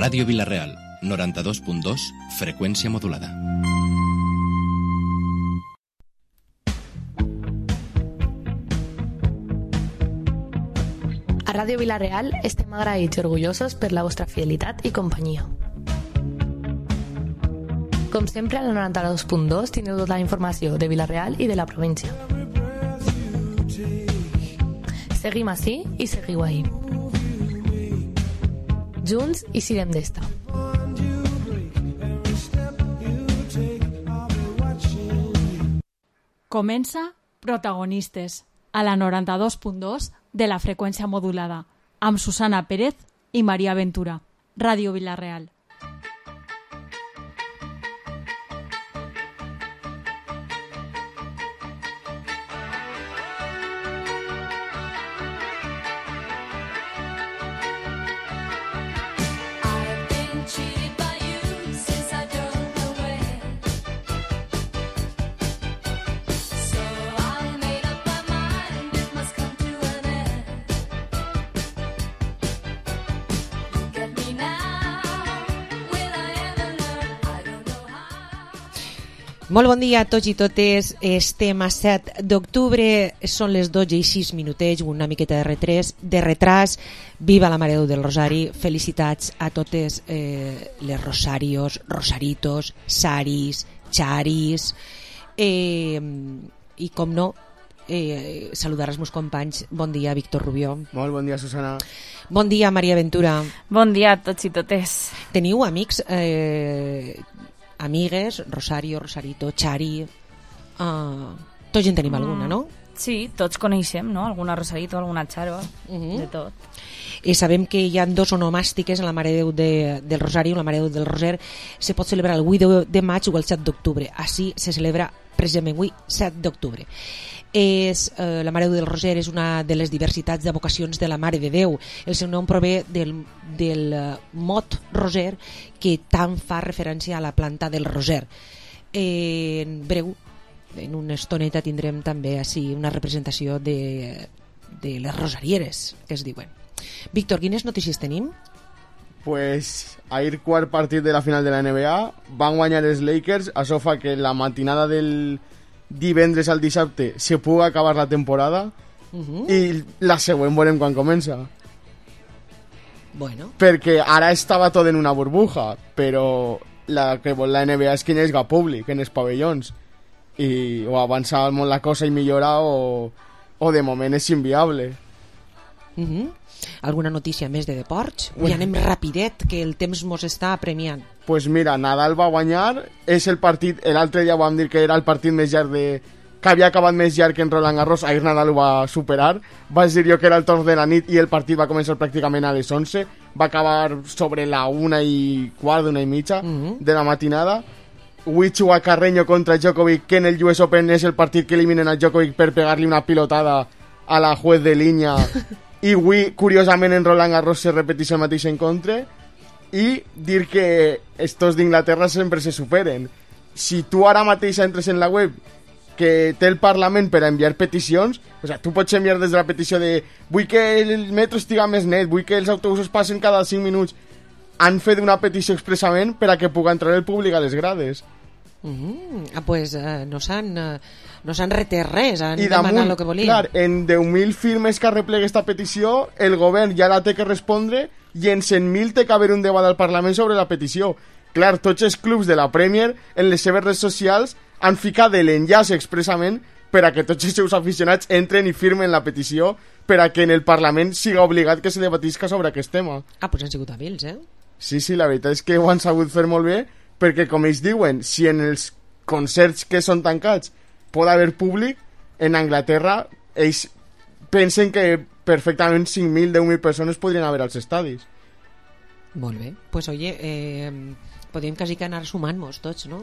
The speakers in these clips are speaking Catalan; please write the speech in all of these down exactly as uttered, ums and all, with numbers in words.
Ràdio Vila-real, noranta-dos punt dos, freqüència modulada. A Ràdio Vila-real estem agraïts i orgullosos per la vostra fidelitat i companyia. Com sempre, a la noranta-dos punt dos teniu tota la informació de Vila-real i de la província. Seguim ací i seguiu ahí. Junts i siguem d'esta. Comença Protagonistes, a la noranta-dos punt dos de la freqüència modulada, amb Susana Pérez i Maria Ventura. Ràdio Vila-real. Molt bon dia a tots i totes. Estem a set d'octubre, són les dotze i sis minutets, una miqueta de retràs, de retràs. Viva la Mare de Déu del Rosari. Felicitats a totes eh, les rosarios, rosaritos, saris, charis. Eh, I com no, eh, saludar els meus companys. Bon dia, Víctor Rubió. Molt bon dia, Susana. Bon dia, Maria Ventura. Bon dia a tots i totes. Teniu amics... Eh, amigues, Rosario, Rosarito, Chari, uh, tots en tenim alguna, no? Sí, tots coneixem, no? Alguna Rosarito, alguna Charo, uh-huh. De tot. I sabem que hi ha dos onomàstiques en la Mare de Déu de, del Rosari, la Mare de Déu del Roser. Se pot celebrar el vuit de maig o el set d'octubre. Així se celebra precisament avui, set d'octubre. És, eh, la Mare de Déu del Roser és una de les diversitats de vocacions de la Mare de Déu. El seu nom prové del, del mot roser, que tant fa referència a la planta del roser. Eh, en breu, en una estoneta tindrem també així una representació de, de les rosarieres, que es diuen. Víctor, quines notícies tenim? Pues ahir quart partit de la final de la N B A, van guanyar els Lakers, això fa que la matinada del divendres al dissabte se pugui acabar la temporada, uh-huh. I la següent veurem quan comença. Bueno. Perquè ara estava tot en una burbuja, però la que vol la N B A és que hi hagi públic en els pavellons, i o avança molt la cosa i millora o, o de moment és inviable. Uh-huh. Alguna notícia més de deports? Bueno. I anem rapidet, que el temps mos està apremiant. Pues mira, Nadal va guanyar, és el partit, l'altre dia vam dir que era el partit més llarg de... que havia acabat més llarg que en Roland Garros, ahir Nadal ho va superar, vaig dir jo que era el torn de la nit i el partit va començar pràcticament a les onze, va acabar sobre la una i quart, una i mitja uh-huh. de la matinada. Avui juga Carreño contra Djokovic, que en el U S Open és el partit que eliminen a Djokovic per pegar-li una pilotada a la juez de línia. I avui, curiosament, en Roland Garros se repeteix el mateix encontre. I dir que estos d'Inglaterra sempre se superen. Si tu ara mateix entres en la web que té el Parlament per a enviar peticions, o sea, tu pots enviar des de la petició de vull que el metro estiga més net, vull que els autobusos passen cada cinc minuts. Han fet una petició expressament per a que pugui entrar el públic a les grades. Mm, ah, pues uh, no s'han uh, no s'han retret res, han demanat el que volien. Clar, en deu mil firmes que arreplega esta petició, el govern ja la té que respondre i en cent mil té que haver un debat al Parlament sobre la petició. Clar, tots els clubs de la Premier en les seves redes socials han ficat l'enllaç expressament per a que tots els seus aficionats entren i firmen la petició per a que en el Parlament siga obligat que se debatisca sobre aquest tema. Ah, pues han sigut hàbils, eh? Sí, sí, la veritat és que ho han sabut fer molt bé, perquè com ells diuen, si en els concerts que són tancats pot haver públic, en Anglaterra ells pensen que perfectament cinc mil, deu mil persones podrien haver als estadis. Molt bé, pues oye, eh, podríem quasi que anar sumant-nos tots, no?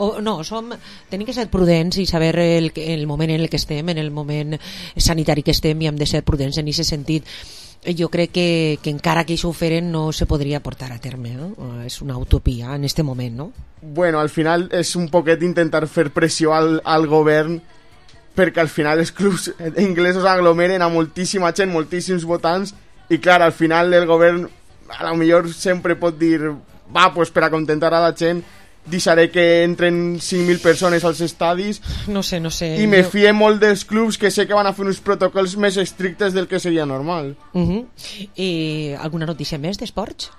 O no, som, tenim que ser prudents i saber el, el moment en el que estem, en el moment sanitari que estem, i hem de ser prudents en aquest sentit. Jo crec que, que encara que això ho feren no se podria portar a terme, no? És una utopia en este moment, no? Bueno, al final és un poquet intentar fer pressió al, al govern, perquè al final els clubs inglesos aglomeren a moltíssima gent, moltíssims votants, i clar, al final el govern a lo millor sempre pot dir va, pues per acontentar a la gent deixaré que entren cinc mil persones als estadis. No sé, no sé. I me jo... fie molt dels clubs que sé que van a fer uns protocols més estrictes del que seria normal. Uh -huh. I alguna notícia més d'esports?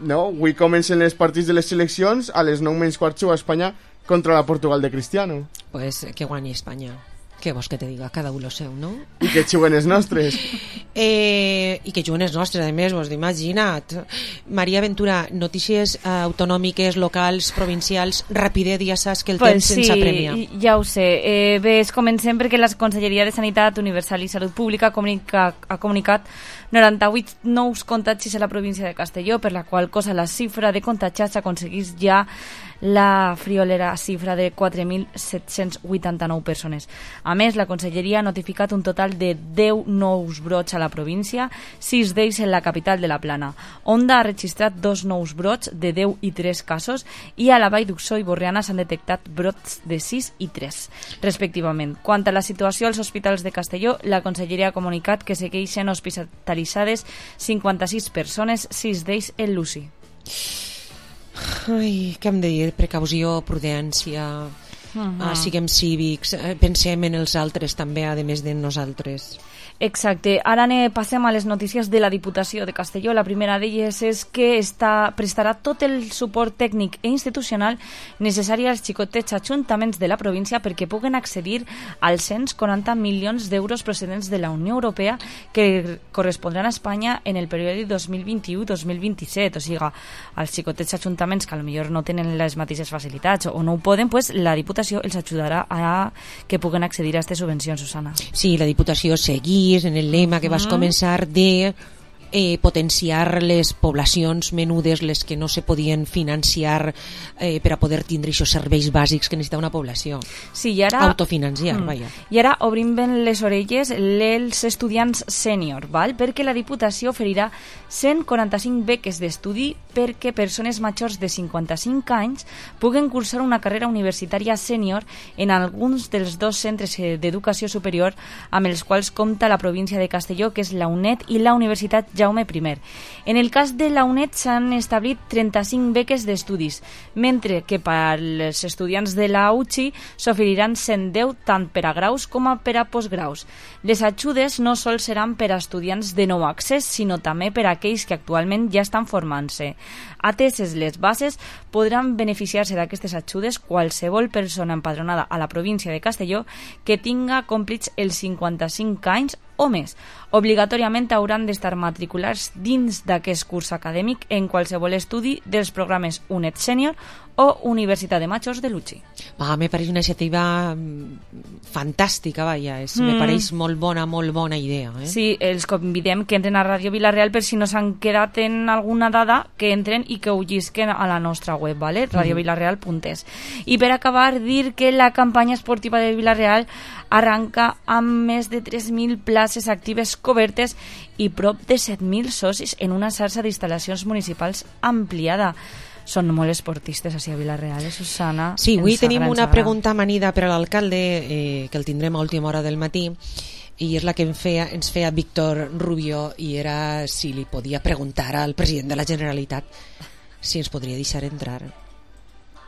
No, avui comencen els partits de les seleccions, a les nou menys quart juga Espanya contra la Portugal de Cristiano. Pues que guanyi Espanya. Què vols que te diga? Cada un lo seu, no? I que juguen els nostres. Eh, I que juguen els nostres, a més, vos imagina't. Maria Ventura, notícies eh, autonòmiques, locals, provincials, rapidet, ja saps que el pues temps sí, sense apremia. Ja ho sé. Eh, bé, comencem perquè la Conselleria de Sanitat Universal i Salut Pública comunica, ha comunicat noranta-vuit nous contagis a la província de Castelló, per la qual cosa la xifra de contagiats aconseguís ja la friolera xifra de quatre mil set-cents vuitanta-nou persones. A més, la Conselleria ha notificat un total de deu nous brots a la província, sis d'ells en la capital de la Plana. Onda ha registrat dos nous brots de deu i tres casos i a la Vall d'Uxó i Borriana s'han detectat brots de sis i tres, respectivament. Quant a la situació als hospitals de Castelló, la Conselleria ha comunicat que segueixen hospitalitzades cinquanta-sis persones, sis d'ells en l'U C I. Ai, què hem de dir? Precaució, prudència, uh -huh. uh, siguem cívics, uh, pensem en els altres també, a més de nosaltres. Exacte. Ara ne passem a les notícies de la Diputació de Castelló. La primera d'elles és que està, prestarà tot el suport tècnic i institucional necessari als xicotets ajuntaments de la província perquè puguen accedir als cent quaranta milions d'euros procedents de la Unió Europea que correspondran a Espanya en el període dos mil vint-i-u dos mil vint-i-set. O sigui, als xicotets ajuntaments que potser no tenen les mateixes facilitats o no ho poden, pues la Diputació els ajudarà a que puguen accedir a aquestes subvencions, Susana. Sí, la Diputació seguís en el lema que vas començar de eh, potenciar les poblacions menudes, les que no se podien financiar eh, per a poder tindre aquests serveis bàsics que necessita una població. Sí, i ara... Autofinanciar, mm. vaja. I ara obrim ben les orelles els estudiants sènior, val? Perquè la Diputació oferirà cent quaranta-cinc beques d'estudi perquè persones majors de cinquanta-cinc anys puguen cursar una carrera universitària sènior en alguns dels dos centres d'educació superior amb els quals compta la província de Castelló, que és la UNED i la Universitat Jaume I. En el cas de la UNED s'han establit trenta-cinc beques d'estudis, mentre que per als estudiants de la U C I s'oferiran cent deu tant per a graus com a per a postgraus. Les ajudes no sols seran per a estudiants de nou accés, sinó també per a aquells que actualment ja estan formant-se. Ateses les bases, podran beneficiar-se d'aquestes ajudes qualsevol persona empadronada a la província de Castelló que tinga complits els cinquanta-cinc anys o més. Obligatòriament hauran d'estar matriculats dins d'aquest curs acadèmic en qualsevol estudi dels programes UNED Sènior o Universitat de Majors de l'U C I. Ah, me pareix una iniciativa fantàstica, vaja, és, mm. me pareix molt bona, molt bona idea. Eh? Sí, els convidem que entren a Ràdio Vila-real per si no s'han quedat en alguna dada, que entren i que ho llisquen a la nostra web, ¿vale? radio vilareal punt es. I per acabar, dir que la campanya esportiva de Vila-real arranca amb més de tres mil places actives cobertes i prop de set mil socis en una xarxa d'instal·lacions municipals ampliada. Són molt esportistes així a Vila-real, eh, Susana? Sí, avui tenim una pregunta amanida per a l'alcalde, eh, que el tindrem a última hora del matí, i és la que em feia, ens feia Víctor Rubio, i era si li podia preguntar al president de la Generalitat si ens podria deixar entrar.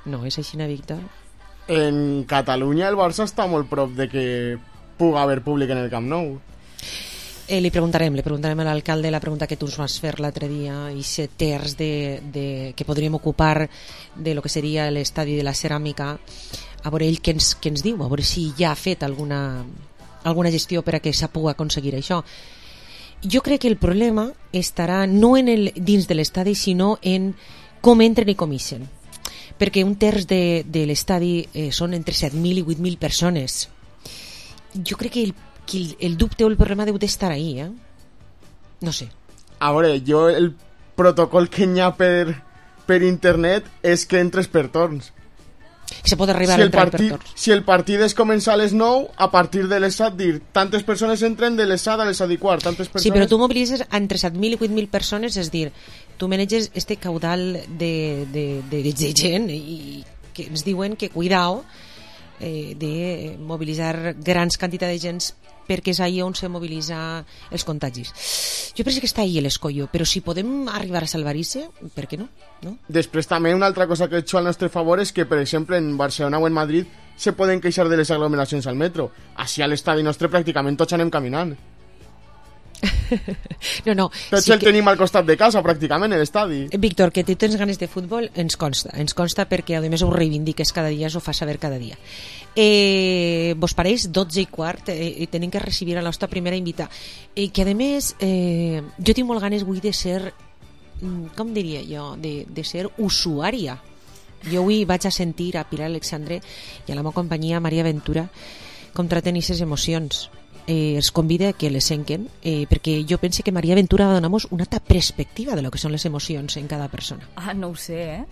No és així, Víctor? En Catalunya el Barça està molt prop de que pugui haver públic en el Camp Nou. Eh, li preguntarem, li preguntarem a l'alcalde la pregunta que tu ens vas fer l'altre dia, i set terç de, de, que podríem ocupar de lo que seria l'estadi de la ceràmica, a veure ell què ens, què ens diu, a veure si ja ha fet alguna, alguna gestió per a que s'ha pogut aconseguir això. Jo crec que el problema estarà no en el, dins de l'estadi, sinó en com entren i com ixen, perquè un terç de, de l'estadi eh, són entre set mil i vuit mil persones. Jo crec que el que el, el dubte o el problema deu d'estar ahí, eh? No sé. A veure, jo el protocol que hi ha per, per internet és que entres per torns. Se pot arribar si a entrar partit, per torns. Si el partit és començar a les nou, a partir de les set dir, tantes persones entren de les set a les set i quart, tantes persones... Sí, però tu mobilitzes entre set mil i vuit mil persones, és dir, tu maneges este caudal de, de, de, de, de gent i que ens diuen que, cuidao, eh, de mobilitzar grans quantitats de gent perquè és ahí on se mobilitza els contagis. Jo penso que està ahí l'escollo, però si podem arribar a salvar-se, per què no? no? Després també una altra cosa que he hecho al nostre favor és que, per exemple, en Barcelona o en Madrid se poden queixar de les aglomeracions al metro. Així a l'estadi nostre pràcticament tots anem caminant. No, no. Tots sí el que... tenim al costat de casa, pràcticament, a l'estadi. Víctor, que tu tens ganes de futbol, ens consta. Ens consta perquè, a més, ho reivindiques cada dia, ho fas saber cada dia. Eh, vos pareix dotze i quart eh, i tenim que recibir a la nostra primera invitada. Eh, que, a més, eh, jo tinc molt ganes avui de ser, com diria jo, de, de ser usuària. Jo avui vaig a sentir a Pilar Alexandre i a la meva companyia Maria Ventura com traten aquestes emocions. Eh, els convida que les senquen eh, perquè jo penso que Maria Ventura va donar-nos una altra perspectiva de lo que són les emocions en cada persona. Ah, no ho sé, eh?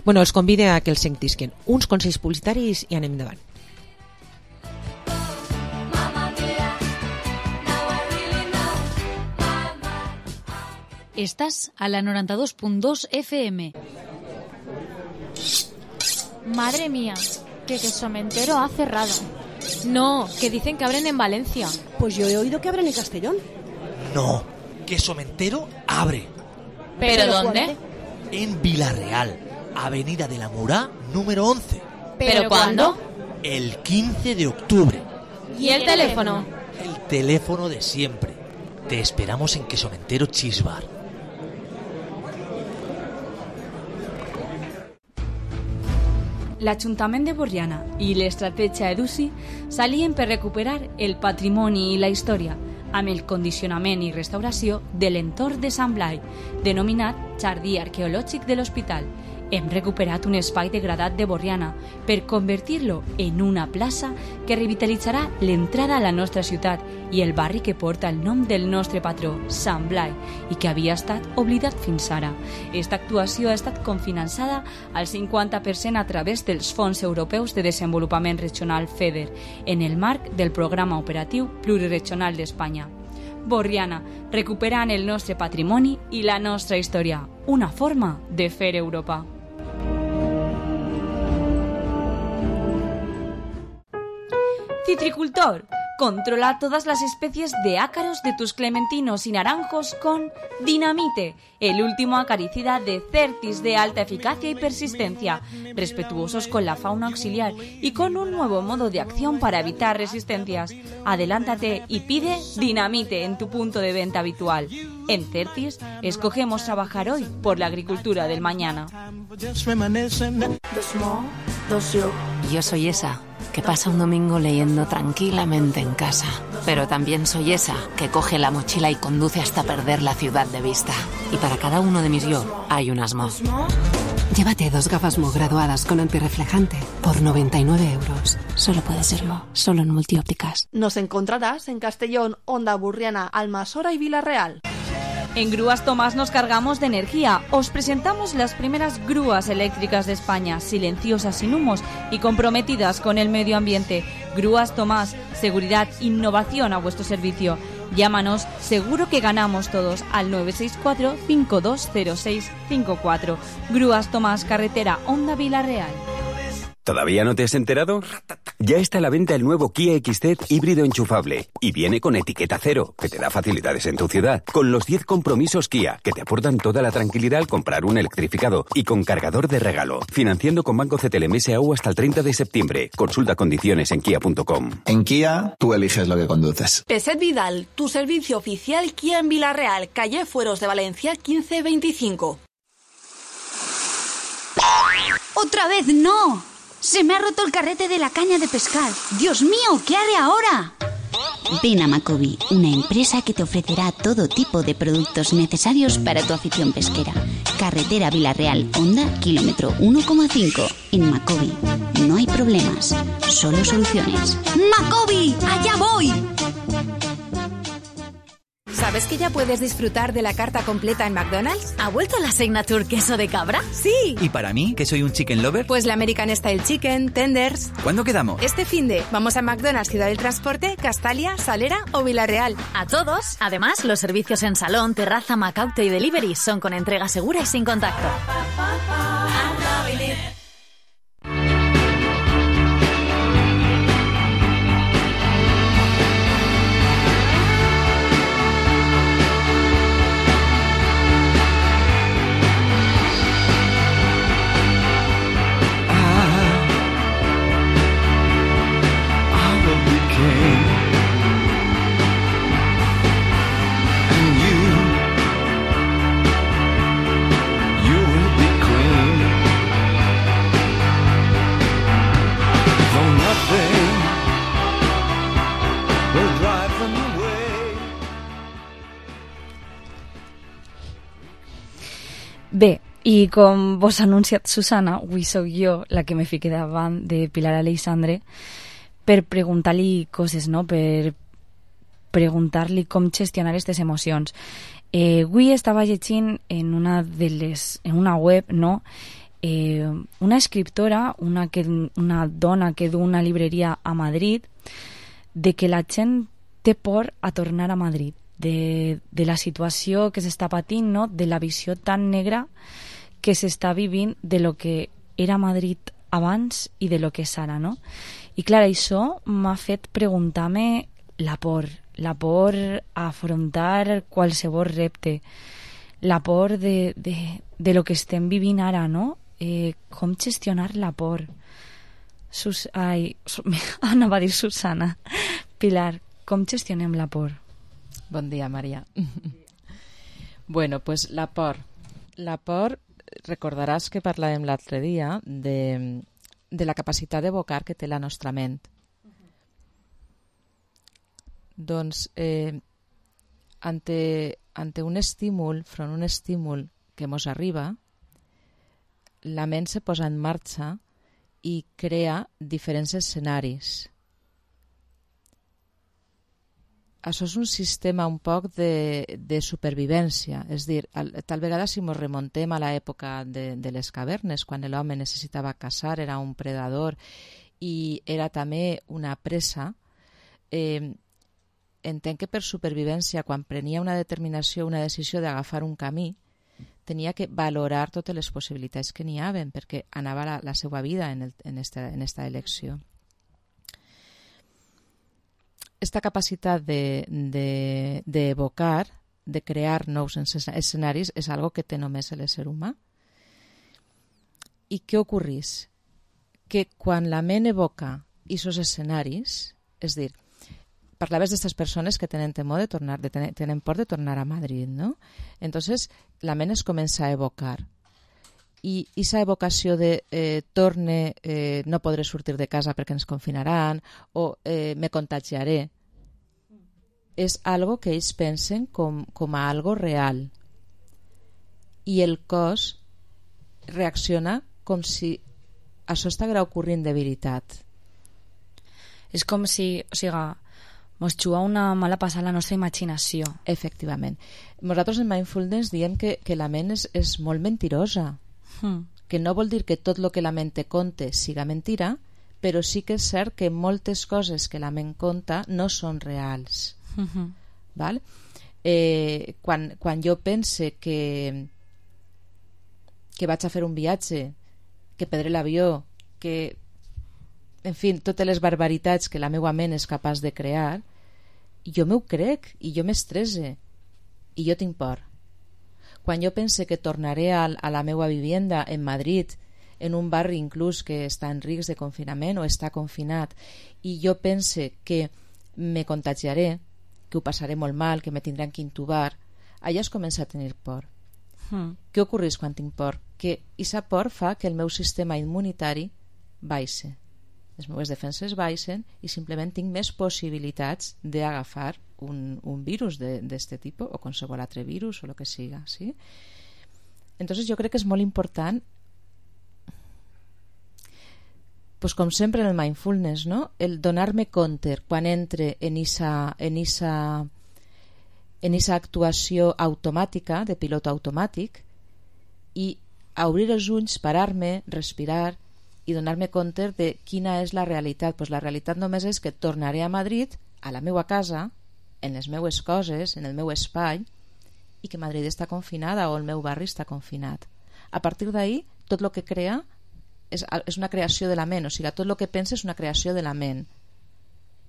Bueno, els convida a que els sentisquen. Uns consells publicitaris i anem endavant. Estás a la noventa y dos punto dos F M. Madre mía, que Quesomentero ha cerrado. No, que dicen que abren en Valencia. Pues yo he oído que abren en Castellón. No, Quesomentero abre. ¿Pero, ¿Pero dónde? En Vilarreal, Avenida de la Murá, número once. ¿Pero cuándo? El quince de octubre. ¿Y el teléfono? El teléfono de siempre. Te esperamos en Quesomentero Cheese Bar. L'Ajuntament de Borriana i l'estratègia EDUSI s'alien per recuperar el patrimoni i la història amb el condicionament i restauració de l'entorn de Sant Blai, denominat Jardí Arqueològic de l'Hospital. Hem recuperat un espai degradat de Borriana per convertir-lo en una plaça que revitalitzarà l'entrada a la nostra ciutat i el barri que porta el nom del nostre patró, Sant Blai, i que havia estat oblidat fins ara. Esta actuació ha estat cofinançada al cinquanta per cent a través dels Fons Europeus de Desenvolupament Regional FEDER, en el marc del Programa Operatiu Pluriregional d'Espanya. Borriana, recuperant el nostre patrimoni i la nostra història. Una forma de fer Europa. Citricultor, controla todas las especies de ácaros de tus clementinos y naranjos con Dinamite, el último acaricida de Certis de alta eficacia y persistencia, respetuosos con la fauna auxiliar y con un nuevo modo de acción para evitar resistencias. Adelántate y pide Dinamite en tu punto de venta habitual. En Certis, escogemos trabajar hoy por la agricultura del mañana. Dos mo, dos yo. Yo soy esa que pasa un domingo leyendo tranquilamente en casa. Pero también soy esa que coge la mochila y conduce hasta perder la ciudad de vista. Y para cada uno de mis yo hay unas Mo. Llévate dos gafas Mo graduadas con antirreflejante por noventa y nueve euros. Solo puede ser Mo, solo en Multiópticas. Nos encontrarás en Castellón, Onda Burriana, Almasora y Vilarreal. En Grúas Tomás nos cargamos de energía. Os presentamos las primeras grúas eléctricas de España, silenciosas, sin humos y comprometidas con el medio ambiente. Grúas Tomás, seguridad, innovación a vuestro servicio. Llámanos, seguro que ganamos todos, al nueve seis cuatro, cinco dos cero seis cinco cuatro. Grúas Tomás, carretera Onda Vilarreal. ¿Todavía no te has enterado? Ya está a la venta el nuevo Kia X C híbrido enchufable y viene con etiqueta cero, que te da facilidades en tu ciudad, con los diez compromisos Kia, que te aportan toda la tranquilidad al comprar un electrificado y con cargador de regalo, financiando con Banco C T L M S A U hasta el treinta de septiembre. Consulta condiciones en kia punto com. En Kia, tú eliges lo que conduces. Peset Vidal, tu servicio oficial Kia en Vilarreal, calle Fueros de Valencia quince veinticinco. ¡Otra vez no! ¡Se me ha roto el carrete de la caña de pescar! ¡Dios mío! ¿Qué haré ahora? Ven a Macobi, una empresa que te ofrecerá todo tipo de productos necesarios para tu afición pesquera. Carretera Vilarreal, Honda, kilómetro uno coma cinco. En Macobi no hay problemas, solo soluciones. ¡Macobi! ¡Allá voy! ¿Sabes que ya puedes disfrutar de la carta completa en McDonald's? ¿Ha vuelto la Signature queso de cabra? ¡Sí! ¿Y para mí, que soy un chicken lover? Pues la American Style Chicken, Tenders... ¿Cuándo quedamos? Este finde, vamos a McDonald's Ciudad del Transporte, Castalia, Salera o Vilarreal. A todos. Además, los servicios en salón, terraza, Macaute y delivery son con entrega segura y sin contacto. I com vos ha anunciat Susana, avui sóc jo la que me fique davant de Pilar Aleixandre per preguntar-li coses, no? Per preguntar-li com gestionar aquestes emocions. Eh, avui estava llegint en una de les, en una web, no? Eh, una escriptora, una, que, una dona que du una libreria a Madrid, de que la gent té por a tornar a Madrid, de, de la situació que s'està patint, no? De la visió tan negra que s'està vivint de lo que era Madrid abans i de lo que és ara, no? I clar, això m'ha fet preguntar-me la por, la por a afrontar qualsevol repte, la por de, de, de lo que estem vivint ara, no? Eh, com gestionar la por. Sus... Ai, su... anava a dir Susana. Pilar, com gestionem la por? Bon dia, Maria. Bueno, pues la por. La por, recordaràs que parlàvem l'altre dia de, de la capacitat d'evocar que té la nostra ment. Uh-huh. Doncs, eh, ante, ante un estímul, front un estímul que mos arriba, la ment se posa en marxa i crea diferents escenaris. Això és un sistema un poc de, de supervivència, és dir, tal vegada si ens remontem a l'època de, de les cavernes, quan l'home necessitava caçar, era un predador i era també una presa, eh, entenc que per supervivència, quan prenia una determinació, una decisió d'agafar un camí, tenia que valorar totes les possibilitats que n'hi havia, perquè anava la, la seva vida en, el, en, esta, en esta elecció. Esta capacitat d'evocar, de, de, de crear nous escenaris, és algo que té només l'ésser humà. I què ocorreix? Que quan la ment evoca aquests escenaris, és dir, parlaves d'aquestes persones que tenen temor de tornar, de ten, tenen por de tornar a Madrid, ¿no? Entonces, la ment es comença a evocar. I aquesta evocació de eh, torne, eh, no podré sortir de casa perquè ens confinaran, o eh, me contagiaré, és algo que ells pensen com, com a algo real. I el cos reacciona com si això estigués ocorrent de veritat. És com si, o sigui, mos juga una mala passada la nostra imaginació. Efectivament. Nosaltres en Mindfulness diem que, que la ment és, és molt mentirosa. Hmm. Que no vol dir que tot el que la ment te conte siga mentira, però sí que és cert que moltes coses que la ment conta no són reals. Uh-huh. Val? Eh, quan, quan jo pense que que vaig a fer un viatge, que perdré l'avió, que en fi, totes les barbaritats que la meva ment és capaç de crear, jo m'ho crec i jo m'estresse i jo tinc por. Quan jo pense que tornaré a, a la meva vivienda en Madrid, en un barri inclús que està en risc de confinament o està confinat, i jo pense que me contagiaré, que ho passaré molt mal, que me tindran que intubar, allà es comença a tenir por. Hmm. Què ocorreix quan tinc por? Que aquesta por fa que el meu sistema immunitari baixe. Les meves defenses baixen i simplement tinc més possibilitats d'agafar un, un virus d'aquest tipus o qualsevol altre virus o el que siga, ¿sí? Entonces jo crec que és molt important, pues com sempre en el mindfulness, ¿no? El donar-me compte quan entre en esa, en esa, en esa actuació automàtica, de pilot automàtic, i a obrir els ulls, parar-me, respirar i donar-me compte de quina és la realitat. Pues la realitat només és que tornaré a Madrid, a la meva casa, en les meues coses, en el meu espai, i que Madrid està confinada o el meu barri està confinat. A partir d'ahí, tot el que crea és, és una creació de la ment, o sigui, tot el que pensa és una creació de la ment.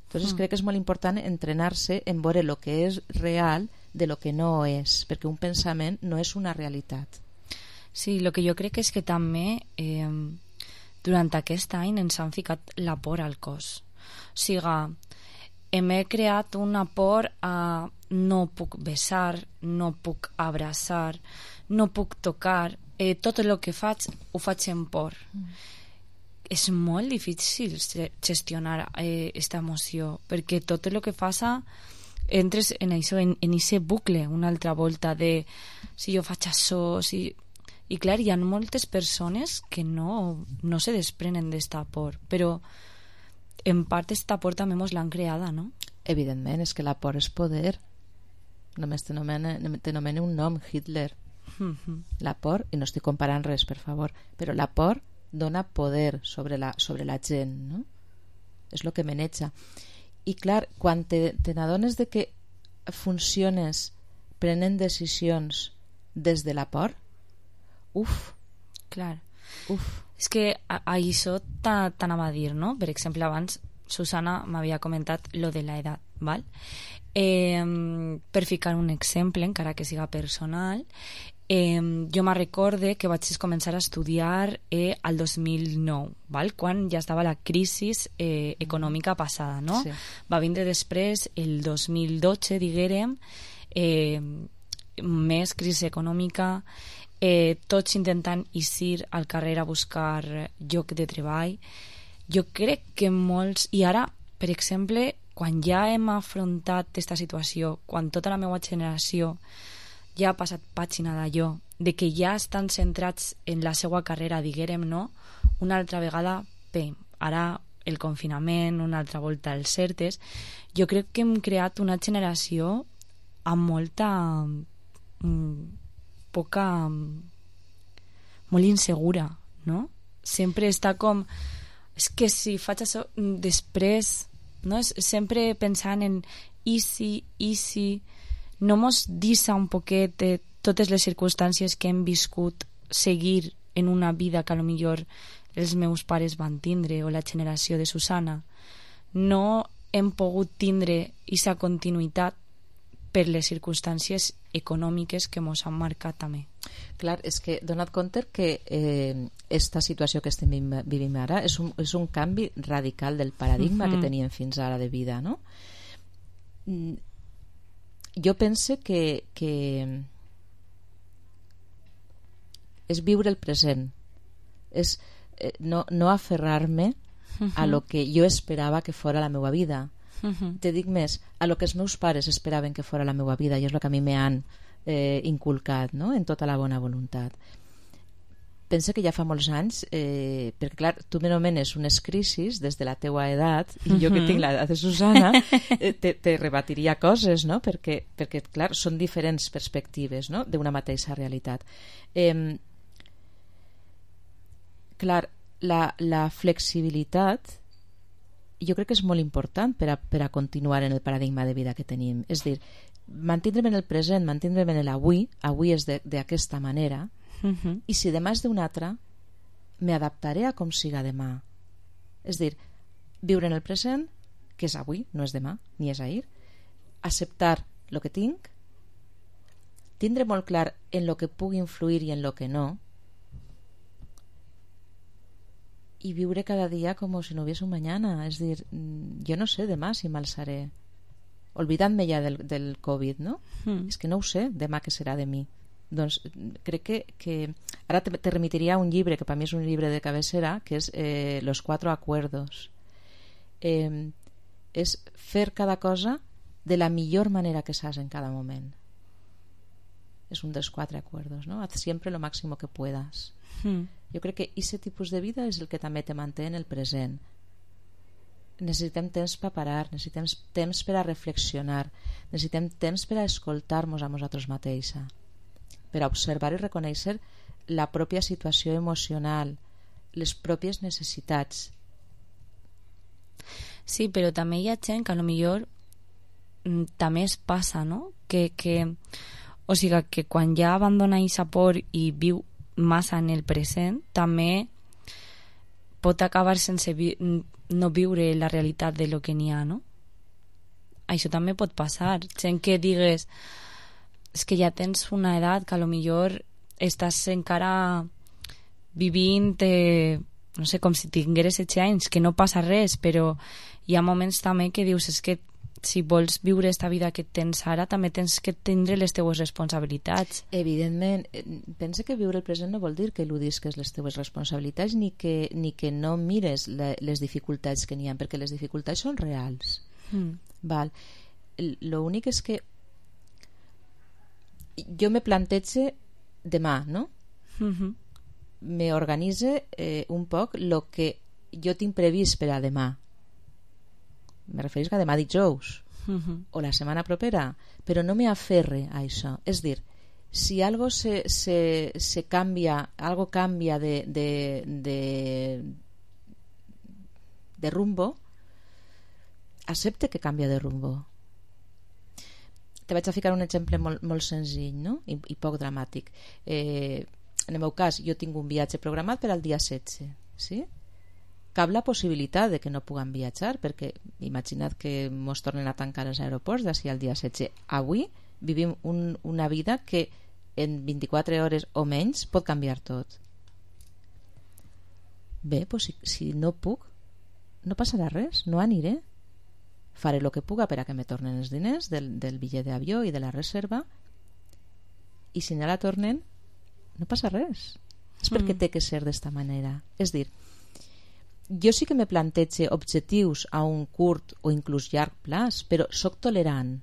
Entonces mm. crec que és molt important entrenar-se en veure el que és real de lo que no és, perquè un pensament no és una realitat. Sí, el que jo crec és que també eh, durant aquest any ens han ficat la por al cos. O sigui, hem creat una por a no puc besar, no puc abraçar, no puc tocar, eh, tot el que faig ho faig en por. Mm. És molt difícil gestionar aquesta eh, emoció, perquè tot el que fas entres en això, en, en aquest bucle una altra volta de si jo faig això, si... I clar, hi ha moltes persones que no, no se desprenen d'esta por, però en part esta por també mos l'han creada, no? Evidentment, és que la por és poder. Només t'anomena un nom, Hitler. Mm-hmm. La por, i no estic comparant res, per favor, però la por dona poder sobre la, sobre la gent, no? És el que maneja. I clar, quan te, te n'adones de que funciones prenent decisions des de la por, uf, clar, uf. És que a, a això t'anava a dir, no? Per exemple, abans Susana m'havia comentat lo de l'edat, val? Eh, per ficar un exemple, encara que siga personal, eh, jo me recorde que vaig començar a estudiar eh, al dos mil nou, val? Quan ja estava la crisi eh, econòmica passada, no? Sí. Va vindre després el dos mil dotze, diguérem, eh, més crisi econòmica, eh, tots intentant eixir al carrer a buscar lloc de treball. Jo crec que molts... I ara, per exemple, quan ja hem afrontat aquesta situació, quan tota la meva generació ja ha passat pàgina d'allò, de que ja estan centrats en la seva carrera, diguérem, no? Una altra vegada, pem, ara el confinament, una altra volta els certes, jo crec que hem creat una generació amb molta... Mm, poca... molt insegura, no? Sempre està com... És que si faig això després, no? És sempre pensant en easy, easy, no mos deixa un poquet de totes les circumstàncies que hem viscut seguir en una vida que a lo millor els meus pares van tindre o la generació de Susana. No hem pogut tindre aquesta continuïtat per les circumstàncies econòmiques que mos han marcat també. Clar, és que donat compte que eh, esta situació que estem vivint ara és un, és un canvi radical del paradigma mm-hmm. que teníem fins ara de vida, no? Jo pense que, que és viure el present, és eh, no, no aferrar-me mm-hmm. a lo que jo esperava que fora la meva vida. Uh-huh. Te dic més, a lo que els meus pares esperaven que fora la meva vida, i és el que a mi m'han eh, inculcat, no? En tota la bona voluntat. Pense que ja fa molts anys, eh, perquè clar, tu m'anomenes unes crisis des de la teua edat, i jo que tinc l'edat de Susana eh, te, te rebatiria coses, no? Perquè, perquè clar, són diferents perspectives, no? D'una mateixa realitat. Eh, clar, la, la flexibilitat jo crec que és molt important per a, per a continuar en el paradigma de vida que tenim. És dir, mantindre'm en el present, mantindre'm en l'avui, avui és d'aquesta manera, uh-huh. i si demà és d'una altra, m'adaptaré a com siga demà. És dir, viure en el present, que és avui, no és demà, ni és ahir, acceptar el que tinc, tindre molt clar en el que pugui influir i en el que no, i viure cada dia com si no hubiese un mañana. És dir, jo no sé demà si m'alçaré, olvidant-me ja del, del Covid, no? Mm. És que no ho sé demà què serà de mi. Doncs crec que, que ara te, te remitiria a un llibre que per mi és un llibre de cabecera, que és eh, Los Cuatro Acuerdos. Eh, és fer cada cosa de la millor manera que saps en cada moment. És un dels quatre acuerdos, no? Haz siempre lo máximo que puedas. Mm. Jo crec que aquest tipus de vida és el que també te manté en el present. Necessitem temps per parar, necessitem temps per a reflexionar, necessitem temps per a escoltar-nos a nosaltres mateixa, per a observar i reconèixer la pròpia situació emocional, les pròpies necessitats. Sí, però també hi ha gent que a lo millor també es passa, no? Que, que, o sigui, que quan ja abandona aquesta por i viu massa en el present, també pot acabar sense vi no viure la realitat de lo que n'hi ha, no? Això també pot passar. Gent que digues és que ja tens una edat que a lo millor estàs encara vivint eh, no sé, com si tingueres setze anys, que no passa res, però hi ha moments també que dius és que si vols viure esta vida que tens ara, també tens que tindre les teues responsabilitats. Evidentment, pense que viure el present no vol dir que eludisques les teues responsabilitats ni que, ni que no mires la, les dificultats que n'hi ha, perquè les dificultats són reals. Mm. Val. L'únic és que jo me plantege demà, no? Mhm. me organitze eh, un poc el que jo tinc previst per a demà. Me referís a demà dijous Mhm. o la setmana propera, però no me aferre a això. És dir, si algo se, se, se canvia, algo canvia de, de, de, de rumbo, accepte que canvia de rumbo. Te vaig a ficar un exemple molt, molt senzill, no? I, i poc dramàtic. Eh, en el meu cas, jo tinc un viatge programat per al dia setze, sí? Cap la possibilitat de que no puguem viatjar, perquè imagina't que mos tornen a tancar els aeroports d'ací al dia setze. Avui vivim un, una vida que en vint-i-quatre hores o menys pot canviar tot. Bé, doncs si, si no puc, no passarà res, no aniré. Faré el que puga per a que me tornen els diners del, del bitllet d'avió i de la reserva, i si no la tornen, no passa res. És perquè té que ser d'esta manera. És dir, jo sí que me plantejo objectius a un curt o inclús llarg plaç, però sóc tolerant.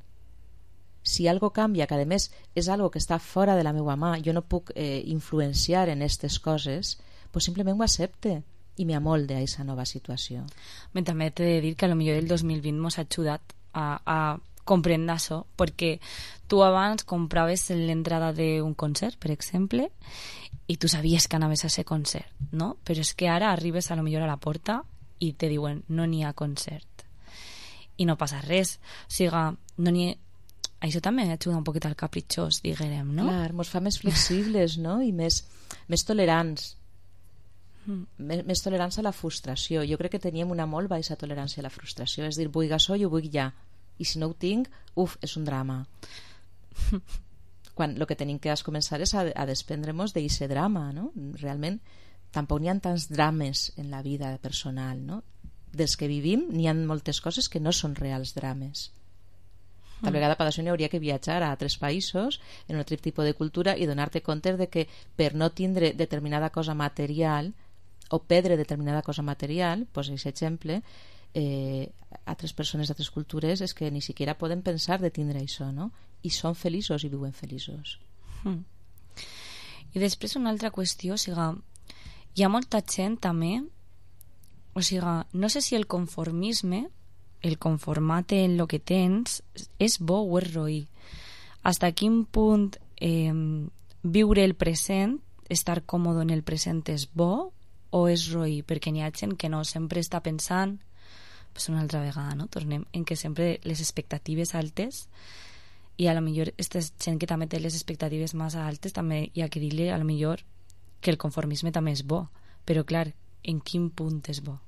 Si algo canvia, que a més és algo que està fora de la meva mà, jo no puc eh, influenciar en aquestes coses, pues simplement ho accepte i me amolde a aquesta nova situació. Me també t'he de dir que a lo millor el dos mil vint mos ha ajudat a, a comprendre això, perquè tu abans compraves l'entrada d'un concert, per exemple, i tu sabies que anaves a ser concert, no? Però és que ara arribes a lo millor a la porta i te diuen no n'hi ha concert i no passa res, o sigui, no n'hi ha... Això també ajuda un poquet al capritxós, diguem, no? Clar, mos fa més flexibles, no? I més, més tolerants. Mm. Més, més tolerants a la frustració. Jo crec que teníem una molt baixa tolerància a la frustració. És dir, vull això, jo vull ja. I si no ho tinc, uf, és un drama. Quan el que tenim que començar és a, a desprendre-nos d'aquest drama, no? Realment, tampoc n'hi ha tants drames en la vida personal, no? Dels que vivim, n'hi ha moltes coses que no són reals drames. Tal vegada per això n'hi hauria que viatjar a altres països en un altre tipus de cultura i donar-te compte de que per no tindre determinada cosa material o perdre determinada cosa material, pues aquest exemple, eh, altres persones d'altres cultures és que ni siquiera poden pensar de tindre això, no? I són feliços i viuen feliços. Mm. I després una altra qüestió, o sigui, hi ha molta gent també, o sigui, no sé si el conformisme, el conformar-te en el que tens és bo o és roí. Hasta quin punt eh, viure el present, estar còmode en el present és bo o és roí? Perquè n'hi ha gent que no, sempre està pensant, pues una altra vegada, no? Tornem en que sempre les expectatives altes, i a lo millor aquesta gent que també té les expectatives massa altes, també hi ha que dir-li a lo millor que el conformisme també és bo, però clar, en quin punt és bo?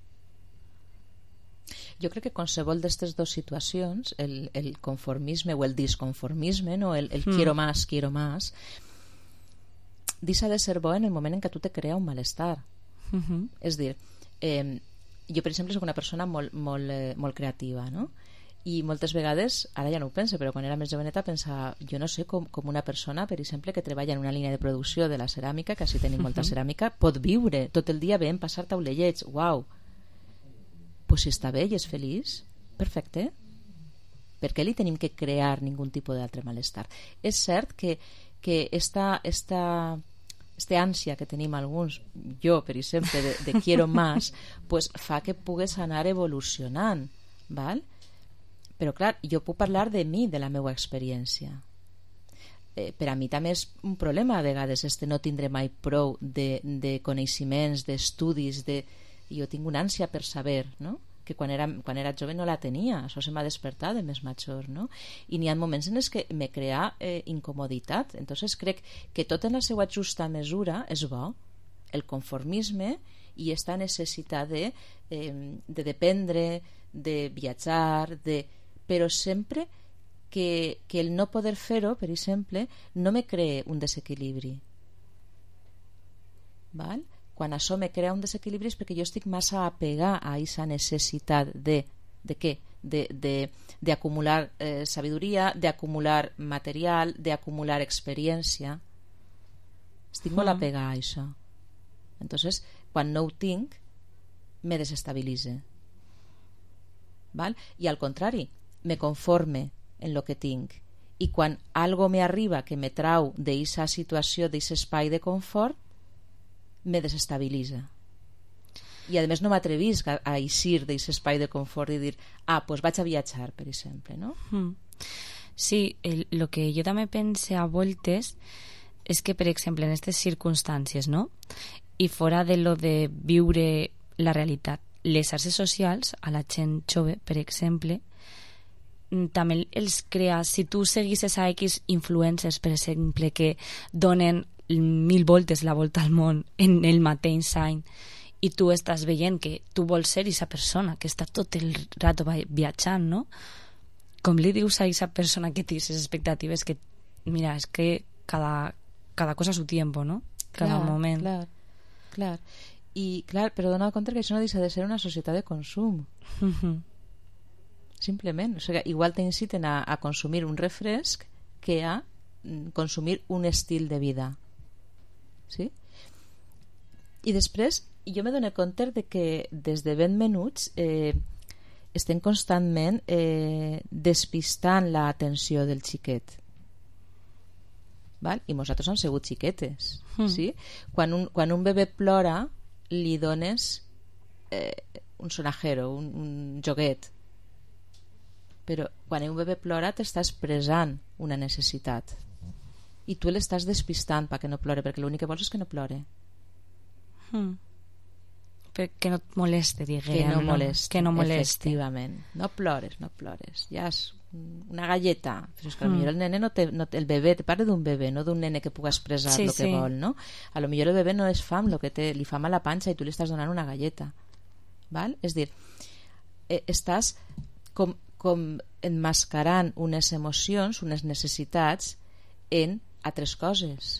Jo crec que qualsevol d'aquestes dues situacions, el, el conformisme o el disconformisme, no? el, el mm. quiero más, quiero más, deixa de ser bo en el moment en què tu te crea un malestar. Mm-hmm. És dir, eh, jo per exemple soc una persona molt, molt, eh, molt creativa, no? I moltes vegades, ara ja no ho penso, però quan era més joveneta pensava, jo no sé com, com una persona, per exemple, que treballa en una línia de producció de la ceràmica, que així tenim molta ceràmica, pot viure tot el dia veient passar taulellets, uau. Pues si està bé i és feliç, perfecte. Per què li tenim que crear ningun tipus d'altre malestar? És cert que, que esta, esta, esta ànsia que tenim alguns, jo per exemple, de, de quiero más, pues fa que pugues anar evolucionant, val? Però clar, jo puc parlar de mi, de la meva experiència. Eh, per a mi també és un problema a vegades este no tindre mai prou de, de coneixements, d'estudis, de... jo tinc una ànsia per saber, no? Que quan era, quan era jove no la tenia, això se m'ha despertat de més major, no? I n'hi ha moments en els que me crea eh, incomoditat. Entonces crec que tot en la seva justa mesura és bo, el conformisme i esta necessitat de, eh, de dependre, de viatjar, de... però sempre que, que el no poder fer-ho, per exemple, no me cree un desequilibri. Val? Quan això me crea un desequilibri és perquè jo estic massa apegada a aquesta necessitat de, de què? De, de, d'acumular eh, sabidoria, d'acumular material, d'acumular experiència. Estic molt apegada a això. Entonces, quan no ho tinc, me desestabilitza. Val? I al contrari, me conforme en lo que tinc. I quan algo me arriba que me trau d'aquesta situació, d'aquest espai de confort, me desestabilitza. I a més no m'atrevisc a, a eixir d'aquest espai de confort i dir, ah, doncs vaig a viatjar, per exemple, no? Mm. Sí, el, lo que jo també pense a voltes és que, per exemple, en aquestes circumstàncies, no? I fora de lo de viure la realitat, les xarxes socials, a la gent jove, per exemple, també els crea, si tu seguisses a X influencers, per exemple, que donen mil voltes la volta al món en el mateix any, i tu estàs veient que tu vols ser aquesta persona que està tot el rato viatjant, no? Com li dius a aquesta persona que té aquestes expectatives que, mira, és que cada, cada cosa a su tiempo, no? Cada clar, moment. Clar, clar. I, clar, però dona compte que això no deixa de ser una societat de consum. Mm-hmm. Simplement. O sigui, igual t'inciten a, a consumir un refresc que a consumir un estil de vida. Sí? I després jo me dono compte de que des de ben menuts eh, estem constantment eh, despistant l'atenció del xiquet, val? I nosaltres hem sigut xiquetes, mm. sí? Quan un, quan un bebè plora li dones eh, un sonajero, un, un joguet, però quan un bebè plora t'està expressant una necessitat i tu l'estàs despistant perquè no plore, perquè l'únic que vols és que no plore. Mm. Que no et moleste, diguem. Que no moleste, que no moleste. Efectivament. No plores, no plores. Ja és una galleta. Però és que mm. potser el nene no té, no té, el bebè, te parla d'un bebè, no d'un nene que pugui expressar sí, el que sí. vol, no? A lo millor el bebè no és fam, lo que té, li fam a la panxa i tu li estàs donant una galleta. Val? És dir, eh, estàs com, com enmascarant unes emocions, unes necessitats en altres coses.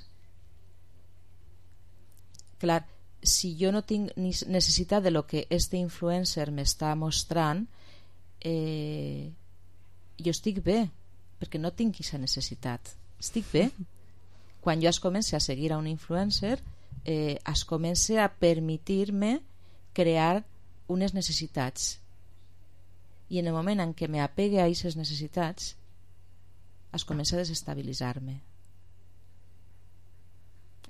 Clar, si jo no tinc necessitat de lo que este influencer m'està mostrant, eh, jo estic bé, perquè no tinc aquesta necessitat. Estic bé. Quan jo es comenci a seguir a un influencer, eh, es comenci a permetir-me crear unes necessitats. I en el moment en què m'apegue a aquestes necessitats, es comença a desestabilitzar-me.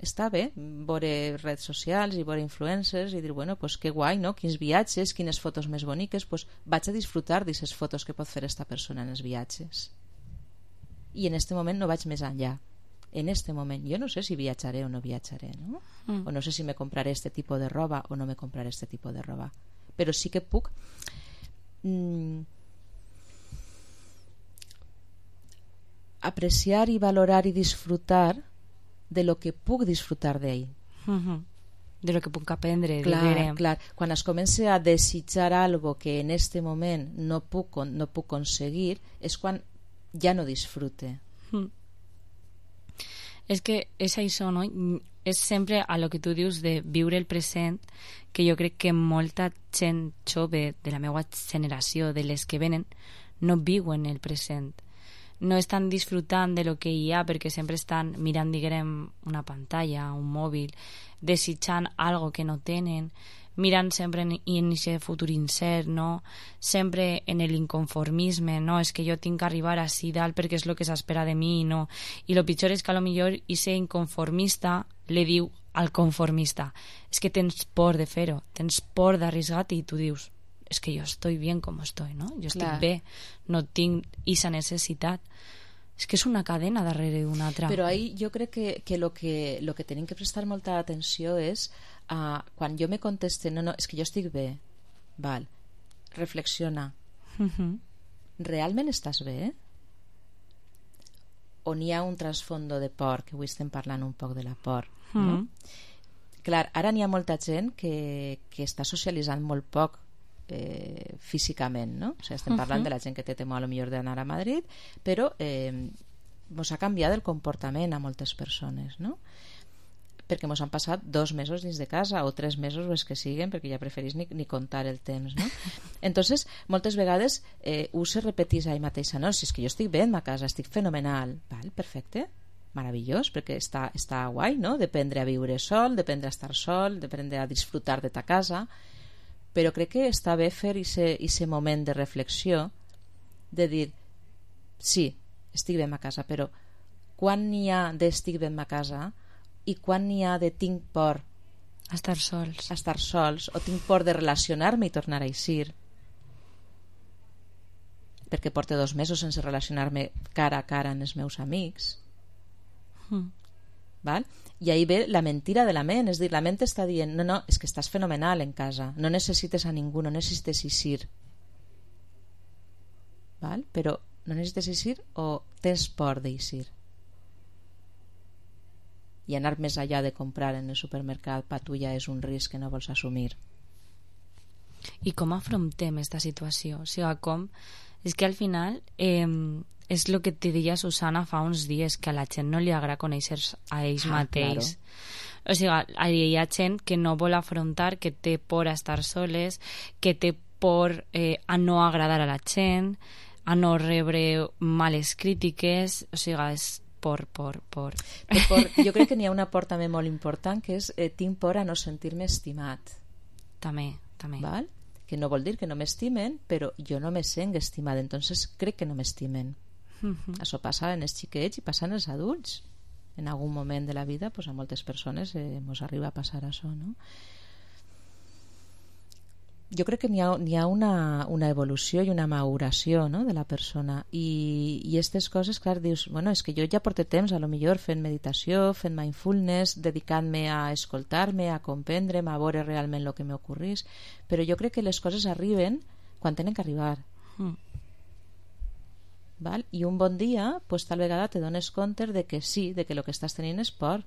Està bé veure redes socials i veure influencers i dir, bueno, pues que guai, no? Quins viatges, quines fotos més boniques, pues vaig a disfrutar d'aquestes fotos que pot fer esta persona en els viatges. I en este moment no vaig més enllà. En este moment jo no sé si viatjaré o no viatjaré, no? Mm. O no sé si me compraré este tipus de roba o no me compraré este tipus de roba. Però sí que puc mm, apreciar i valorar i disfrutar de lo que puc disfrutar d'ell. Uh-huh. De lo que puc aprendre. Clar, clar. Quan es comença a desitjar algo que en este moment no puc, no puc aconseguir, és quan ja no disfrute. Mm. És que és això, no? És sempre a lo que tu dius de viure el present, que jo crec que molta gent jove de la meva generació, de les que venen, no viuen el present. No estan disfrutant de lo que hi ha perquè sempre estan mirant, diguem, una pantalla, un mòbil, desitjant algo que no tenen, mirant sempre en, en aquest futur incert, no? Sempre en l'inconformisme, no? És que jo tinc que arribar així dalt perquè és el que s'espera de mi, no? I el pitjor és que a lo millor ese inconformista li diu al conformista, és que tens por de fer-ho, tens por d'arriscar-te i tu dius, és que jo estoy bien com estoy, no? Jo estic Clar. bé, no tinc aquesta necessitat. És que és una cadena darrere d'una altra. Però ahí jo crec que, que, lo que lo que tenim que prestar molta atenció és uh, quan jo me conteste, no, no, és que jo estic bé, val, reflexiona. Uh-huh. Realment estàs bé? O n'hi ha un trasfondo de por, que avui estem parlant un poc de la por, uh-huh. no? Clar, ara n'hi ha molta gent que, que està socialitzant molt poc eh, físicament, no? O sigui, estem parlant uh-huh. de la gent que té temor a lo millor d'anar a Madrid, però eh, mos ha canviat el comportament a moltes persones, no? Perquè mos han passat dos mesos dins de casa o tres mesos o els que siguen, perquè ja preferís ni, ni comptar el temps, no? Entonces, moltes vegades eh, ho se repetís a ell mateixa, no? Si és que jo estic bé en ma casa, estic fenomenal, val, perfecte, meravellós, perquè està, està guai, no? D'aprendre a viure sol, d'aprendre a estar sol, d'aprendre a disfrutar de ta casa, però crec que està bé fer aquest moment de reflexió, de dir, sí, estic bé a ma casa, però quan n'hi ha d'estic bé a ma casa i quan n'hi ha de tinc por A estar sols. A estar sols, o tinc por de relacionar-me i tornar a eixir. Perquè porto dos mesos sense relacionar-me cara a cara amb els meus amics. Mm. Val? I ahí ve la mentira de la ment, és dir, la ment està dient, no, no, és que estàs fenomenal en casa, no necessites a ningú, no necessites eixir. Val? Però no necessites eixir o tens por d'eixir? I anar més allà de comprar en el supermercat per tu ja és un risc que no vols assumir. I com afrontem aquesta situació? O sigui, com... És que al final eh, és el que te deia Susana fa uns dies, que a la gent no li agrada conèixer a ells ah, mateix. Claro. O sigui, hi ha gent que no vol afrontar, que té por a estar soles, que té por eh, a no agradar a la gent, a no rebre males crítiques, o sigui, és por, por, por. por, por. Jo crec que n'hi ha una por també molt important, que és eh, tinc por a no sentir-me estimat. També, també. Val? Que no vol dir que no m'estimen, però jo no me sent estimada, entonces crec que no m'estimen. Uh-huh. Això passa en els xiquets i passa en els adults. En algun moment de la vida, pues, a moltes persones eh, ens arriba a passar això, no? Jo crec que n'hi ha, n'hi ha una, una evolució i una maduració, no?, de la persona, i, i aquestes coses, clar, dius, bueno, és que jo ja porto temps a lo millor fent meditació, fent mindfulness, dedicant-me a escoltar-me, a comprendre'm, a veure realment el que m'ocorrís, però jo crec que les coses arriben quan tenen que arribar. Mm. Val? I un bon dia, pues, tal vegada te dones compte de que sí, de que el que estàs tenint és por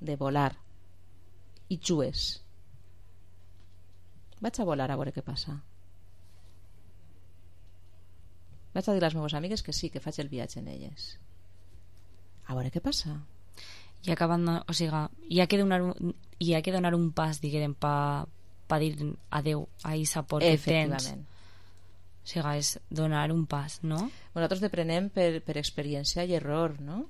de volar, i jugues. Vaig a volar a veure què passa. Vaig a dir a les meves amigues que sí, que faig el viatge en elles. A veure què passa. I acabant, o sigui, hi ha que donar un, hi ha que donar un pas, diguem, pa, pa dir adeu a aquesta por que tens. O sigui, és donar un pas, no? Nosaltres deprenem per, per experiència i error, no?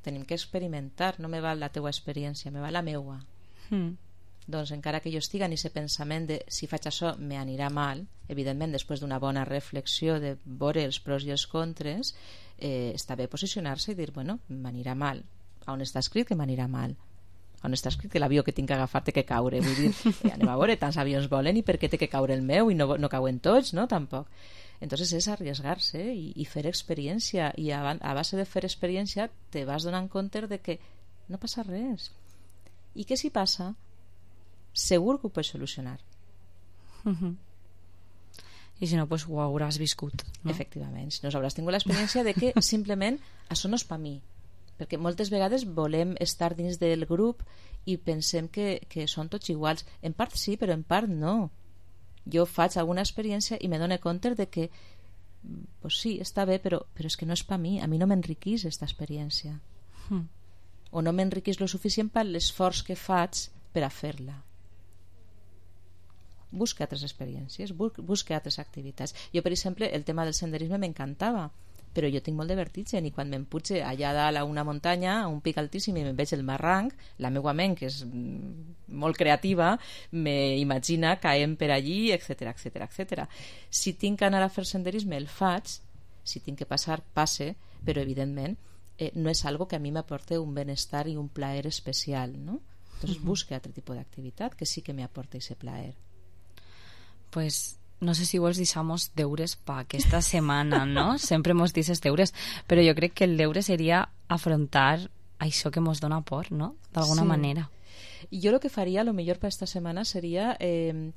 Tenim que experimentar, no me val la teua experiència, me val la meua. Mm. Doncs encara que jo estigui en aquest pensament de si faig això me anirà mal, evidentment després d'una bona reflexió de veure els pros i els contres, eh, està bé posicionar-se i dir, bueno, m'anirà mal. On està escrit que m'anirà mal? On està escrit que l'avió que tinc que agafar té que caure? Vull dir, eh, anem a veure, tants avions volen i per què té que caure el meu i no, no cauen tots, no? Tampoc. Entonces és arriesgar-se i, i fer experiència, i a, a base de fer experiència te vas donant compte de que no passa res. I què si passa? Segur que ho pots solucionar. Uh-huh. I si no, pues ho hauràs viscut, no? Efectivament, si no hauràs tingut l'experiència de que simplement això no és per mi, perquè moltes vegades volem estar dins del grup i pensem que, que són tots iguals. En part sí, però en part no. Jo faig alguna experiència i me dono compte de que pues sí, està bé, però, però és que no és per mi, a mi no m'enriquís aquesta experiència. Uh-huh. O no m'enriquís lo suficient per l'esforç que faig per a fer-la. Busca altres experiències, busca altres activitats. Jo, per exemple, el tema del senderisme m'encantava, però jo tinc molt de vertigen i quan me'n puge allà dalt a una muntanya, a un pic altíssim, i me'n veig el barranc, la meva ment, que és molt creativa, m'imagina caent per allí, etcètera, etcètera, etcètera. Si tinc que anar a fer senderisme, el faig. Si tinc que passar, passe, però evidentment eh, no és algo que a mi m'aporte un benestar i un plaer especial, no? Entonces uh-huh. busque altre tipus d'activitat que sí que m'aporta ese plaer. Pues no sé si vols deixar-nos deures per aquesta setmana, no? Sempre mos dices deures, però jo crec que el deure seria afrontar això que mos dona por, no? D'alguna sí. manera. Jo el que faria, a lo millor per aquesta setmana, seria eh,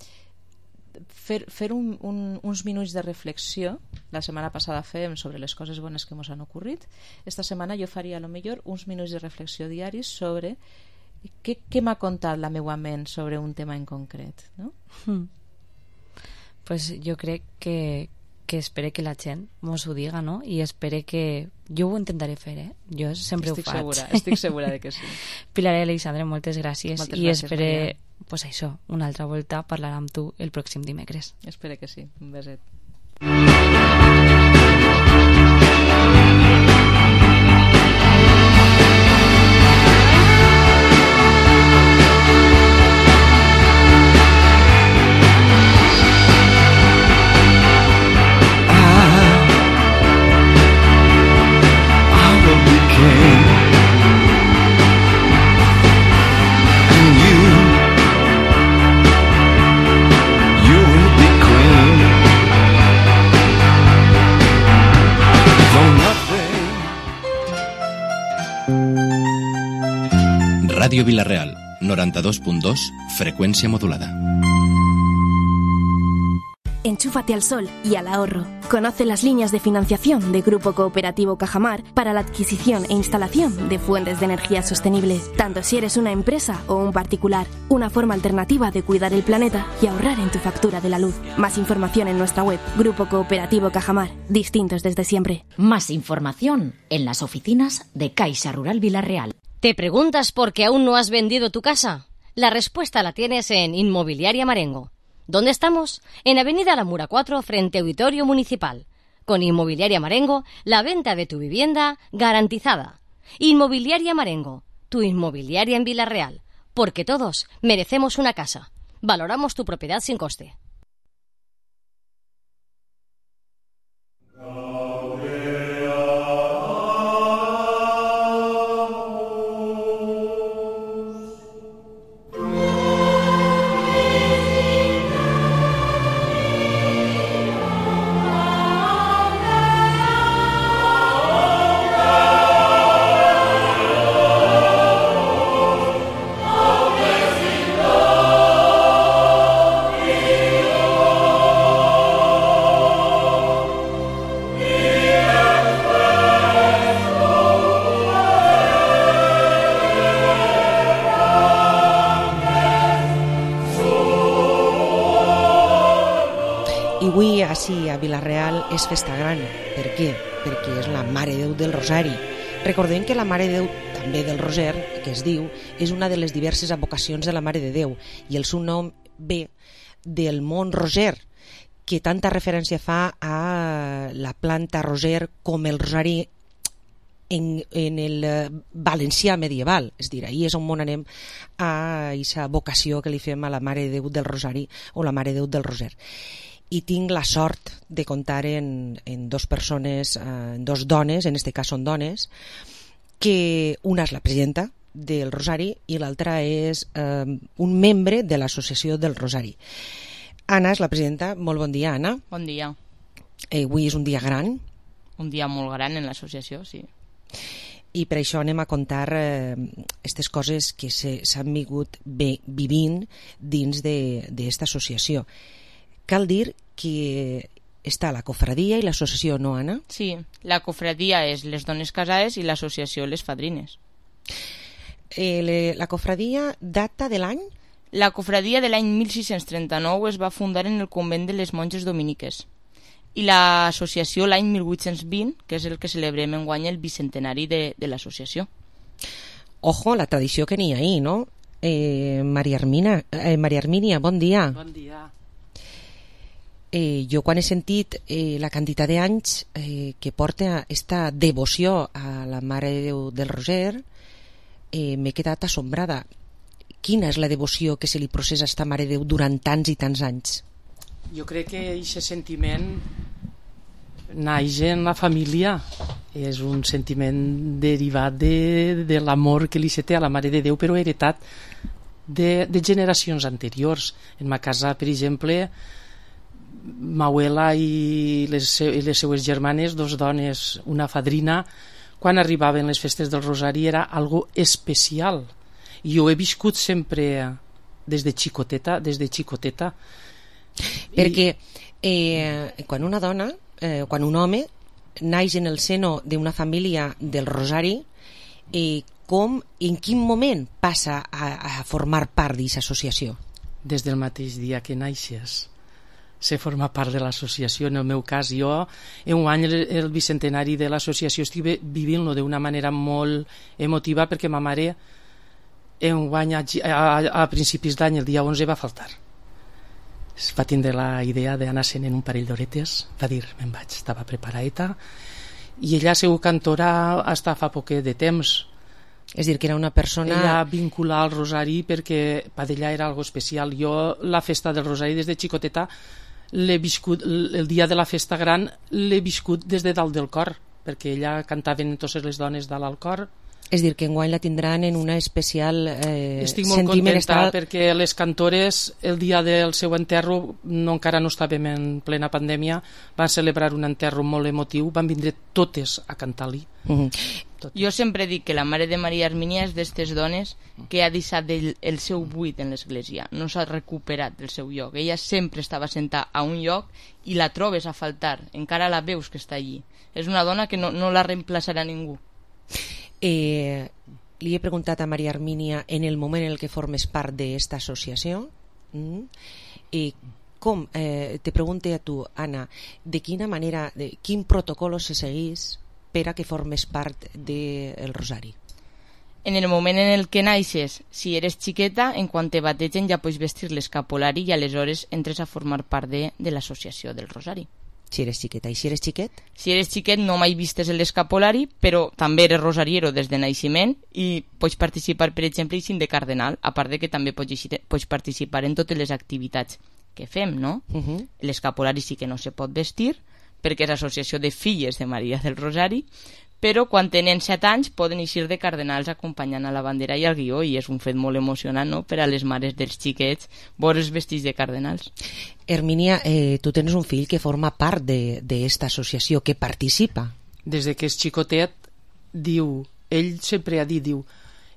fer, fer un, un, uns minuts de reflexió. La setmana passada fèiem sobre les coses bones que mos han ocorrit. Esta setmana jo faria, a lo millor, uns minuts de reflexió diaris sobre què, què m'ha contat la meva ment sobre un tema en concret, no? Mm. Pues jo crec que, que espere que la gent mos ho diga, no? I espere que... Jo ho intentaré fer, eh? Jo sempre estic ho faig. Segura, estic segura de que sí. Pilar i Alexandre, moltes gràcies. Moltes I gràcies, espere, Maria. pues això, una altra volta parlar amb tu el pròxim dimecres. Espere que sí. Un beset. And you Radio Vilareal, noranta-dos punt dos, frecuencia modulada. Enchúfate al sol y al ahorro. Conoce las líneas de financiación de Grupo Cooperativo Cajamar para la adquisición e instalación de fuentes de energía sostenible, tanto si eres una empresa o un particular. Una forma alternativa de cuidar el planeta y ahorrar en tu factura de la luz. Más información en nuestra web, Grupo Cooperativo Cajamar, distintos desde siempre. Más información en las oficinas de Caixa Rural Vilareal. ¿Te preguntas por qué aún no has vendido tu casa? La respuesta la tienes en Inmobiliaria Marengo. ¿Dónde estamos? En Avenida La Mura cuatro, frente a Auditorio Municipal. Con Inmobiliaria Marengo, la venta de tu vivienda garantizada. Inmobiliaria Marengo, tu inmobiliaria en Vilareal. Porque todos merecemos una casa. Valoramos tu propiedad sin coste. Avui, així, a Vilareal, és festa gran. Per què? Perquè és la Mare de Déu del Rosari. Recordem que la Mare de Déu, també del Roser, que es diu, és una de les diverses advocacions de la Mare de Déu, i el seu nom ve del mont Roser, que tanta referència fa a la planta Roser com el Rosari en, en el valencià medieval. És a dir, ahir és on anem a aquesta vocació que li fem a la Mare de Déu del Rosari o la Mare de Déu del Roser. I tinc la sort de comptar en, en dos persones, eh, en dos dones, en este cas són dones, que una és la presidenta del Rosari i l'altra és eh, un membre de l'associació del Rosari. Anna és la presidenta. Molt bon dia, Anna. Bon dia. Eh, avui és un dia gran. Un dia molt gran en l'associació, sí. I per això anem a contar aquestes eh, coses que s'han vingut bé, vivint dins d'esta associació. Cal dir que està la cofradia i l'associació, no, Anna? Sí, la cofradia és les dones casades i l'associació les fadrines. Eh, le, la cofradia data de l'any? La cofradia de l'any mil sis-cents trenta-nou es va fundar en el convent de les monges dominiques i l'associació l'any mil vuit-cents vint, que és el que celebrem enguany el bicentenari de, de l'associació. Ojo, la tradició que n'hi ha ahí, no? Eh, Maria Hermina, eh, Maria Hermínia, bon dia. Bon dia. Eh, jo quan he sentit eh, la quantitat d'anys eh, que porta esta devoció a la Mare de Déu del Roser, eh, m'he quedat assombrada. Quina és la devoció que se li processa a esta Mare de Déu durant tants i tants anys? Jo crec que aquest sentiment naix en la família. És un sentiment derivat de, de l'amor que li se té a la Mare de Déu, però heretat de, de generacions anteriors. En ma casa, per exemple, ma abuela i les, i les seues germanes, dos dones, una fadrina, quan arribaven les festes del Rosari era algo especial. I jo he viscut sempre des de xicoteta, des de xicoteta. Perquè eh, quan una dona, eh, quan un home naix en el seno d'una família del Rosari, eh, com, en quin moment passa a, a formar part d'aquesta associació? Des del mateix dia que naixes se forma part de l'associació. En el meu cas, jo en un any el, el bicentenari de l'associació estic vivint-lo d'una manera molt emotiva, perquè ma mare en un any a, a, a principis d'any, el dia onze, va faltar. Es va tindre la idea d'anar-se'n en un parell d'horetes, va dir, me'n vaig, estava preparadeta, i ella ha sigut cantora hasta fa poquet de temps. És dir, que era una persona... Ella vinculada al Rosari perquè per ella era algo especial. Jo la festa del Rosari des de xicoteta l'he viscut, el dia de la festa gran l'he viscut des de dalt del cor, perquè ella cantaven totes les dones dalt al cor. És dir, que enguany la tindran en una especial eh, Estic molt sentiment contenta estal... perquè les cantores el dia del seu enterro, no, encara no estàvem en plena pandèmia, van celebrar un enterro molt emotiu, van vindre totes a cantar-li. Mm-hmm. Jo sempre dic que la mare de Maria Hermínia és d'estes dones que ha deixat el, el seu buit en l'església, no s'ha recuperat del seu lloc. Ella sempre estava sentada a un lloc i la trobes a faltar, encara la veus que està allí. És una dona que no, no la reemplaçarà ningú. Eh, li he preguntat a Maria Hermínia en el moment en el que formes part d'esta associació mm, i com, eh, te pregunte a tu, Anna, de quina manera, de quin protocol se seguís per a que formes part del Rosari? En el moment en el que naixes, si eres xiqueta, en quan te bategen ja pots vestir l'escapolari i aleshores entres a formar part de, de l'associació del Rosari. Si eres xiqueta. I si eres xiquet? Si eres xiquet no mai vistes l'escapolari, però també eres rosariero des de naixement i pots participar, per exemple, i de cardenal, a part de que també pots, pots participar en totes les activitats que fem, no? Uh-huh. L'escapolari sí que no se pot vestir, perquè és associació de filles de Maria del Rosari, però quan tenen set anys poden eixir de cardenals acompanyant a la bandera i al guió, i és un fet molt emocionant, no?, per a les mares dels xiquets veure's vestits de cardenals. Hermínia, eh, tu tens un fill que forma part d'esta associació, que participa. Des de que és xicotet, diu, ell sempre ha dit, diu,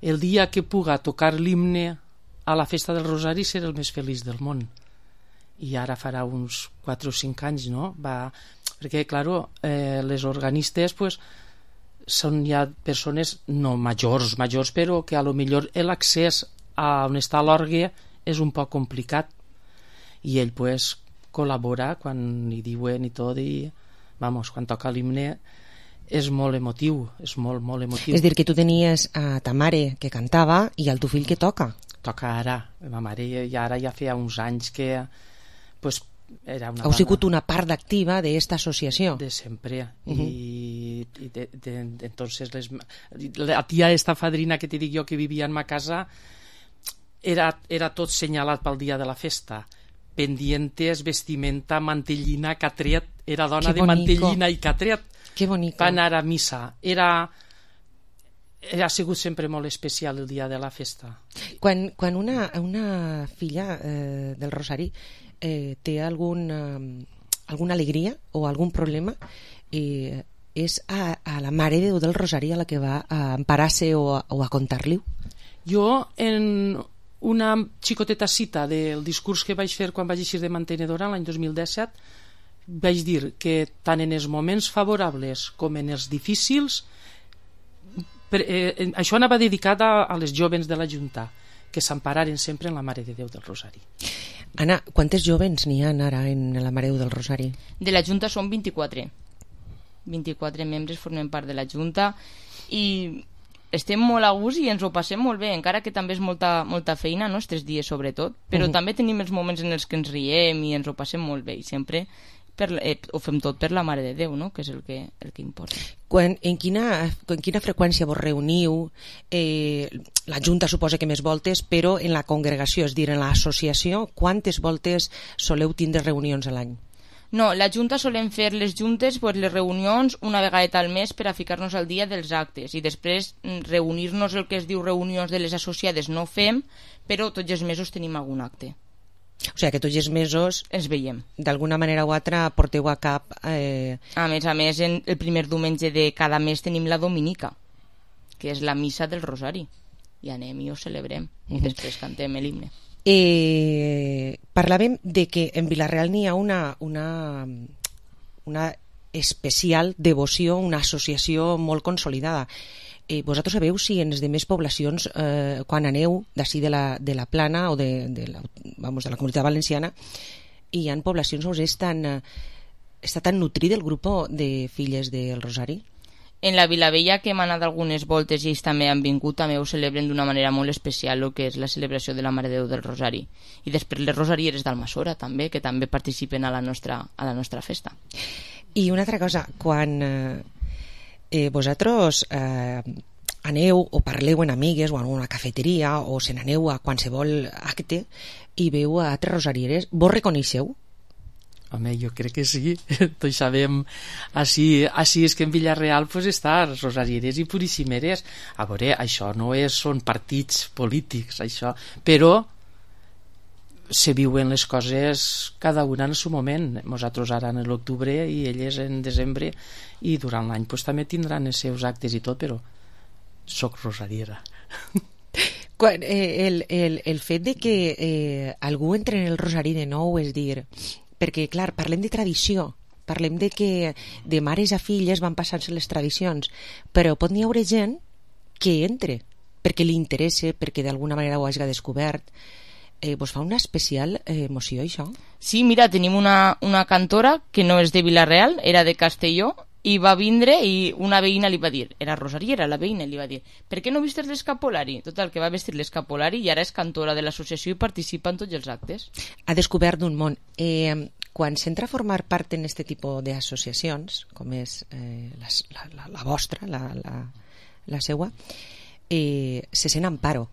el dia que puga tocar l'himne a la festa del Rosari serà el més feliç del món. I ara farà uns quatre o cinc anys, no? Va... Perquè, claro, eh, les organistes, pues, són ja persones no majors, majors, però que a lo millor l'accés a on està l'orgue és un poc complicat, i ell pues col·labora quan li diuen i tot, i vamos, quan toca l'himne és molt emotiu, és molt, molt emotiu. És dir, que tu tenies a ta mare que cantava i al tu fill que toca. Toca ara, ma mare i ara ja feia uns anys que pues era una heu sigut una part activa d'esta associació de sempre. Uh -huh. i, i de, de, de, entonces les, la tia esta fadrina que te dic jo que vivia en ma casa era, era tot senyalat pel dia de la festa, pendientes, vestimenta, mantellina, catret, era dona que de mantellina i catret, que bonico. Va anar a missa, era ha sigut sempre molt especial el dia de la festa. Quan, quan una, una filla eh, del Rosari eh, té algun, eh, alguna alegria o algun problema, eh, és a, a la Mare de Déu del Rosari a la que va a emparar-se o a, o a contar-li? Jo, en una xicoteta cita del discurs que vaig fer quan vaig eixir de mantenedora l'any dos mil disset, vaig dir que tant en els moments favorables com en els difícils, per, eh, això anava dedicat a, a les jovens de la Junta, que s'empararen sempre en la Mare de Déu del Rosari. Anna, quantes jovens n'hi ha ara en la Mare de Déu del Rosari? De la Junta són vint-i-quatre. vint-i-quatre membres formen part de la Junta i estem molt a gust i ens ho passem molt bé, encara que també és molta, molta feina, no?, els tres dies sobretot, però uh-huh. també tenim els moments en els que ens riem i ens ho passem molt bé, i sempre per, eh, ho fem tot per la Mare de Déu, no?, que és el que, el que importa. Quan, en, quina, en quina freqüència vos reuniu? Eh, la Junta suposa que més voltes, però en la congregació, és dir, en l'associació, quantes voltes soleu tindre reunions a l'any? No, la Junta solem fer les juntes, pues, les reunions una vegada al mes per a ficar-nos al dia dels actes, i després reunir-nos, el que es diu reunions de les associades no fem, però tots els mesos tenim algun acte. O sigui que tots els mesos ens veiem. D'alguna manera o altra porteu a cap... Eh... A més a més, en el primer diumenge de cada mes tenim la Dominica, que és la missa del Rosari, i anem i ho celebrem, uh-huh. i després cantem l'himne. Eh, parlàvem de que en Vila-real n'hi ha una, una, una especial devoció, una associació molt consolidada. Eh, vosaltres sabeu si en les demés poblacions, eh, quan aneu d'ací de la, de la Plana o de, de, la, vamos, de la Comunitat Valenciana, hi ha poblacions on és tan, eh, està tan nutrit el grup de filles del Rosari? En la Vilavella, que hem anat algunes voltes i ells també han vingut, també ho celebren d'una manera molt especial, el que és la celebració de la Mare de Déu del Rosari. I després les rosarieres d'Almassora també, que també participen a la nostra, a la nostra festa. I una altra cosa, quan eh, eh, vosaltres eh, aneu o parleu en amigues o en una cafeteria o se n'aneu a qualsevol acte i veu a altres rosarieres, vos reconeixeu? Home, jo crec que sí. Tots sabem, així, així és que en Villarreal pues, està rosarieres i purissimeres. A veure, això no és, són partits polítics, això, però se viuen les coses cada una en el seu moment. Nosaltres ara en l'octubre i elles en desembre, i durant l'any pues, també tindran els seus actes i tot, però soc rosariera. Quan, eh, el, el, el fet de que eh, algú entre en el rosari de nou, és dir, perquè clar, parlem de tradició, parlem de que de mares a filles van passant-se les tradicions, però pot n'hi haure gent que entre perquè li interessa, perquè d'alguna manera ho hagi descobert. Eh, vos fa una especial eh, emoció això? Sí, mira, tenim una, una cantora que no és de Vila-real, era de Castelló, i va vindre i una veïna li va dir, era rosariera, la veïna li va dir, per què no vistes l'escapolari? Total, que va vestir l'escapolari i ara és cantora de l'associació i participa en tots els actes. Ha descobert un món. Eh, quan s'entra a formar part en aquest tipus d'associacions, com és eh, la, la, la vostra, la, la, la seua, eh, se sent amparo.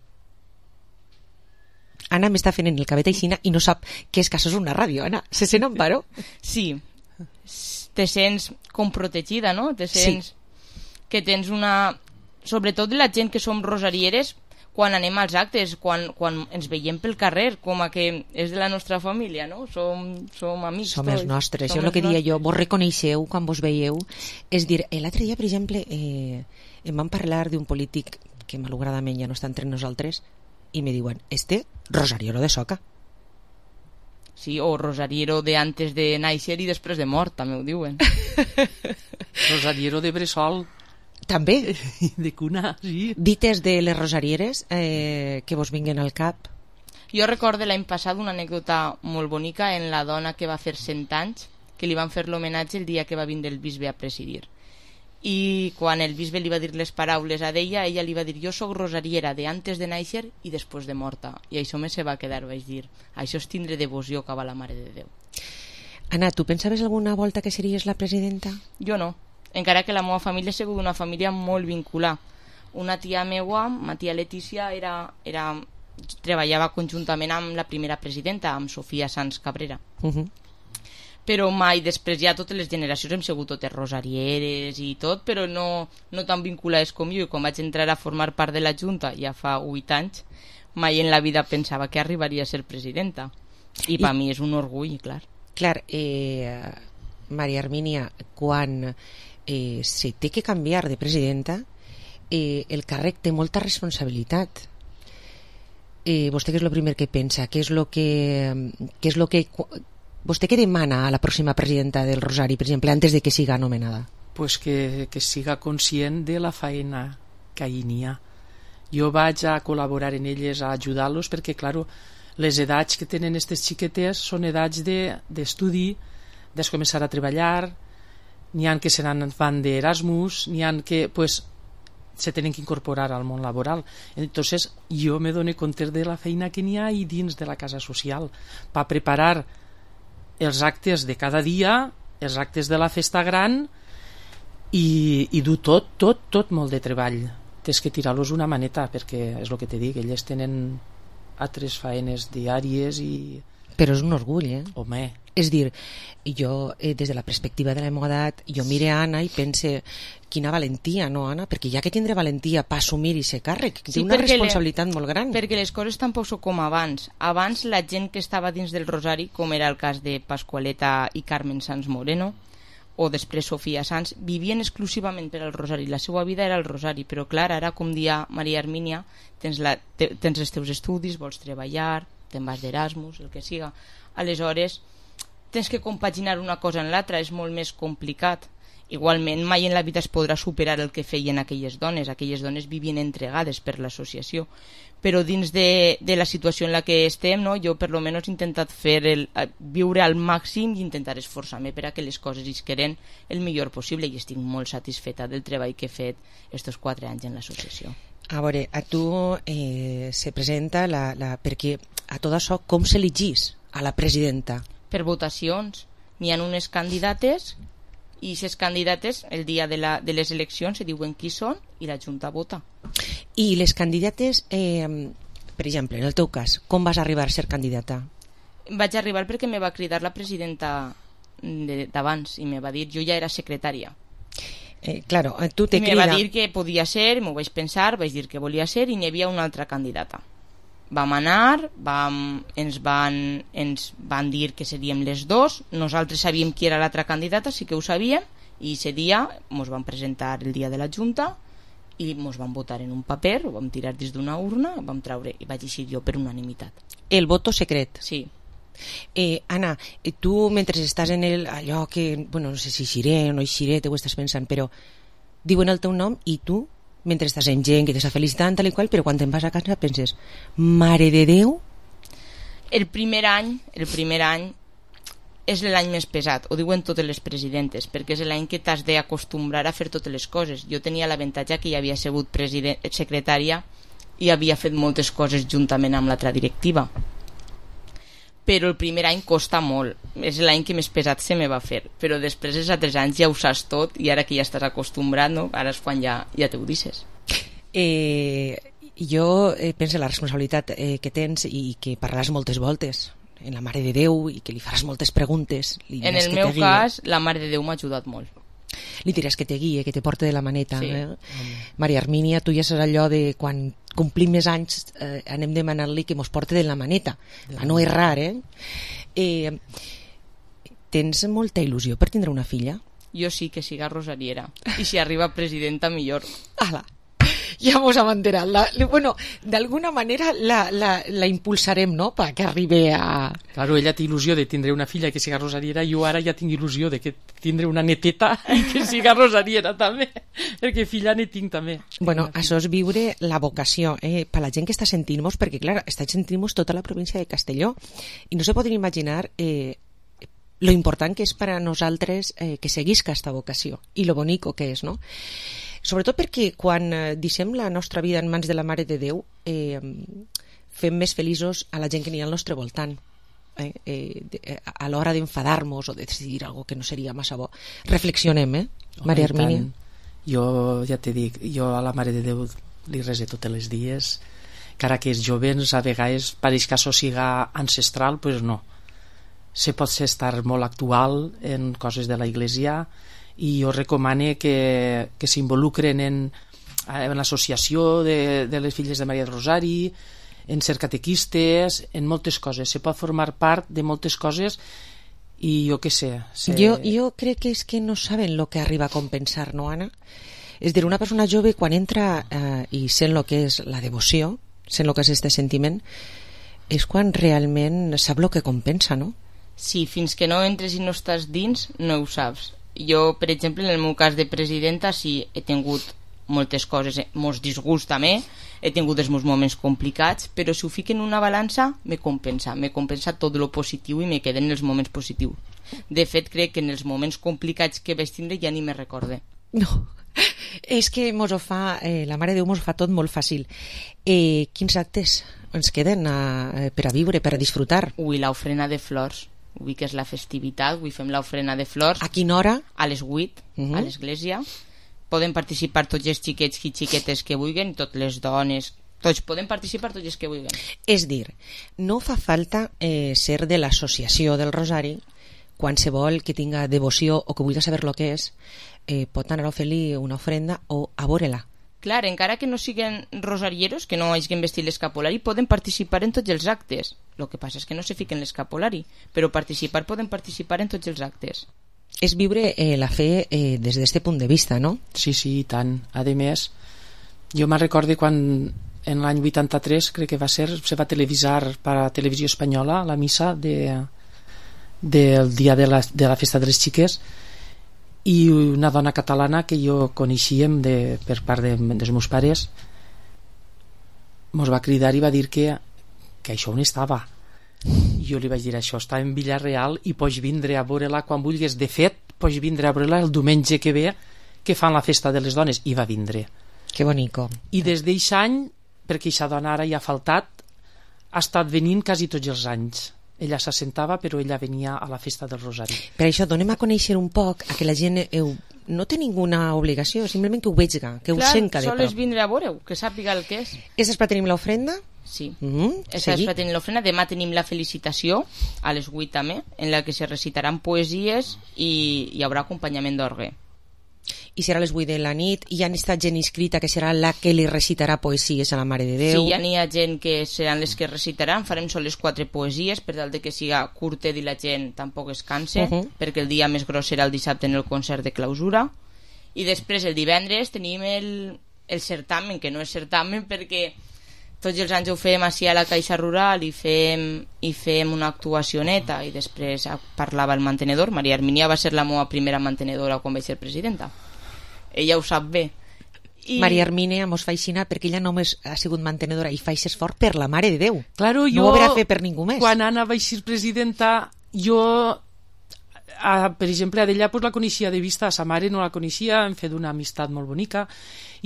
Anna m'està fent en el cabet aixina i no sap que és que això és una ràdio, Anna. Se sent amparo? Sí. Te sents com protegida, no? Te sents sí. que tens una... Sobretot la gent que som rosarieres, quan anem als actes, quan, quan ens veiem pel carrer, com a que és de la nostra família, no? Som, som amics. Som els nostres. Som això és el que dia jo. Vos reconeixeu quan vos veieu. És dir, l'altre dia, per exemple, eh, em van parlar d'un polític que malauradament ja no està entre nosaltres i me diuen, este rosariero de Soca. Sí, o rosariero de antes de nàixer i després de mort, també ho diuen. Rosariero de bressol. També. De cuna, sí. Dites de les rosarieres eh, que vos vinguen al cap. Jo recordo l'any passat una anècdota molt bonica en la dona que va fer cent anys, que li van fer l'homenatge el dia que va vindre el bisbe a presidir. I quan el bisbe li va dir les paraules a ella, ella li va dir, jo soc rosariera de antes de nàixer i després de morta. I això me se va quedar, vaig dir, això és tindre devoció cap a la Mare de Déu. Anna, tu pensaves alguna volta que series la presidenta? Jo no, encara que la meva família ha sigut una família molt vinculada. Una tia meua, ma tia Letícia, era, era, treballava conjuntament amb la primera presidenta, amb Sofia Sanz Cabrera. Uh-huh. Però mai després ja totes les generacions hem sigut totes rosarieres i tot, però no, no tan vinculades com jo, i quan vaig entrar a formar part de la Junta ja fa vuit anys, mai en la vida pensava que arribaria a ser presidenta, i, I... per mi és un orgull, clar. Clar, eh, Maria Hermínia, quan eh, se té que canviar de presidenta, eh, el càrrec té molta responsabilitat. Eh, vostè què és el primer que pensa? Què és el que... Què és lo que vostè què demana a la pròxima presidenta del Rosari, per exemple, antes de que siga nomenada? Pues que, que siga conscient de la feina que hi n'hi ha. Jo vaig a col·laborar en elles, a ajudar-los, perquè, claro, les edats que tenen aquestes xiquetes són edats d'estudi, de, de començar a treballar, n'hi ha que se n'han d'Erasmus, n'hi ha que, pues, se tenen que incorporar al món laboral. Entonces, jo me dono compte de la feina que n'hi ha i dins de la casa social, per preparar els actes de cada dia, els actes de la festa gran i, i dur tot, tot, tot molt de treball. Tens que tirar-los una maneta, perquè és el que te dic, elles tenen altres faenes diàries i... Però és un orgull, eh? Home. És dir, jo, eh, des de la perspectiva de la meva edat, jo mire a Anna i pense, quina valentia, no, Anna? Perquè ja que tindré valentia per assumir aquest càrrec, sí, té una responsabilitat le... molt gran. Perquè les coses tampoc són com abans. Abans la gent que estava dins del Rosari, com era el cas de Pascualeta i Carmen Sanz Moreno, o després Sofia Sanz, vivien exclusivament per al Rosari. La seva vida era el Rosari, però clar, ara, com dia Maria Hermínia, tens, la, te, tens els teus estudis, vols treballar, te'n vas d'Erasmus, el que siga. Aleshores, tens que compaginar una cosa en l'altra, és molt més complicat. Igualment, mai en la vida es podrà superar el que feien aquelles dones. Aquelles dones vivien entregades per l'associació. Però dins de, de la situació en la que estem, no, jo per lo menos he intentat fer el, viure al màxim i intentar esforçar-me per a que les coses isqueren el millor possible, i estic molt satisfeta del treball que he fet estos quatre anys en l'associació. A veure, a tu eh, se presenta la, la, perquè a tot això com s'elegís a la presidenta? Per votacions. N'hi ha unes candidates i aquestes candidates el dia de, la, de les eleccions se diuen qui són i la Junta vota. I les candidates, eh, per exemple, en el teu cas, com vas arribar a ser candidata? Vaig arribar perquè me va cridar la presidenta d'abans i me va dir, jo ja era secretària. Eh, claro, tu te I me crida... va dir que podia ser, m'ho vaig pensar, vaig dir que volia ser i n'hi havia una altra candidata. Vam anar, vam, ens, van, ens van dir que seríem les dos, nosaltres sabíem qui era l'altra candidata, sí que ho sabíem, i ese dia ens van presentar el dia de la Junta i ens van votar en un paper, ho vam tirar dins d'una urna, vam treure i vaig eixir jo per unanimitat. El voto secret. Sí. Eh, Anna, tu mentre estàs en el, allò que, bueno, no sé si eixiré o no eixiré, te ho estàs pensant, però diuen el teu nom i tu, mentre estàs en gent que t'està felicitant, tal i qual, però quan te'n vas a casa penses, mare de Déu? El primer any, el primer any és l'any més pesat, ho diuen totes les presidentes, perquè és l'any que t'has d'acostumbrar a fer totes les coses. Jo tenia l'avantatge que ja havia sigut secretària i havia fet moltes coses juntament amb l'altra directiva. Però el primer any costa molt, és l'any que més pesat se me va fer, però després els altres anys ja ho saps tot i ara que ja estàs acostumbrat, no? Ara és quan ja, ja t'ho dices. Eh, jo eh, penso en la responsabilitat eh, que tens i que parlaràs moltes voltes en la Mare de Déu i que li faràs moltes preguntes. En el meu cas, la Mare de Déu m'ha ajudat molt. Li diràs que te guie, que te porte de la maneta. Sí. Eh? Maria Hermínia, tu ja saps allò de quan complim més anys eh, anem demanant-li que mos porte de la maneta. A no errar, eh? eh? Tens molta il·lusió per tindre una filla? Jo sí, que siga rosariera. I si arriba presidenta, millor. Ala, ja mos amanterat. La, bueno, d'alguna manera la, la, la impulsarem, no?, perquè arribi a... Claro, ella té il·lusió de tindre una filla que siga rosariera, jo ara ja tinc il·lusió de que tindre una neteta i que siga rosariera també, perquè filla ne tinc també. Bueno, això és viure la vocació, eh? Per la gent que està sentint-nos, perquè clar, està sentint-nos tota la província de Castelló i no se poden imaginar eh, lo important que és per a nosaltres eh, que seguisca aquesta vocació i lo bonico que és, no? Sobretot perquè quan eh, deixem la nostra vida en mans de la Mare de Déu eh, fem més feliços a la gent que n'hi ha al nostre voltant. Eh, eh, de, a l'hora d'enfadar-nos o de decidir algo que no seria massa bo, reflexionem, eh, Maria Hermínia? Jo ja t'he dit, jo a la Mare de Déu li rese tots els dies, encara que els jovens a vegades pareix que això siga ancestral, doncs no. Se pot ser estar molt actual en coses de la Iglesia i jo recomano que, que s'involucren en, en l'associació de, de les filles de Maria del Rosari, en ser catequistes, en moltes coses. Se pot formar part de moltes coses i jo què sé... Se... Jo, jo crec que és que no saben el que arriba a compensar, no, Anna? És dir, una persona jove quan entra eh, i sent el que és la devoció, sent el que és este sentiment, és quan realment sap el que compensa, no? Sí, fins que no entres i no estàs dins, no ho saps. Jo, per exemple, en el meu cas de presidenta, sí, he tingut moltes coses, molts disgusts també, he tingut els meus moments complicats, però si ho fico en una balança, me compensa, me compensa tot lo positiu i me queden els moments positius. De fet, crec que en els moments complicats que vaig tindre ja ni me recorde. No, és que mos ho fa, eh, la Mare de Déu mos ho fa tot molt fàcil. Eh, quins actes ens queden a, per a viure, per a disfrutar? Ui, l'ofrena de flors. Avui que és la festivitat, avui fem l'ofrena de flors. A quina hora? A les vuit, uh -huh. a l'església. Poden participar tots els xiquets i xiquetes que vulguin, totes les dones, tots poden participar tots els que vulguin. És dir, no fa falta eh, ser de l'associació del Rosari, qualsevol que tinga devoció o que vulgui saber el que és, eh, pot anar a fer-li una ofrenda o a veure-la. Clar, encara que no siguin rosarieros, que no hagin vestit l'escapolari, poden participar en tots els actes. El que passa és que no se fiquen l'escapolari, però participar poden participar en tots els actes. És viure eh, la fe eh, des d'aquest punt de vista, no? Sí, sí, i tant. A més, jo me'n recordo quan en l'any vuitanta-tres, crec que va ser, se va televisar per a Televisió Espanyola la missa de, del dia de la, de la festa de les xiques, i una dona catalana que jo coneixíem de, per part de, dels meus pares mos va cridar i va dir que, que això on estava. Jo li vaig dir, això està en Villarreal i pots vindre a veure-la quan vulguis. De fet, pots vindre a veure-la el diumenge que ve, que fan la festa de les dones. I va vindre. Que bonico. I des d'eixe any, perquè aquesta dona ara ja ha faltat, ha estat venint quasi tots els anys. Ella s'assentava, però ella venia a la festa del Rosari. Per això donem a conèixer un poc a que la gent heu, no té ninguna obligació, simplement que ho vegi, que Clar, ho senca de prop. Clar, sols vindre a veure-ho, que sàpiga el que és. És per tenir l'ofrenda? Sí. Mm-hmm. Esa és Fraternil l'ofrena. Demà tenim la felicitació, a les vuit també, en la que se recitaran poesies i hi haurà acompanyament d'orgue. I serà a les vuit de la nit. Hi ha estat gent inscrita que serà la que li recitarà poesies a la Mare de Déu. Sí, ja n'hi ha gent que seran les que recitaran. Farem soles quatre poesies per tal de que siga curtet i la gent tampoc es canse, uh-huh. perquè el dia més gros serà el dissabte en el concert de clausura. I després el divendres tenim el, el certamen, que no és certamen perquè tots els anys ho fem així a la Caixa Rural i fem, i fem una actuació neta, i després parlava el mantenedor. Maria Hermínia va ser la meva primera mantenedora quan vaig ser presidenta. Ella ho sap bé. I... Maria Hermínia mos fa aixina perquè ella només ha sigut mantenedora i fa aquest esforç per la Mare de Déu. Claro, no jo, ho haurà fet per ningú més. Quan Anna vaig ser presidenta, jo... A, per exemple, a d'ella pues, la coneixia de vista, a sa mare no la coneixia, hem fet una amistat molt bonica,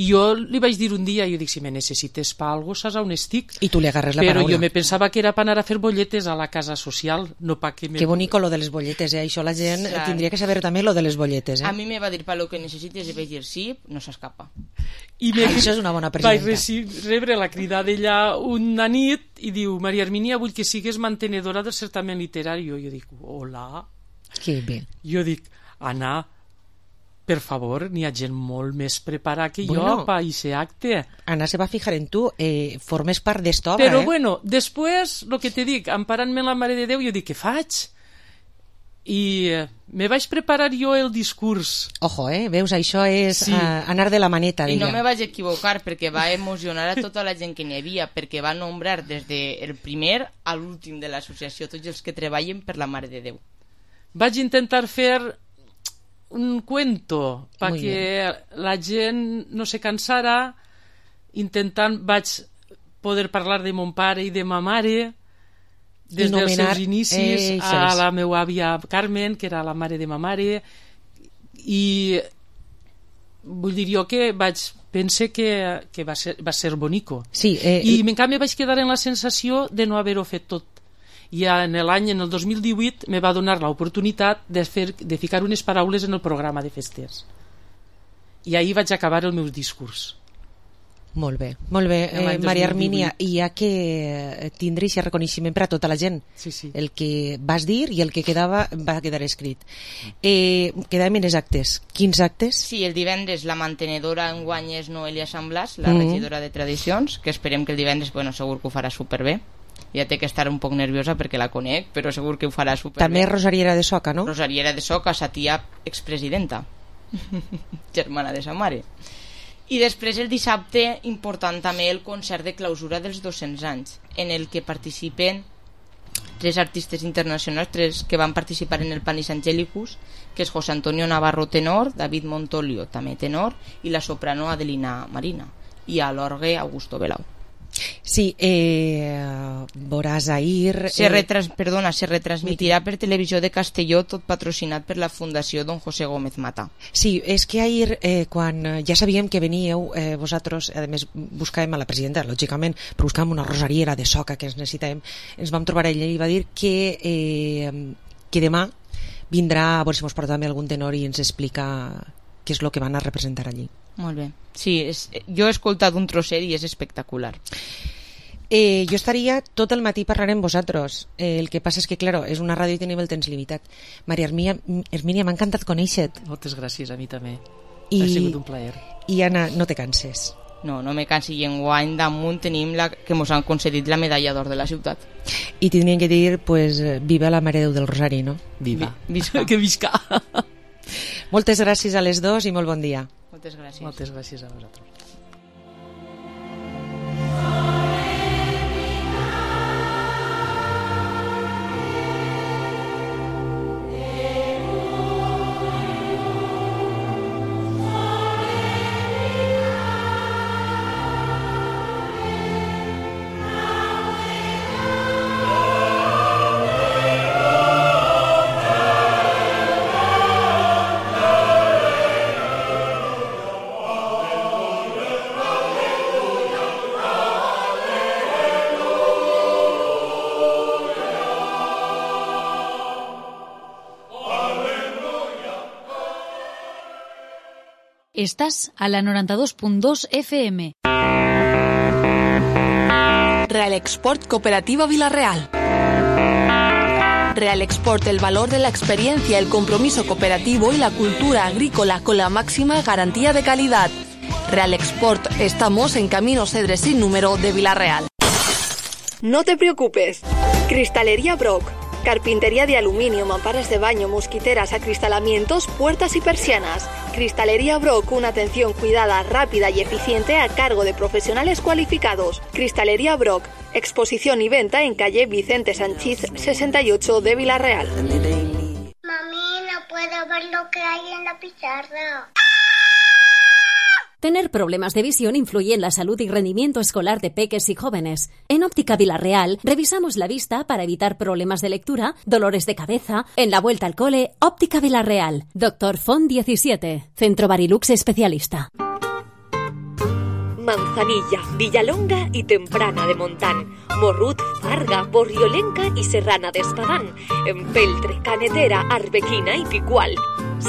i jo li vaig dir un dia, jo dic, si me necessites pa algo, saps on estic? I tu li agarres la Però paraula. Jo me pensava que era per anar a fer bolletes a la casa social, no pa que... Me... Que bonico lo de les bolletes, eh? Això la gent Clar. tindria que saber també lo de les bolletes, eh? A mi me va dir, pa lo que necessites, i vaig dir sí, no s'escapa. I me... Això és una bona presidenta. Vaig rebre la crida d'ella una nit i diu, Maria Hermínia, vull que sigues mantenedora del certamen literari. Jo dic, hola... Que bé. Jo dic, Anna, per favor, n'hi ha gent molt més preparada que bueno, jo per aquest acte. Anna se va fijar en tu, eh, formes part d'esta obra, Però eh? bueno, després, el que te dic, emparant-me en la Mare de Déu, jo dic, què faig? I eh, me vaig preparar jo el discurs. Ojo, eh? Veus, això és sí. uh, anar de la maneta. I no me vaig equivocar, perquè va emocionar a tota la gent que n'hi havia, perquè va nombrar des del primer a l'últim de l'associació, tots els que treballen per la Mare de Déu. Vaig intentar fer un cuento perquè la gent no se cansara, intentant vaig poder parlar de mon pare i de ma mare des dels seus inicis eh, a la meva àvia Carmen, que era la mare de ma mare, i vull dir jo que vaig pense que, que va, ser, va ser bonico. Sí, eh, i en canvi vaig quedar en la sensació de no haver-ho fet tot. I en l'any, en el dos mil divuit, me va donar l'oportunitat de, fer, de ficar unes paraules en el programa de festes. I ahir vaig acabar el meu discurs. Molt bé, molt bé, eh, Maria Hermínia, i ha que tindre aquest reconeixement per a tota la gent. Sí, sí. El que vas dir i el que quedava va quedar escrit. Eh, quedàvem en els actes. Quins actes? Sí, el divendres la mantenedora enguany és Noelia Sant Blas, la mm-hmm. regidora de Tradicions, que esperem que el divendres, bueno, segur que ho farà superbé. Ja té que estar un poc nerviosa perquè la conec, però segur que ho farà superbé. També és Rosariera de Soca, no? Rosariera de Soca, sa tia expresidenta, germana de sa mare. I després el dissabte, important també el concert de clausura dels dos-cents anys, en el que participen tres artistes internacionals, tres que van participar en el Panis Angelicus, que és José Antonio Navarro tenor, David Montolio també tenor, i la soprano Adelina Marina, i a l'orgue Augusto Belau. Sí, eh, veuràs ahir... Se, retras, perdona, se retransmitirà per Televisió de Castelló, tot patrocinat per la Fundació Don José Gómez Mata. Sí, és que ahir, eh, quan ja sabíem que veníeu eh, vosaltres, a més buscàvem a la presidenta, lògicament, però buscàvem una rosariera de Soca que ens necessitàvem, ens vam trobar ella i va dir que, eh, que demà vindrà, a veure si ens porta també algun tenor i ens explica què és el que van a representar allí. Molt bé. Sí, és, jo he escoltat un trosset i és espectacular. Eh, jo estaria tot el matí parlant amb vosaltres. Eh, el que passa és que, claro, és una ràdio i tenim el temps limitat. Maria Hermínia, m'ha encantat conèixer-te. Moltes gràcies, a mi també. I, ha sigut un plaer. I Anna, no te canses. No, no me cansi. I enguany damunt tenim la, que ens han concedit la medalla d'or de la ciutat. I tindrien que dir, pues, viva la Mare Déu del Rosari, no? Viva. Vi, visca. Que visca. Moltes gràcies a les dos i molt bon dia. Moltes gràcies. Moltes gràcies a vosaltres. Estás a la noranta dos punt dos F M. Real Export Cooperativa Vilarreal. Real Export, el valor de la experiencia, el compromiso cooperativo y la cultura agrícola con la máxima garantía de calidad. Real Export, estamos en Camino Cedres sin número de Vilarreal. No te preocupes. Cristalería Brock. Carpintería de aluminio, mamparas de baño, mosquiteras, acristalamientos, puertas y persianas. Cristalería Brock, una atención cuidada, rápida y eficiente a cargo de profesionales cualificados. Cristalería Brock, exposición y venta en calle Vicente Sanchís sesenta y ocho de Vilarreal. Mami, no puedo ver lo que hay en la pizarra. Tener problemas de visión influye en la salud y rendimiento escolar de peques y jóvenes. En Óptica Vilarreal revisamos la vista para evitar problemas de lectura, dolores de cabeza. En la vuelta al cole, Óptica Vilarreal. Doctor Font diecisiete. Centro Barilux Especialista. Manzanilla, Villalonga y Temprana de Montán, Morrut, Farga, Borriolenca y Serrana de Espadán, Empeltre, Canetera, Arbequina y Picual.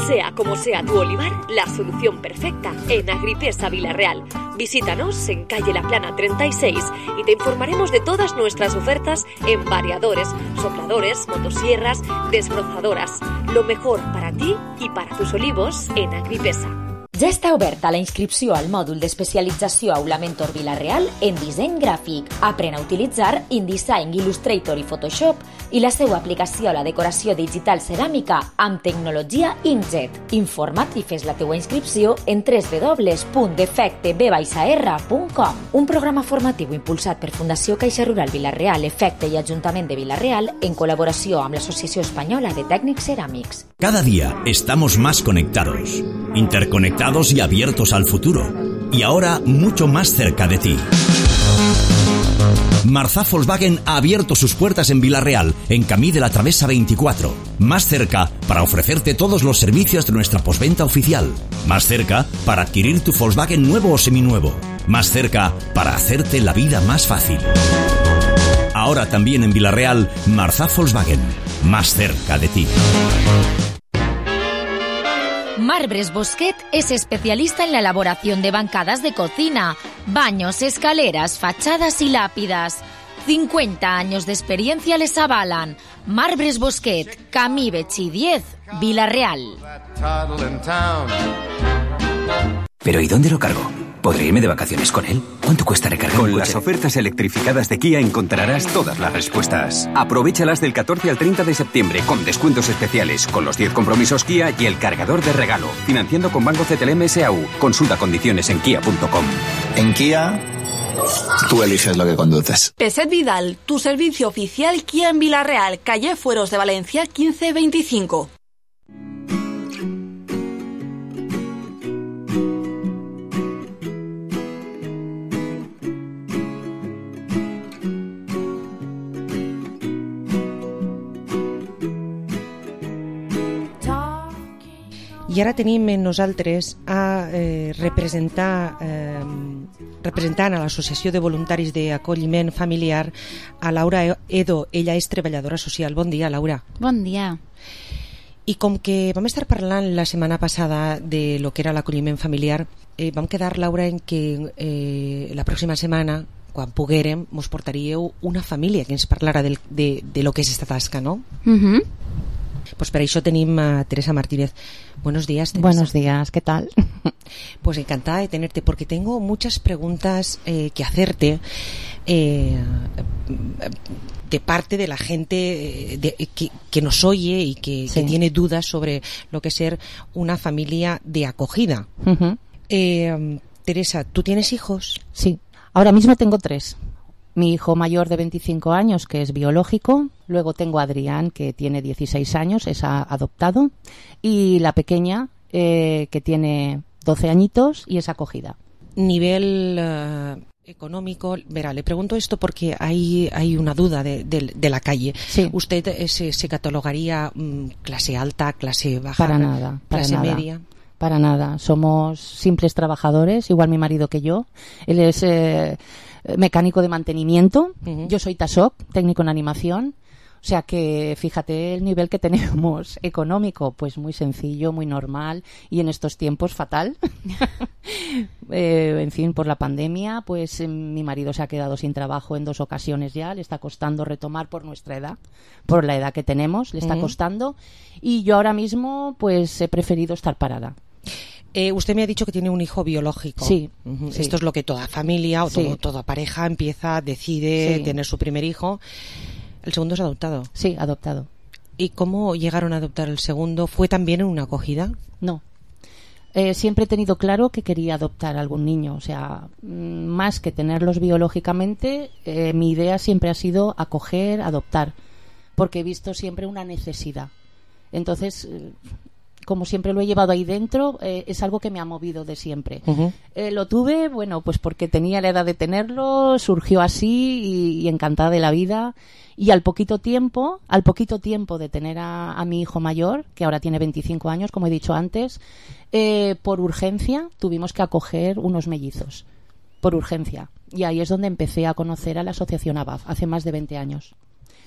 Sea como sea tu olivar, la solución perfecta en Agripesa Vilarreal. Visítanos en calle La Plana treinta y seis y te informaremos de todas nuestras ofertas en variadores, sopladores, motosierras, desbrozadoras. Lo mejor para ti y para tus olivos en Agripesa. Ja està oberta la inscripció al mòdul d'especialització Aula Mentor Vilarreal en disseny gràfic. Aprèn a utilitzar InDesign, Illustrator i Photoshop i la seva aplicació a la decoració digital ceràmica amb tecnologia inkjet. Informa't i fes la teua inscripció en w w w punt defecte b r punt com. Un programa formatiu impulsat per Fundació Caixa Rural Vilarreal, Efecte i Ajuntament de Vilarreal en col·laboració amb l'Associació Espanyola de Tècnics Ceràmics. Cada día estamos más conectados, interconectados y abiertos al futuro, y ahora mucho más cerca de ti. Marzá Volkswagen ha abierto sus puertas en Vilarreal, en Camí de la Travesa veinticuatro. Más cerca para ofrecerte todos los servicios de nuestra postventa oficial. Más cerca para adquirir tu Volkswagen nuevo o seminuevo. Más cerca para hacerte la vida más fácil. Ahora también en Vilarreal, Marzá Volkswagen. Más cerca de ti. Marbres Bosquet es especialista en la elaboración de bancadas de cocina, baños, escaleras, fachadas y lápidas. cincuenta años de experiencia les avalan. Marbres Bosquet, Camí Betxí diez, Vilarreal. ¿Pero y dónde lo cargo? ¿Podré irme de vacaciones con él? ¿Cuánto cuesta recargar un coche? Con las ofertas electrificadas de Kia encontrarás todas las respuestas. Aprovéchalas del catorce al treinta de septiembre con descuentos especiales, con los diez compromisos Kia y el cargador de regalo. Financiando con Banco C T L M S A U. Consulta condiciones en kia punto com. En Kia, tú eliges lo que conduces. Peset Vidal, tu servicio oficial Kia en Vilarreal, calle Fueros de Valencia quince veinticinco. I ara tenim en nosaltres a eh, representar eh, representant a l'Associació de Voluntaris d'Acolliment Familiar a Laura Edo. Ella és treballadora social. Bon dia, Laura. Bon dia. I com que vam estar parlant la setmana passada de lo que era l'acolliment familiar, eh, vam quedar, Laura, en que eh, la pròxima setmana, quan poguérem, mos portaríeu una família que ens parlara del, de, de lo que és esta tasca, no? Mhm. Pues para eso tenemos a Teresa Martínez. Buenos días, Teresa. Buenos días, ¿qué tal? Pues encantada de tenerte, porque tengo muchas preguntas eh, que hacerte eh, de parte de la gente de, que, que nos oye y que, sí. que tiene dudas sobre lo que es ser una familia de acogida. Uh-huh. eh, Teresa, ¿tú tienes hijos? Sí, ahora mismo tengo tres. Mi hijo mayor de veinticinco años, que es biológico. Luego tengo a Adrián, que tiene dieciséis años, es adoptado. Y la pequeña, eh, que tiene doce añitos y es acogida. Nivel uh, económico, verá, le pregunto esto porque hay, hay una duda de, de, de la calle. Sí. ¿Usted eh, se, se catalogaría um, clase alta, clase baja, para nada, para clase nada. media? Para nada. Somos simples trabajadores, igual mi marido que yo. Él es... Eh, mecánico de mantenimiento, uh-huh. Yo soy TASOC, técnico en animación, o sea que fíjate el nivel que tenemos económico, pues muy sencillo, muy normal y en estos tiempos fatal. Eh, en fin, por la pandemia, pues eh, mi marido se ha quedado sin trabajo en dos ocasiones ya, le está costando retomar por nuestra edad, por la edad que tenemos, le está Ujú. costando, y yo ahora mismo pues he preferido estar parada. Eh, usted me ha dicho que tiene un hijo biológico. Sí, Ujú. sí. Esto es lo que toda familia o Sí. todo- toda pareja empieza, decide Sí. tener su primer hijo. ¿El segundo es adoptado? Sí, adoptado. ¿Y cómo llegaron a adoptar el segundo? ¿Fue también en una acogida? No. Eh, siempre he tenido claro que quería adoptar a algún niño, o sea, mm, más que tenerlos biológicamente, eh, mi idea siempre ha sido acoger, adoptar, porque he visto siempre una necesidad. Entonces, eh, como siempre lo he llevado ahí dentro, eh, es algo que me ha movido de siempre. Ujú. Eh, lo tuve, bueno, pues porque tenía la edad de tenerlo, surgió así y, y encantada de la vida. Y al poquito tiempo, al poquito tiempo de tener a, a mi hijo mayor, que ahora tiene veinticinco años, como he dicho antes, eh, por urgencia tuvimos que acoger unos mellizos. Por urgencia. Y ahí es donde empecé a conocer a la asociación A B A F, hace más de veinte años.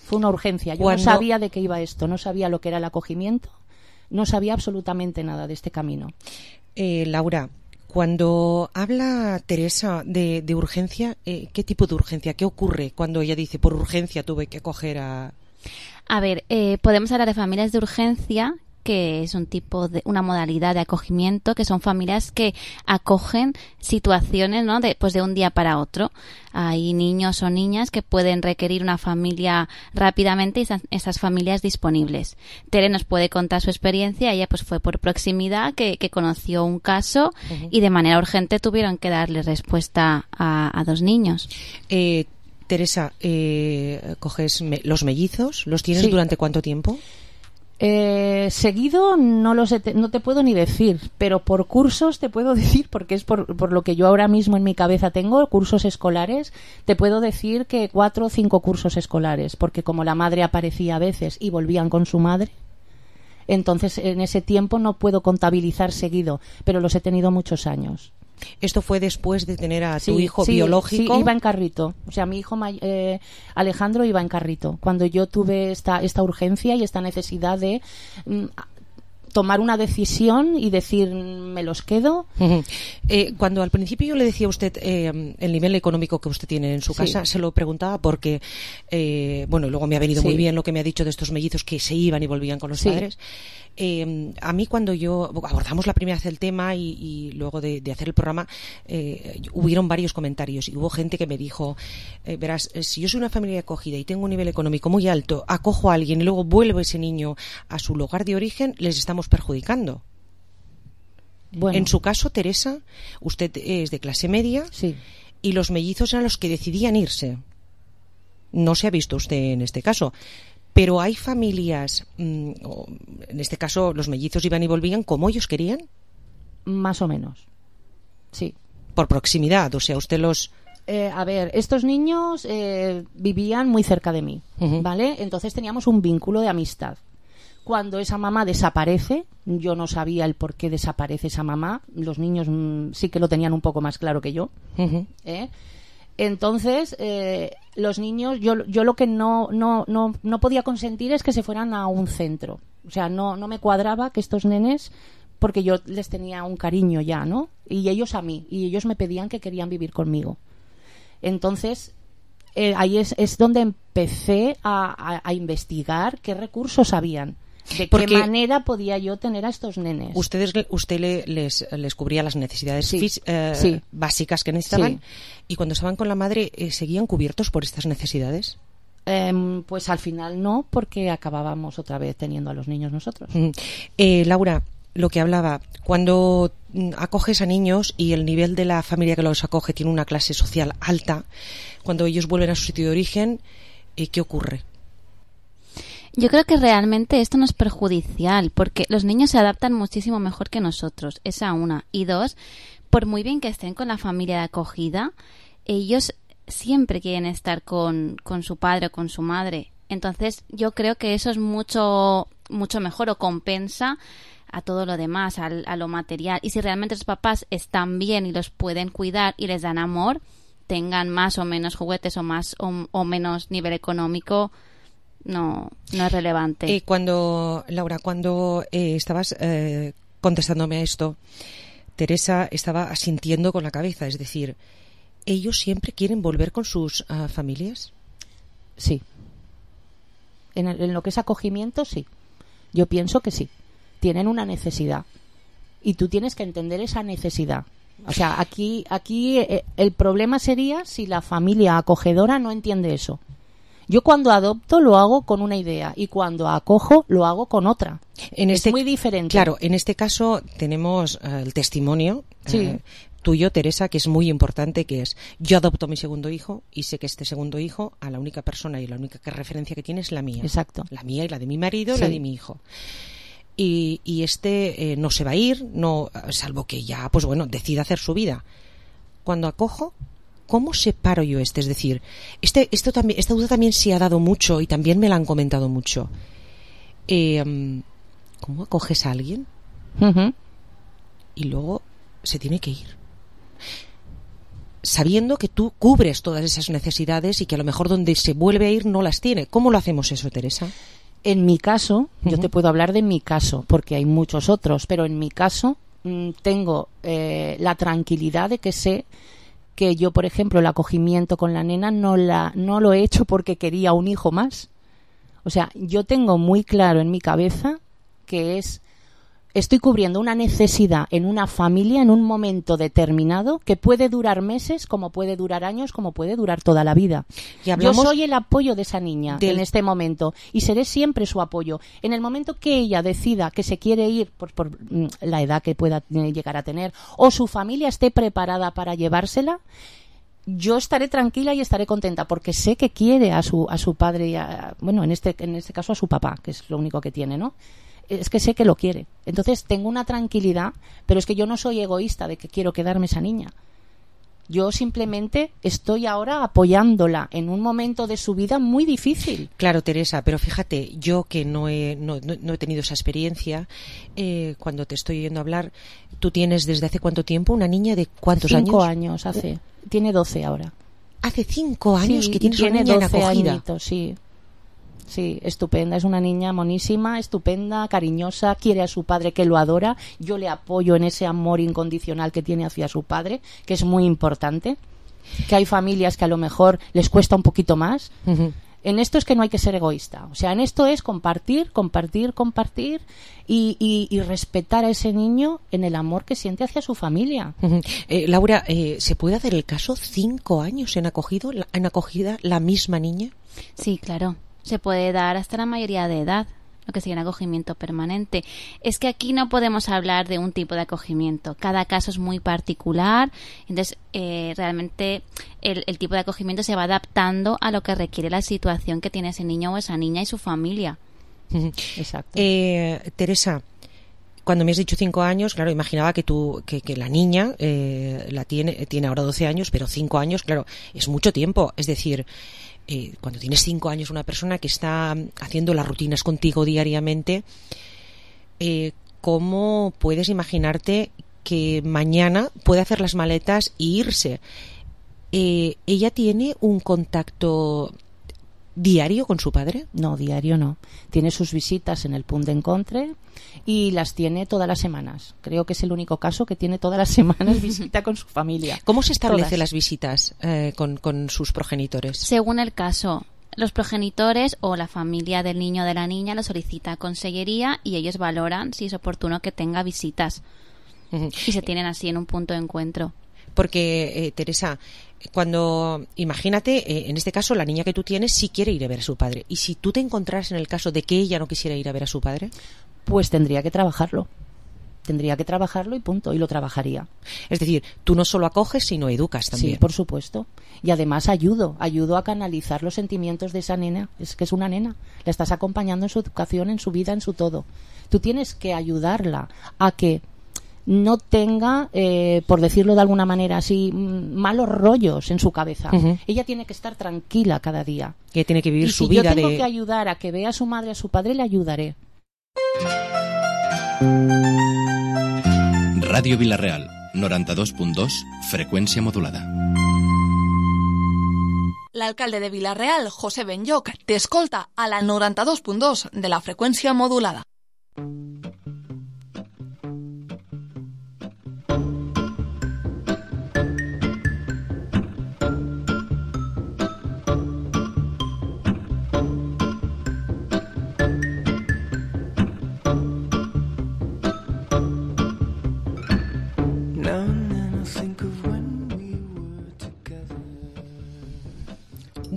Fue una urgencia. Yo Cuando- no sabía de qué iba esto, no sabía lo que era el acogimiento, no sabía absolutamente nada de este camino. Eh, Laura, cuando habla Teresa de, de urgencia, eh, ¿qué tipo de urgencia? ¿Qué ocurre cuando ella dice por urgencia tuve que coger a... A ver, eh, podemos hablar de familias de urgencia, que es un tipo de una modalidad de acogimiento, que son familias que acogen situaciones, ¿no? De, pues de un día para otro. Hay niños o niñas que pueden requerir una familia rápidamente y esas, esas familias disponibles. Tere nos puede contar su experiencia. Ella pues fue por proximidad que, que conoció un caso Ujú. y de manera urgente tuvieron que darle respuesta a, a dos niños. Eh, Teresa, eh, ¿coges me- los mellizos? ¿Los tienes Sí. durante cuánto tiempo? Eh, seguido no lo sé, te- no te puedo ni decir, pero por cursos te puedo decir, porque es por, por lo que yo ahora mismo en mi cabeza tengo, cursos escolares, te puedo decir que cuatro o cinco cursos escolares, porque como la madre aparecía a veces y volvían con su madre, entonces en ese tiempo no puedo contabilizar seguido, pero los he tenido muchos años. Esto fue después de tener a tu Sí, hijo sí, biológico. Sí, iba en carrito. O sea, mi hijo may- eh, Alejandro iba en carrito. Cuando yo tuve esta, esta urgencia y esta necesidad de mm, tomar una decisión y decir, mm, me los quedo. Ujú. Eh, cuando al principio yo le decía a usted eh, el nivel económico que usted tiene en su Sí. casa, se lo preguntaba porque, eh, bueno, y luego me ha venido Sí. muy bien lo que me ha dicho de estos mellizos que se iban y volvían con los Sí. padres. Eh, a mí cuando yo abordamos la primera vez el tema y, y luego de, de hacer el programa, eh, hubieron varios comentarios y hubo gente que me dijo, eh, verás, eh, si yo soy una familia de acogida y tengo un nivel económico muy alto, acojo a alguien y luego vuelvo ese niño a su lugar de origen, les estamos perjudicando. Bueno. En su caso, Teresa, usted es de clase media Sí. y los mellizos eran los que decidían irse. No se ha visto usted en este caso. Pero hay familias, mm, o en este caso los mellizos iban y volvían como ellos querían. Más o menos. Sí. Por proximidad, o sea, usted los... Eh, a ver, estos niños eh, vivían muy cerca de mí, Ujú. ¿vale? Entonces teníamos un vínculo de amistad. Cuando esa mamá desaparece, yo no sabía el por qué desaparece esa mamá. Los niños mm, sí que lo tenían un poco más claro que yo. Ujú. ¿eh? Entonces, eh, los niños, yo, yo lo que no, no, no, no podía consentir es que se fueran a un centro. O sea, no, no me cuadraba que estos nenes, porque yo les tenía un cariño ya, ¿no? Y ellos a mí, y ellos me pedían que querían vivir conmigo. Entonces, eh, ahí es, es donde empecé a, a, a investigar qué recursos habían. ¿De Porque qué manera podía yo tener a estos nenes? Ustedes, usted le- les, les cubría las necesidades Sí, fis- eh, sí. básicas que necesitaban Sí. y cuando estaban con la madre, eh, ¿seguían cubiertos por estas necesidades? Em, pues al final no, porque acabábamos otra vez teniendo a los niños nosotros. Mm. Eh, Laura, lo que hablaba, cuando mm, acoges a niños y el nivel de la familia que los acoge tiene una clase social alta, cuando ellos vuelven a su sitio de origen, eh, ¿qué ocurre? Yo creo que realmente esto no es perjudicial, porque los niños se adaptan muchísimo mejor que nosotros, esa una. Y dos, por muy bien que estén con la familia de acogida, ellos siempre quieren estar con, con su padre o con su madre. Entonces yo creo que eso es mucho, mucho mejor o compensa a todo lo demás, al, a lo material. Y si realmente los papás están bien y los pueden cuidar y les dan amor, tengan más o menos juguetes o más o, o menos nivel económico, no, no es relevante. Eh, cuando, Laura, cuando eh, estabas eh, contestándome a esto, Teresa estaba asintiendo con la cabeza, es decir, ¿ellos siempre quieren volver con sus uh, familias? Sí. En, el, en lo que es acogimiento, sí. Yo pienso que sí. Tienen una necesidad. Y tú tienes que entender esa necesidad. O sea, aquí, aquí eh, el problema sería si la familia acogedora no entiende eso. Yo cuando adopto lo hago con una idea y cuando acojo lo hago con otra. En este, es muy diferente. Claro, en este caso tenemos uh, el testimonio sí. uh, tuyo, Teresa, que es muy importante, que es: yo adopto a mi segundo hijo y sé que este segundo hijo, a la única persona y la única referencia que tiene es la mía. Exacto. La mía y la de mi marido, sí. la de mi hijo. Y, y este eh, no se va a ir, no, salvo que ya, pues bueno, decida hacer su vida. Cuando acojo, ¿cómo separo yo este? Es decir, este, esto también, esta duda también se ha dado mucho y también me la han comentado mucho. Eh, ¿Cómo acoges a alguien? Uh-huh. Y luego se tiene que ir. Sabiendo que tú cubres todas esas necesidades y que a lo mejor donde se vuelve a ir no las tiene. ¿Cómo lo hacemos eso, Teresa? En mi caso, uh-huh. yo te puedo hablar de mi caso, porque hay muchos otros, pero en mi caso mmm, tengo eh, la tranquilidad de que sé que yo, por ejemplo, el acogimiento con la nena no, la, no lo he hecho porque quería un hijo más. O sea, yo tengo muy claro en mi cabeza que es, estoy cubriendo una necesidad en una familia en un momento determinado que puede durar meses, como puede durar años, como puede durar toda la vida. Y hablamos yo soy el apoyo de esa niña del... en este momento y seré siempre su apoyo. En el momento que ella decida que se quiere ir por, por la edad que pueda llegar a tener o su familia esté preparada para llevársela, yo estaré tranquila y estaré contenta porque sé que quiere a su a su padre y a, bueno, en este en este caso a su papá, que es lo único que tiene, ¿no? Es que sé que lo quiere. Entonces tengo una tranquilidad, pero es que yo no soy egoísta de que quiero quedarme esa niña. Yo simplemente estoy ahora apoyándola en un momento de su vida muy difícil. Claro, Teresa, pero fíjate, yo que no he, no, no, no he tenido esa experiencia, eh, cuando te estoy oyendo hablar, tú tienes desde hace cuánto tiempo una niña de cuántos años? Cinco años hace. Tiene doce ahora. Hace cinco años sí, que tienes tiene una niña en doce acogida. Añitos, sí. Sí, estupenda, es una niña monísima, estupenda, cariñosa, quiere a su padre que lo adora, yo le apoyo en ese amor incondicional que tiene hacia su padre, que es muy importante, que hay familias que a lo mejor les cuesta un poquito más. Uh-huh. En esto es que no hay que ser egoísta, o sea, en esto es compartir, compartir, compartir y, y, y respetar a ese niño en el amor que siente hacia su familia. Uh-huh. eh, Laura, eh, ¿se puede hacer el caso cinco años en, acogido, en acogida la misma niña? Sí, claro. Se puede dar hasta la mayoría de edad, lo que sería un acogimiento permanente. Es que aquí no podemos hablar de un tipo de acogimiento. Cada caso es muy particular. Entonces, eh, realmente el, el tipo de acogimiento se va adaptando a lo que requiere la situación que tiene ese niño o esa niña y su familia. Exacto. Eh, Teresa, cuando me has dicho cinco años, claro, imaginaba que tú, que, que la niña eh, la tiene, tiene ahora doce años, pero cinco años, claro, es mucho tiempo. Es decir, Eh, cuando tienes cinco años, una persona que está haciendo las rutinas contigo diariamente, eh, ¿cómo puedes imaginarte que mañana puede hacer las maletas e irse? Eh, ¿Ella tiene un contacto diario con su padre? No, diario no. Tiene sus visitas en el punt d'encontre y las tiene todas las semanas. Creo que es el único caso que tiene todas las semanas visita con su familia. ¿Cómo se establecen Todas. las visitas eh, con, con sus progenitores? Según el caso, los progenitores o la familia del niño o de la niña lo solicita a Consellería y ellos valoran si es oportuno que tenga visitas. Uh-huh. Y se tienen así en un punto de encuentro. Porque, eh, Teresa, cuando, imagínate, eh, en este caso, la niña que tú tienes sí quiere ir a ver a su padre. ¿Y si tú te encontraras en el caso de que ella no quisiera ir a ver a su padre? Pues tendría que trabajarlo. Tendría que trabajarlo y punto. Y lo trabajaría. Es decir, tú no solo acoges, sino educas también. Sí, por supuesto. Y además ayudo. Ayudo a canalizar los sentimientos de esa nena. Es que es una nena. La estás acompañando en su educación, en su vida, en su todo. Tú tienes que ayudarla a que no tenga, eh, por decirlo de alguna manera así, malos rollos en su cabeza. Uh-huh. Ella tiene que estar tranquila cada día. Que tiene que vivir y su si vida yo tengo de... que ayudar a que vea a su madre, a su padre, le ayudaré. Ràdio Vila-real, noranta-dos punt dos, freqüència modulada. L'alcalde de Vila-real, José Benlloc, t'escolta a la noranta-dos punt dos de la freqüència modulada.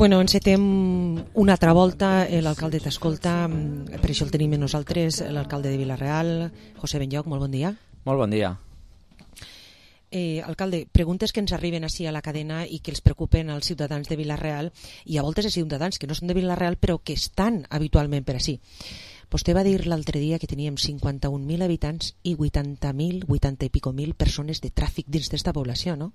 Bueno, encetem una altra volta, l'alcalde t'escolta, per això el tenim nosaltres, l'alcalde de Vila-real, José Benlloch, molt bon dia. Molt bon dia. Eh, alcalde, preguntes que ens arriben així a la cadena i que els preocupen als ciutadans de Vila-real, i a voltes els ciutadans que no són de Vila-real però que estan habitualment per així. Vostè va dir l'altre dia que teníem cinquanta-un mil habitants i vuitanta mil, vuitanta i pico mil persones de tràfic dins d'esta població, no?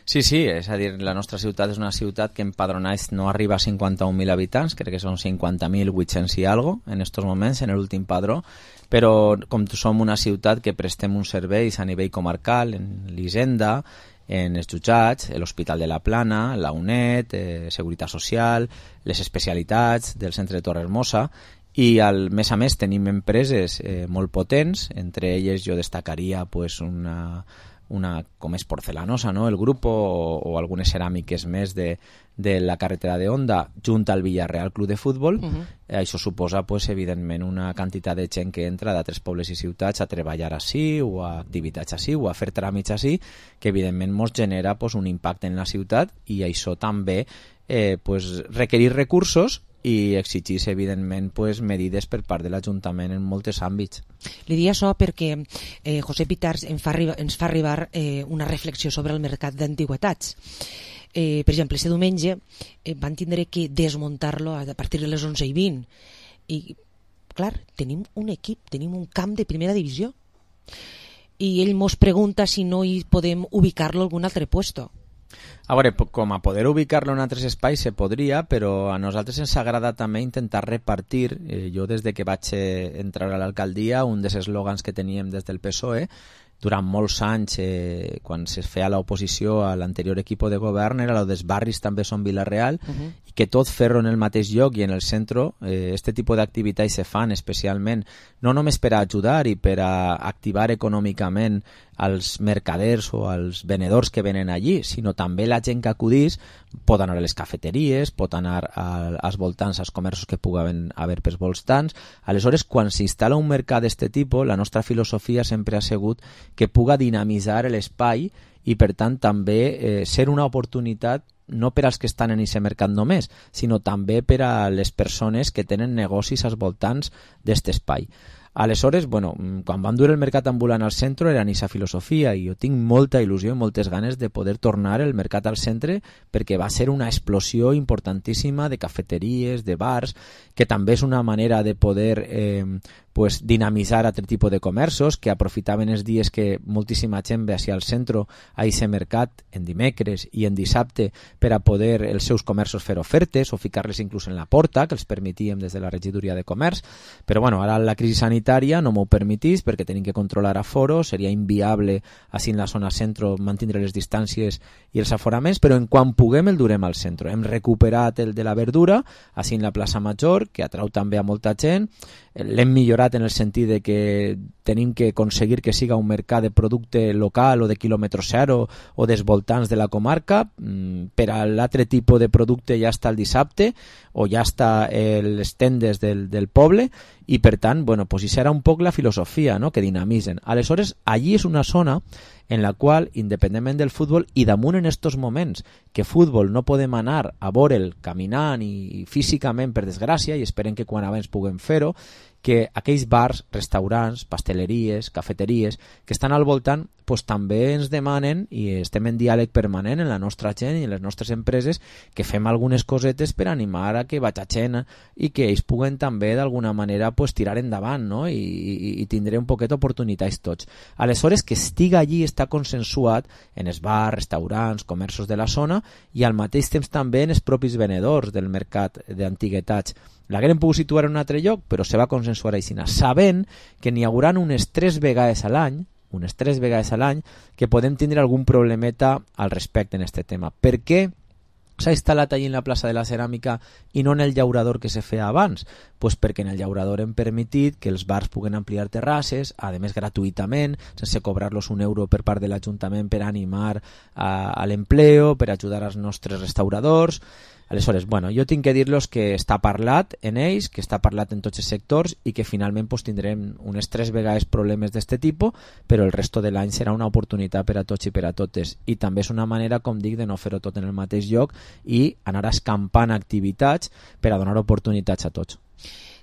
Sí, sí, és a dir, la nostra ciutat és una ciutat que empadronats no arriba a cinquanta-un mil habitants, crec que són cinquanta mil vuit-cents i algo en estos moments, en l'últim padró, però com som una ciutat que prestem uns serveis a nivell comarcal, en l'Hisenda, en els jutjats, l'Hospital de la Plana, la UNED, eh, Seguretat Social, les especialitats del centre de Torrehermosa, i al més a més tenim empreses eh, molt potents, entre elles jo destacaria pues, una, una com és Porcelanosa, no? El grup o, o algunes ceràmiques més de, de la carretera de Onda junt al Villarreal Club de Futbol. Uh-huh. eh, això suposa pues, evidentment una quantitat de gent que entra d'altres pobles i ciutats a treballar així o a activitats així o a fer tràmits així, que evidentment ens genera pues, un impacte en la ciutat, i això també eh, pues, requerir recursos i exigís, evidentment, pues, medides per part de l'Ajuntament en molts àmbits. Li dic això perquè eh, José Pitars ens fa arribar, ens fa arribar eh, una reflexió sobre el mercat d'antigüetats. Eh, per exemple, este diumenge eh, van tindre que desmuntar-lo a partir de les onze i vint. I, clar, tenim un equip, tenim un camp de primera divisió. I ell mos pregunta si no hi podem ubicar-lo a algun altre puesto. A veure, com a poder ubicar-lo en altres espais se podria, però a nosaltres ens agrada també intentar repartir, eh, jo des de que vaig entrar a l'alcaldia, un dels eslògans que teníem des del P S O E, durant molts anys, eh, quan se feia l'oposició a l'anterior equip de govern, era lo dels barris també són Vila-real, uh-huh. i que tot fer-ho en el mateix lloc i en el centre, eh, este tipus d'activitats se fan especialment, no només per a ajudar i per a activar econòmicament als mercaders o als venedors que venen allí, sinó també la gent que acudís pot anar a les cafeteries, pot anar a, als voltants, als comerços que puguen haver pels voltants. Aleshores, quan s'instal·la un mercat d'aquest tipus, la nostra filosofia sempre ha sigut que puga dinamitzar l'espai i, per tant, també eh, ser una oportunitat no per als que estan en aquest mercat només, sinó també per a les persones que tenen negocis als voltants d'aquest espai. Aleshores, bueno, quan vam dur el mercat ambulant al centre era en aquesta filosofia, i jo tinc molta il·lusió i moltes ganes de poder tornar el mercat al centre, perquè va ser una explosió importantíssima de cafeteries, de bars, que també és una manera de poder eh, pues, dinamitzar altre tipus de comerços que aprofitaven els dies que moltíssima gent ve hacia el centre a aquest mercat en dimecres i en dissabte per a poder els seus comerços fer ofertes o ficar-les inclús en la porta, que els permetíem des de la regidoria de comerç. Però bueno, ara la crisi sanitària no m'ho permetís perquè tenim que controlar aforo, seria inviable així en la zona centre mantenir les distàncies i els aforaments, però en quan puguem el durem al centre. Hem recuperat el de la verdura així en la plaça Major, que atrau també a molta gent. L'hem millorat en el sentit de que tenim que aconseguir que siga un mercat de producte local o de quilòmetre zero o dels voltants de la comarca. Per a l'altre tipus de producte ja està el dissabte o ja està les tendes del, del poble, i per tant, bueno, pues això era un poc la filosofia, no?, que dinamitzen. Aleshores, allí és una zona en la qual, independentment del futbol, i damunt en estos moments que futbol no podem anar a veure'l caminant i físicament, per desgràcia, i esperem que quan abans puguem fer-ho, que aquells bars, restaurants, pasteleries, cafeteries que estan al voltant, pues, també ens demanen, i estem en diàleg permanent en la nostra gent i en les nostres empreses, que fem algunes cosetes per animar a que vaig a gent i que ells puguen també d'alguna manera pues, tirar endavant, no? I, i, i tindré un poquet d'oportunitats tots. Aleshores, que estiga allí està consensuat en els bars, restaurants, comerços de la zona, i al mateix temps també en els propis venedors del mercat d'antiguetats. L'haguem pogut situar en un altre lloc, però se va consensuar així, sabent que n'hi haurà unes tres vegades a l'any, unes tres vegades a l'any, que podem tindre algun problemeta al respecte en aquest tema. Per què s'ha instal·lat allí en la plaça de la Ceràmica i no en el llaurador que se feia abans? Pues perquè en el llaurador hem permetit que els bars puguen ampliar terrasses, a més gratuïtament, sense cobrar-los un euro per part de l'Ajuntament per animar a, a l'empleo, per ajudar als nostres restauradors. Aleshores, bueno, jo tinc que dir-los que està parlat en ells, que està parlat en tots els sectors i que finalment pues, tindrem unes tres vegades problemes d'aquest tipus, però el resto de l'any serà una oportunitat per a tots i per a totes. I també és una manera, com dic, de no fer-ho tot en el mateix lloc, i anar escampant activitats per a donar oportunitats a tots.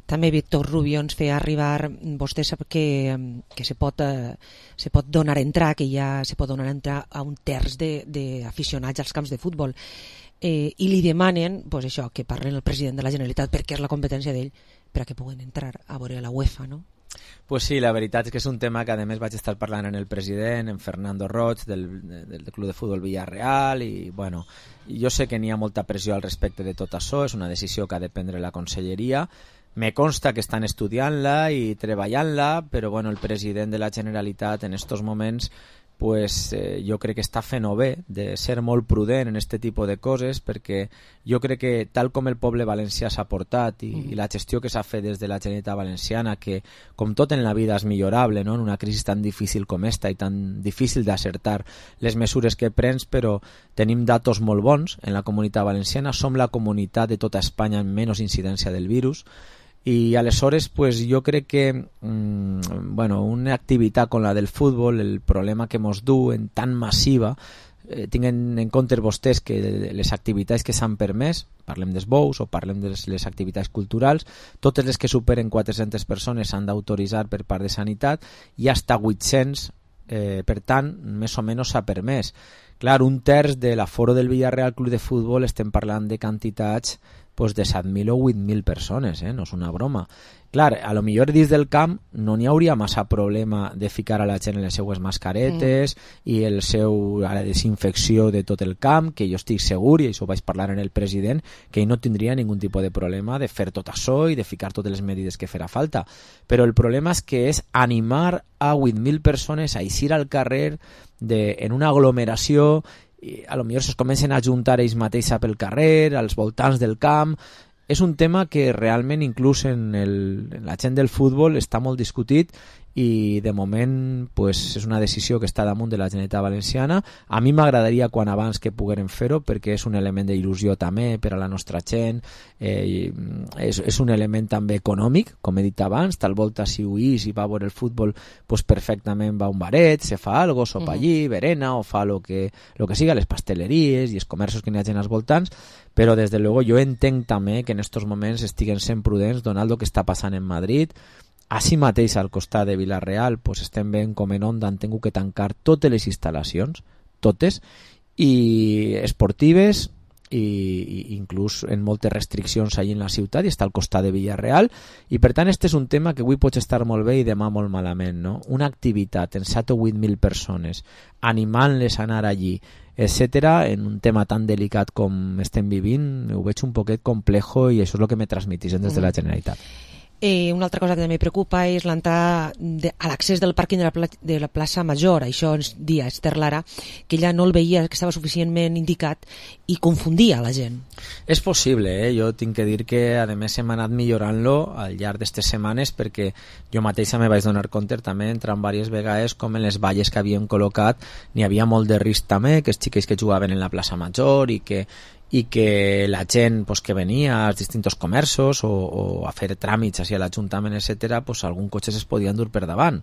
També Víctor Rubio ens feia arribar, vostè sap que, que se, pot, eh, se pot donar a entrar, que ja se pot donar a entrar a un terç d'aficionats als camps de futbol, eh, i li demanen pues això, que parlen el president de la Generalitat, perquè és la competència d'ell, per a que puguen entrar a veure la UEFA, no? Pues sí, la veritat és que és un tema que a més vaig estar parlant amb el president, en Fernando Roig, del, del Club de Futbol Villarreal, i bueno, jo sé que n'hi ha molta pressió al respecte de tot això, és una decisió que ha de prendre la conselleria. Me consta que estan estudiant-la i treballant-la, però bueno, el president de la Generalitat en estos moments pues, eh, jo crec que està fent-ho bé de ser molt prudent en este tipus de coses, perquè jo crec que tal com el poble valencià s'ha portat i, mm. i la gestió que s'ha fet des de la Generalitat Valenciana, que com tot en la vida és millorable, no? En una crisi tan difícil com esta i tan difícil d'acertar les mesures que prens, però tenim datos molt bons en la Comunitat Valenciana, som la comunitat de tota Espanya amb menys incidència del virus, i aleshores pues, jo crec que mmm, bueno, una activitat com la del futbol, el problema que mos du en tan massiva, eh, tinguen en compte vostès que les activitats que s'han permès, parlem dels bous o parlem de les, les activitats culturals, totes les que superen quatre-centes persones s'han d'autoritzar per part de Sanitat i hasta vuit-cents, eh, per tant, més o menys s'ha permès. Clar, un terç de l'aforo del Villarreal Club de Futbol estem parlant de quantitats pues de set mil o vuit mil persones, eh? No és una broma. Clar, a lo millor dins del camp no n'hi hauria massa problema de ficar a la gent en les seues mascaretes mm. i el seu, a la desinfecció de tot el camp, que jo estic segur, i això ho vaig parlar en el president, que ell no tindria ningun tipus de problema de fer tot això i de ficar totes les medides que farà falta. Però el problema és que és animar a vuit mil persones a eixir al carrer de, en una aglomeració, i a lo millor es comencen a juntar ells mateixos pel carrer, als voltants del camp. És un tema que realment inclús en, el, en la gent del futbol està molt discutit i de moment pues, és una decisió que està damunt de la Generalitat Valenciana. A mi m'agradaria quan abans que pogueren fer-ho, perquè és un element d'il·lusió també per a la nostra gent, eh, és, és un element també econòmic, com he dit abans, tal volta si ho és i va a veure el futbol, pues perfectament va a un baret, se fa algo, sopa uh-huh. allí, berena, o fa lo que, lo que siga, les pasteleries i els comerços que n'hi ha gent als voltants, però des de luego jo entenc també que en estos moments estiguen sent prudents donant el que està passant en Madrid. Així mateix al costat de Vilareal pues estem veient com en Onda han tingut que tancar totes les instal·lacions, totes, i esportives i, i inclús en moltes restriccions allà en la ciutat, i està al costat de Vilareal, i per tant este és un tema que avui pot estar molt bé i demà molt malament, no? Una activitat en set o vuit mil persones animant-les a anar allí, etcètera, en un tema tan delicat com estem vivint, ho veig un poquet complejo i això és el que me transmitixen des de la Generalitat. Eh, una altra cosa que també preocupa és l'entrada de, a l'accés del pàrquing de la, pla, de la plaça Major. Això ens dia Esther Lara, que ella no el veia, que estava suficientment indicat i confundia la gent. És possible, eh? Jo tinc que dir que a més hem anat millorant-lo al llarg d'aquestes setmanes, perquè jo mateixa me vaig donar compte també entrant diverses vegades com en les valles que havíem col·locat n'hi havia molt de risc també, que els xiquets que jugaven en la plaça Major i que i que la gent pues, que venia als distints comerços o, o a fer tràmits hacia l'Ajuntament, etcètera, pues, algun cotxe es podien dur per davant,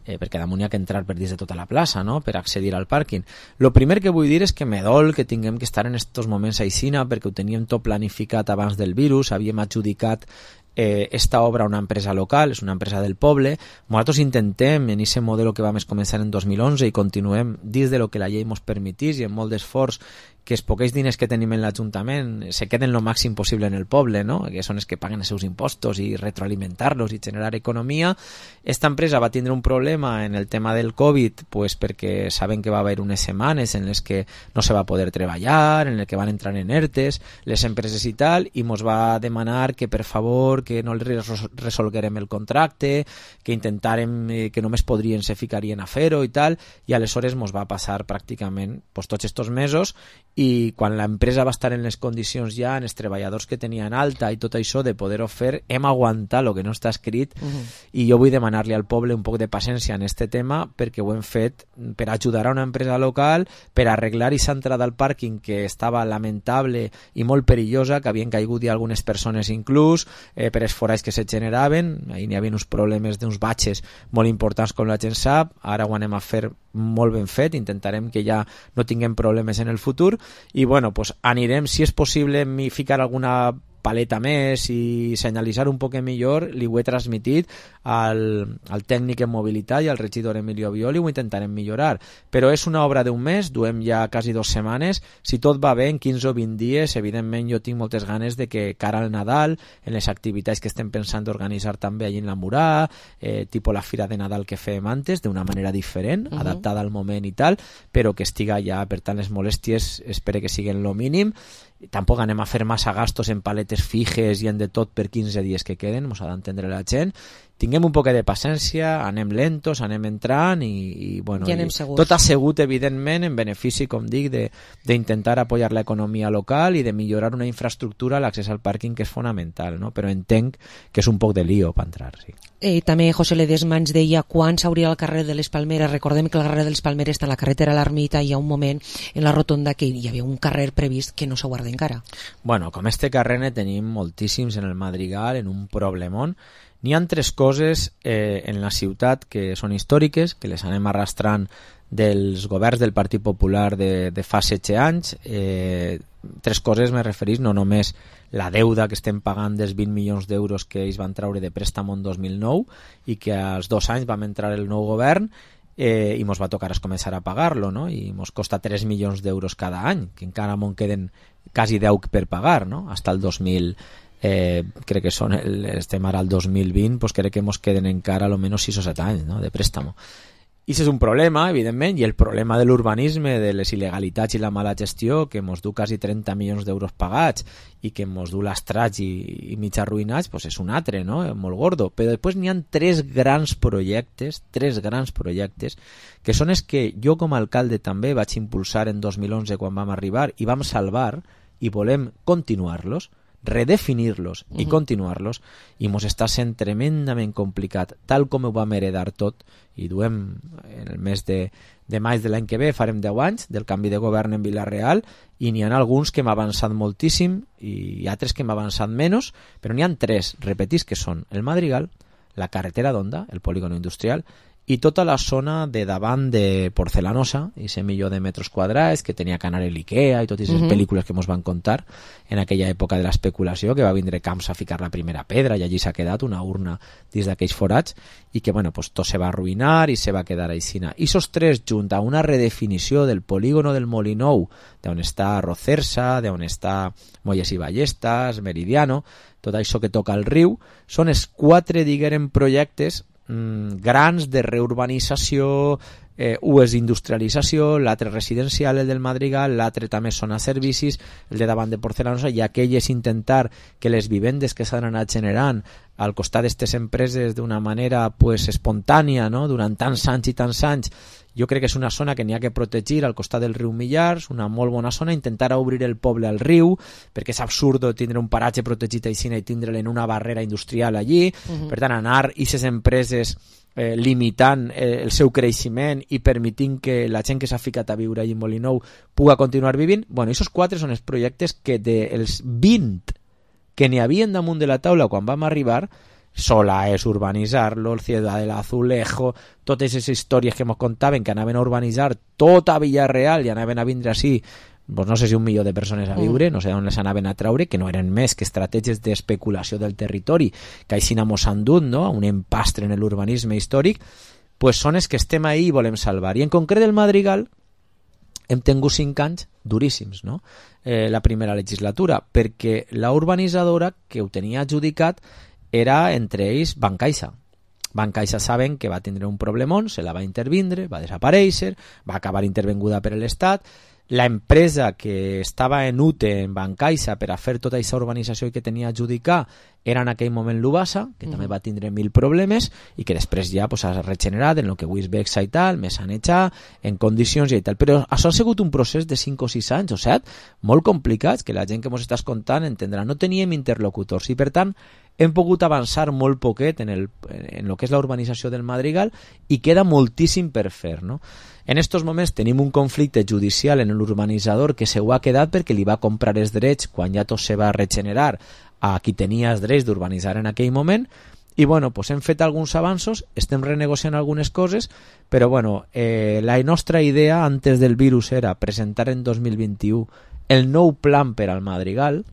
eh, perquè damunt hi ha que entrar per dins de tota la plaça, no?, per accedir al pàrquing. Lo primer que vull dir és que me dol que tinguem que estar en estos moments a Aixina, perquè ho teníem tot planificat abans del virus, havíem adjudicat eh, esta obra a una empresa local, és una empresa del poble. Nosaltres intentem en aquest model que vam començar en dos mil onze i continuem dins de lo que la llei ens permetís i amb molt d'esforç que els poquets diners que tenim en l'Ajuntament se queden lo màxim possible en el poble, no? Que són els que paguen els seus impostos i retroalimentar-los i generar economia. Esta empresa va tindre un problema en el tema del Covid pues perquè saben que va haver unes setmanes en les que no se va poder treballar, en les que van entrar en ERTES les empreses i tal, i mos va demanar que per favor que no els resolguerem el contracte, que intentàrem eh, que només podrien se ficarien a fer-ho i tal, i aleshores mos va passar pràcticament pues, tots estos mesos, i quan l'empresa va estar en les condicions ja, en els treballadors que tenien alta i tot això de poder-ho fer, hem aguantat el que no està escrit, uh-huh. i jo vull demanar-li al poble un poc de paciència en este tema, perquè ho hem fet per ajudar a una empresa local, per arreglar aquesta entrada al pàrquing que estava lamentable i molt perillosa, que havien caigut i algunes persones inclús, eh, per els forats que se generaven, ahir n'hi havia uns problemes d'uns batxes molt importants com la gent sap, ara ho anem a fer molt ben fet, intentarem que ja no tinguem problemes en el futur, i bueno, pues anirem, si és possible, mi ficar alguna paleta més i senyalitzar un poc millor, li ho he transmitit al, al tècnic en mobilitat i al regidor Emilio Violi, ho intentarem millorar, però és una obra d'un mes, duem ja quasi dues setmanes, si tot va bé en quinze o vint dies, evidentment jo tinc moltes ganes de que cara al Nadal, en les activitats que estem pensant d'organitzar també allí en la Murà, eh, tipus la Fira de Nadal que fèiem antes, d'una manera diferent, uh-huh. adaptada al moment i tal, però que estiga ja, per tant les molèsties espero que siguin lo mínim. Tampoc anem a fer massa gastos en paletes fijes i en de tot per quinze dies que queden, mos ha d'entendre la gent. Tinguem un poc de paciència, anem lentos, anem entrant i, i bueno, ja anem i segurs. Tot assegut, evidentment, en benefici, com dic, d'intentar apoyar l'economia local i de millorar una infraestructura, l'accés al pàrquing, que és fonamental, no? Però entenc que és un poc de lío per entrar, sí. Eh, també José Ledesma ens deia quan s'hauria el carrer de les Palmeres. Recordem que el carrer de les Palmeres està en la carretera a l'Ermita i hi ha un moment en la rotonda que hi havia un carrer previst que no s'ha guardat encara. Bueno, com este carrer ne tenim moltíssims en el Madrigal, en un problemón. N'hi ha tres coses eh, en la ciutat que són històriques, que les anem arrastrant dels governs del Partit Popular de, de fa setze anys. Eh, tres coses me referís, no només la deuda que estem pagant dels vint milions d'euros que ells van treure de préstamo en dos mil nou i que als dos anys vam entrar el nou govern eh, i mos va tocar començar a pagar-lo, no? I mos costa tres milions d'euros cada any, que encara m'en queden quasi deu per pagar, no? Hasta el dos mil eh, crec que són el, estem ara al dos mil vint, pues crec que mos queden encara almenys sis o set anys, no? De préstamo. I això és un problema, evidentment, i el problema de l'urbanisme, de les il·legalitats i la mala gestió, que mos du quasi trenta milions d'euros pagats i que mos du lastrats i, i mig arruïnats, pues és un altre, no? Molt gordo. Però després n'hi ha tres grans projectes, tres grans projectes, que són els que jo com a alcalde també vaig impulsar en dos mil onze quan vam arribar i vam salvar i volem continuar-los, redefinir-los i continuar-los, i mos està sent tremendament complicat, tal com ho vam heredar tot, i duem en el mes de, de maig de l'any que ve, farem deu anys del canvi de govern en Vila-real, i n'hi ha alguns que m'ha avançat moltíssim i altres que m'ha avançat menys, però n'hi ha tres, repetís, que són el Madrigal, la carretera d'Onda, el polígono industrial, i tota la zona de davant de Porcelanosa, i ese milió de metres quadrats que tenia que anar a l'Ikea i totes les uh-huh. pel·lícules que mos van contar en aquella època de l'especulació, que va vindre Camps a ficar la primera pedra i allí s'ha quedat una urna dins d'aquells forats i que bueno, pues, tot se va arruïnar i se va quedar aixina. I esos tres, junt a una redefinició del polígono del Molinou, d'on està Rocersa, d'on està Molles i Ballestas, Meridiano, tot això que toca el riu, són els quatre, diguem, projectes grans de reurbanització, eh, un és industrialització, l'altre residencial, el del Madrigal, l'altre també són a servicis, el de davant de Porcelanosa, i aquell és intentar que les vivendes que s'han anat generant al costat d'aquestes empreses d'una manera pues, espontània, no? Durant tants anys i tants anys, jo crec que és una zona que n'hi ha que protegir al costat del riu Millars, una molt bona zona, intentar obrir el poble al riu, perquè és absurd tindre un paratge protegit així i tindre'l en una barrera industrial allí, uh-huh. per tant anar i aquestes empreses eh, limitant eh, el seu creixement i permitint que la gent que s'ha ficat a viure allí en Molinou puga continuar vivint. Bueno, aquests quatre són els projectes que dels vint que n'hi havien damunt de la taula quan vam arribar, Sola és urbanitzar-lo, el Ciudad del Azulejo, totes aquestes històries que ens contaven que anaven a urbanitzar tota Villarreal i anaven a vindre així, doncs no sé si un milió de persones a viure, no sé on les anaven a traure, que no eren més que estratègies d'especulació del territori, que així mos han dut, no? Un empastre en l'urbanisme històric, pues són els que estem ahí i volem salvar. I en concret el Madrigal hem tingut cinc anys duríssims, no? Eh, la primera legislatura, perquè la urbanitzadora que ho tenia adjudicat era entre ells Bancaixa. Bancaixa saben que va tindre un problemón, se la va intervindre, va desaparèixer, va acabar intervenguda per l'Estat. La empresa que estava en U T E, en Bancaixa, per a fer tota aquesta urbanització que tenia a adjudicar, era en aquell moment l'Ubasa, que mm. també va tindre mil problemes i que després ja pues, ha regenerat en el que avui és Bexa i tal, més sanetxar, en condicions i tal. Però això ha sigut un procés de cinc o sis anys o set, molt complicats, que la gent que ens està escoltant entendrà. No teníem interlocutors i, per tant, hem pogut avançar molt poquet en, el, en el que és la urbanització del Madrigal i queda moltíssim per fer, no? En estos moments tenim un conflicte judicial en l'urbanitzador que se ho ha quedat perquè li va comprar els drets quan ja tot se va regenerar a qui tenia els drets d'urbanitzar en aquell moment i bueno, pues hem fet alguns avanços, estem renegociant algunes coses, però bueno, eh, la nostra idea antes del virus era presentar en dos mil vint-i-u el nou plan per al Madrigal,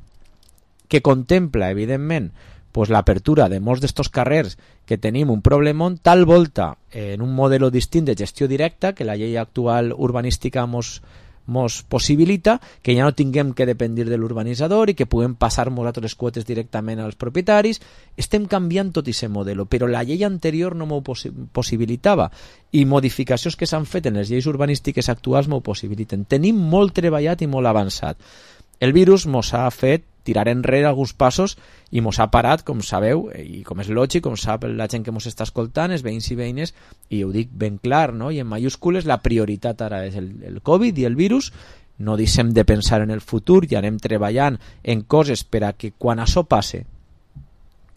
que contempla, evidentment, pues, l'apertura de molts d'estos carrers que tenim un problemón, tal volta eh, en un modelo distint de gestió directa que la llei actual urbanística mos, mos possibilita, que ja no tinguem que dependir de l'urbanitzador i que puguem passar nosaltres les quotes directament als propietaris. Estem canviant tot aquest modelo, però la llei anterior no m'ho possi possibilitava i modificacions que s'han fet en les lleis urbanístiques actuals m'ho possibiliten. Tenim molt treballat i molt avançat. El virus mos ha fet tirar enrere alguns passos i mos ha parat, com sabeu, i com és lògic, com sap la gent que mos està escoltant, els veïns i veïnes, i ho dic ben clar, no? I en mayúscules, la prioritat ara és el, el Covid i el virus. No deixem de pensar en el futur i anem treballant en coses per a que quan això passe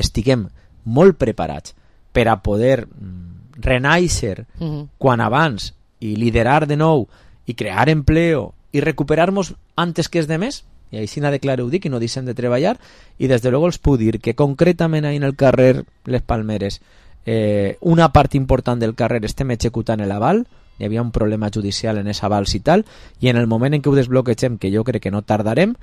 estiguem molt preparats per a poder renaixer uh-huh. quan abans i liderar de nou i crear empleo i recuperar-nos antes que els demés. I així n'ha de clar ho dic i no deixem de treballar. I des de luego els puc dir que concretament ahí en el carrer Les Palmeres eh, una part important del carrer estem executant l'aval. Hi havia un problema judicial en els avals i tal, i en el moment en què ho desbloquegem, que jo crec que no tardarem,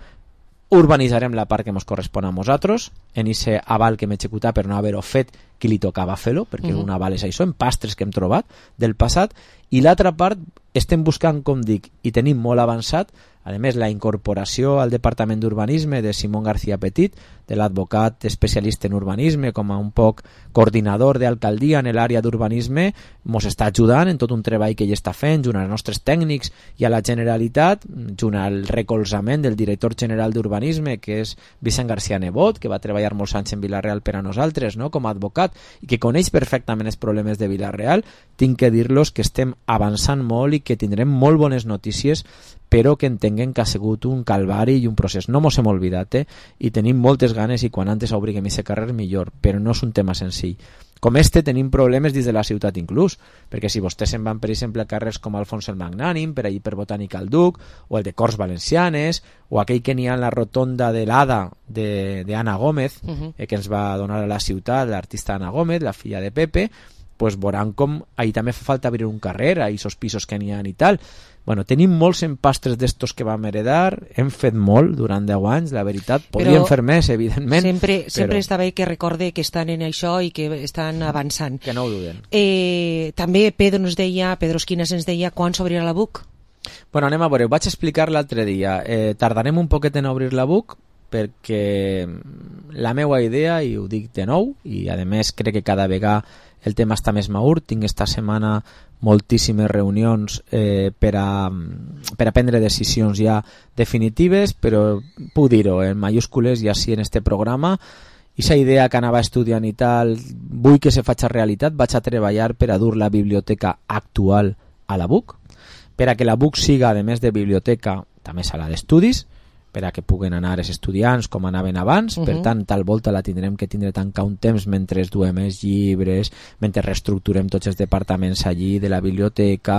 urbanitzarem la part que ens correspon a nosaltres en aquest aval que hem executat per no haver-ho fet qui li tocava fer-lo, perquè uh-huh. un aval és això, en pastres que hem trobat del passat, i l'altra part estem buscant, com dic, i tenim molt avançat, a més la incorporació al Departament d'Urbanisme de Simón García Petit, de l'advocat especialista en urbanisme, com a un poc coordinador d'alcaldia en l'àrea d'urbanisme, ens està ajudant en tot un treball que ell està fent, junt als nostres tècnics i a la Generalitat, junt al recolzament del director general d'urbanisme, que és Vicent García Nebot, que va treballar molts anys en Vila-real per a nosaltres, no? Com a advocat, i que coneix perfectament els problemes de Vila-real. Tinc que dir-los que estem avançant molt i que tindrem molt bones notícies, però que entenguem que ha sigut un calvari i un procés. No mos hem oblidat, eh? I tenim moltes ganes i quan antes obriguem aquest carrer millor, però no és un tema senzill. Com este tenim problemes dins de la ciutat inclús, perquè si vostès se'n van, per exemple, a carrers com Alfons el Magnànim, per allí per Botànica al Duc, o el de Corts Valencianes, o aquell que n'hi ha en la rotonda de l'Ada d'Anna Gómez, uh-huh. eh, que ens va donar a la ciutat l'artista Anna Gómez, la filla de Pepe, pues veuran com ahí també fa falta obrir un carrer, a aquests pisos que n'hi ha i tal. Bueno, tenim molts empastres d'estos que vam heredar, hem fet molt durant deu anys, la veritat, podríem fer més, evidentment. Sempre, però... sempre està bé que recorde que estan en això i que estan avançant. Que no ho duden. Eh, també Pedro ens deia, Pedro Esquinas ens deia quan s'obrirà la B U C? Bueno, anem a veure, ho vaig explicar l'altre dia. Eh, tardarem un poquet en obrir la B U C perquè la meva idea, i ho dic de nou, i a més crec que cada vegada el tema està més madur, tinc esta setmana moltíssimes reunions eh, per, a, per a prendre decisions ja definitives, però puc dir-ho en mayúscules i així en este programa. Aquesta idea que anava estudiant i tal, vull que se faci realitat, vaig a treballar per a dur la biblioteca actual a la B U C, per a que la B U C siga, a més de biblioteca, també sala d'estudis, per a que puguen anar els estudiants com anaven abans. Uh-huh. Per tant, tal volta la tindrem que tindre tancar un temps mentre duem els llibres, mentre reestructurem tots els departaments allí de la biblioteca.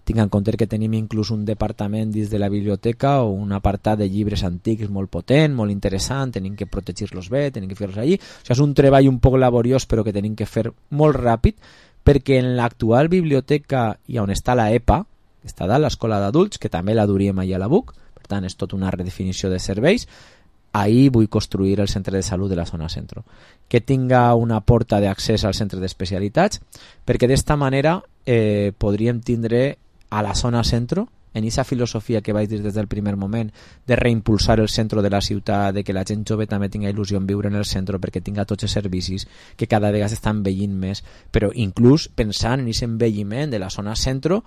Tinc en compte que tenim inclús un departament dins de la biblioteca o un apartat de llibres antics molt potent, molt interessant, tenim que protegir-los bé, tenim que fer-los allí. O sigui, és un treball un poc laboriós però que tenim que fer molt ràpid, perquè en l'actual biblioteca i on està la E P A, que està dalt, l'escola d'adults, que també la duríem allà a la B U C, per tant és tot una redefinició de serveis. Ahí vull construir el centre de salut de la zona centro, que tinga una porta d'accés al centre d'especialitats, perquè d'esta manera eh, podríem tindre a la zona centro, en aquesta filosofia que vaig dir des del primer moment, de reimpulsar el centre de la ciutat, de que la gent jove també tinga il·lusió en viure en el centre perquè tinga tots els servicis, que cada vegada s'estan envellint més, però inclús pensant en aquest envelliment de la zona centro,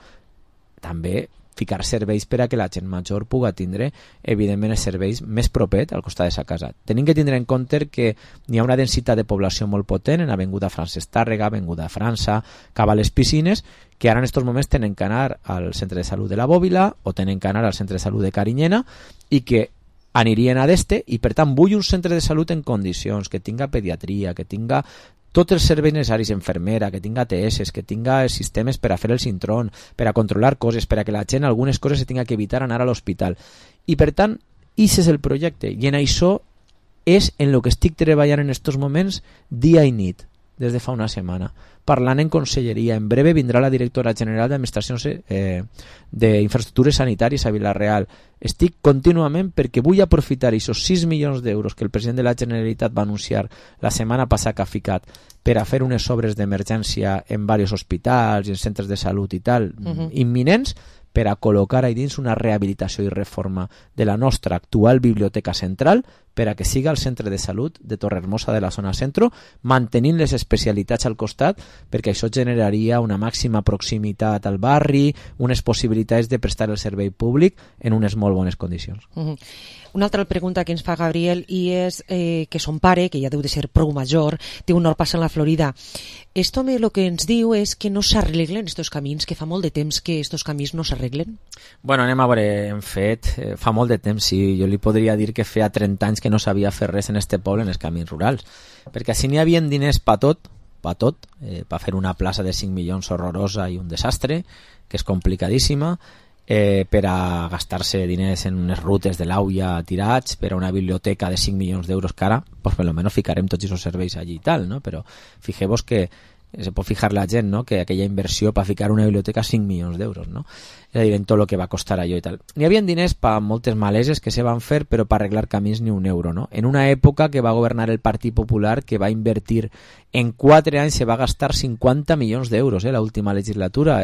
també ficar serveis per a que la gent major pugui tindre, evidentment, els serveis més propet al costat de sa casa. Tenim que tindre en compte que hi ha una densitat de població molt potent en Avinguda Francesc Tàrrega, Avinguda França, cap a les piscines, que ara en aquests moments tenen que anar al centre de salut de la Bòbila o tenen que anar al centre de salut de Carinyena i que anirien a d'este, i per tant vull un centre de salut en condicions, que tinga pediatria, que tinga tots els serveis necessaris, infermera, que tinga T S, que tinga els sistemes per a fer el cintrón, per a controlar coses, per a que la gent algunes coses se tinga que evitar anar a l'hospital. I per tant, aquest és el projecte, i en això és en el que estic treballant en aquests moments dia i nit. des de fa una setmana, parlant en conselleria. En breve vindrà la directora general d'Administracions eh, d'Infraestructures Sanitàries a Vila-real. Estic contínuament perquè vull aprofitar aquests sis milions d'euros que el president de la Generalitat va anunciar la setmana passada que ha ficat per a fer unes obres d'emergència en diversos hospitals i en centres de salut i tal, uh-huh. imminents, per a col·locar ahí dins una rehabilitació i reforma de la nostra actual biblioteca central per a que siga el centre de salut de Torrehermosa de la zona centro, mantenint les especialitats al costat, perquè això generaria una màxima proximitat al barri, unes possibilitats de prestar el servei públic en unes molt bones condicions. Uh-huh. Una altra pregunta que ens fa Gabriel i és eh, que son pare, que ja deu de ser prou major, té un hort passant a la Florida. Esto me lo que ens diu és que no s'arreglen estos camins, que fa molt de temps que estos camins no s'arreglen. Bueno, anem a veure, en fet, eh, fa molt de temps, sí, jo li podria dir que feia trenta anys que no sabia fer res en este poble, en els camins rurals, perquè si n'hi havia diners pa tot, pa tot, eh, pa fer una plaça de cinc milions horrorosa i un desastre, que és complicadíssima, eh, per a gastar-se diners en unes rutes de l'auia tirats, per a una biblioteca de cinc milions d'euros que ara, pues per lo menos ficarem tots aquests serveis allí i tal, no? Però fixeu-vos que se pot fijar la gent, no? Que aquella inversió per ficar una biblioteca cinc milions d'euros, no? És a dir, en tot el que va costar allò i tal. N'hi havia diners per moltes maleses que se van fer, però per arreglar camins ni un euro, no? En una època que va governar el Partit Popular, que va invertir en quatre anys, se va gastar cinquanta milions d'euros, eh, la última legislatura.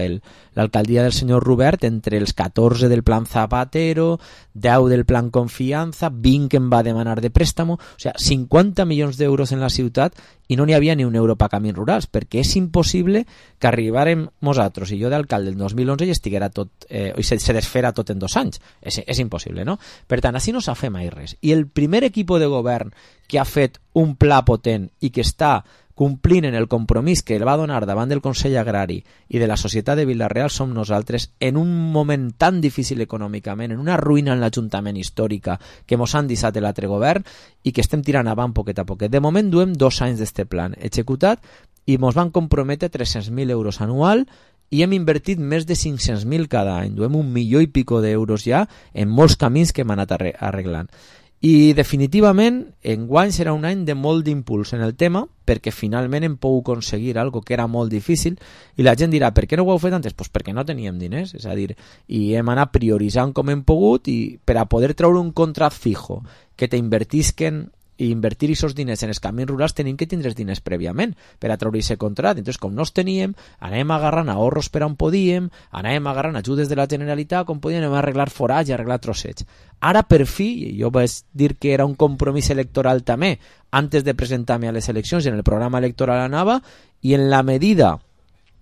L'alcaldia del senyor Robert, entre els catorze del plan Zapatero, deu del plan Confiança, vint que em va demanar de préstamo, o sigui, cinquanta milions d'euros en la ciutat i no n'hi havia ni un euro per camins rurals, perquè és impossible que arribarem nosaltres i jo d'alcalde el dos mil onze i estiguera tot, eh, i se, se desfera tot en dos anys. És, és impossible, no? Per tant, així no s'ha fet mai res. I el primer equip de govern que ha fet un pla potent i que està complint en el compromís que el va donar davant del Consell Agrari i de la societat de Vila-real som nosaltres en un moment tan difícil econòmicament, en una ruïna en l'Ajuntament històrica que mos han deixat l'altre govern i que estem tirant avant poquet a poquet. De moment duem dos anys d'este plan executat i mos van comprometre tres-cents mil euros anual i hem invertit més de cinc-cents mil cada any. Duem un milió i pico d'euros ja en molts camins que hem anat arreglant. I definitivament enguany serà un any de molt d'impuls en el tema perquè finalment hem pogut aconseguir algo que era molt difícil i la gent dirà per què no ho heu fet antes? Pues perquè no teníem diners, és a dir, i hem anat prioritzant com hem pogut i per a poder treure un contrat fijo que t'invertisquen i invertir aquests diners en els camins rurals tenim que tindre diners prèviament per a treure aquest contrat. Entonces, com no els teníem, anem agarrant ahorros per on podíem, anem agarrant ajudes de la Generalitat com podíem, anem a arreglar forats i arreglar trossets. Ara, per fi, jo vaig dir que era un compromís electoral també, antes de presentar-me a les eleccions, en el programa electoral anava, i en la medida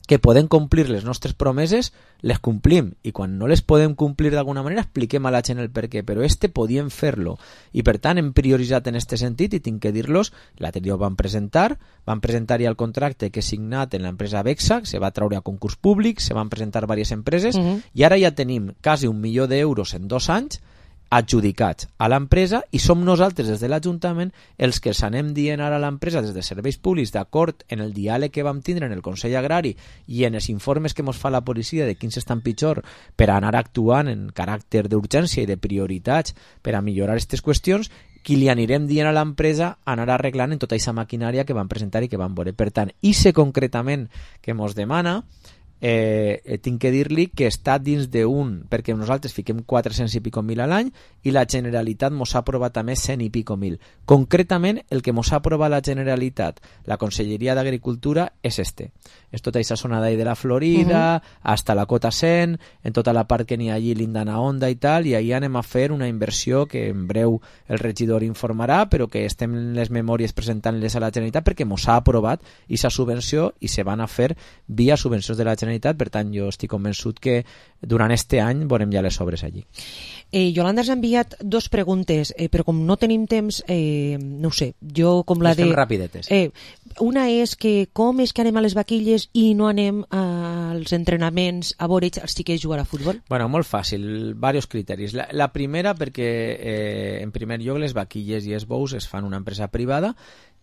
que podem complir les nostres promeses, les complim. I quan no les podem complir d'alguna manera, expliquem a la gent el per què. Però este podíem fer-lo. I per tant hem prioritzat en este sentit i tinc que dir-los, l'altre dia ho van presentar, van presentar ja el contracte que he signat en l'empresa Vexa, que se va treure a concurs públic, se van presentar diverses empreses, uh-huh. i ara ja tenim quasi un milió d'euros en dos anys adjudicats a l'empresa i som nosaltres des de l'Ajuntament els que els anem dient ara a l'empresa des de serveis públics d'acord en el diàleg que vam tindre en el Consell Agrari i en els informes que ens fa la policia de quins estan pitjor per anar actuant en caràcter d'urgència i de prioritats per a millorar aquestes qüestions, qui li anirem dient a l'empresa anar arreglant en tota aquesta maquinària que van presentar i que van veure. Per tant, i sé concretament que ens demana Eh, eh, tinc que dir-li que està dins d'un, perquè nosaltres fiquem quatre-cents i pico mil a l'any i la Generalitat mos ha aprovat també cent i pico mil. Concretament el que mos ha aprovat la Generalitat, la Conselleria d'Agricultura, és este. És tota aquesta zona d'ahí de la Florida, uh-huh. hasta la Cota cent, en tota la part que n'hi ha allí, l'Indana Onda i tal, i ahí anem a fer una inversió que en breu el regidor informarà, però que estem en les memòries presentant-les a la Generalitat perquè mos ha aprovat aquesta subvenció i se van a fer via subvencions de la Generalitat. Per tant, jo estic convençut que durant este any veurem ja les obres allí. Eh, Yolanda ens ha enviat dos preguntes, eh, però com no tenim temps, eh, no ho sé, jo com la Estem de... rapidetes. Eh, una és que com és que anem a les vaquilles i no anem als entrenaments a veure els xiquets jugar a futbol? Bueno, molt fàcil, diversos criteris. La, la primera perquè, eh, en primer lloc, les vaquilles i els bous es fan una empresa privada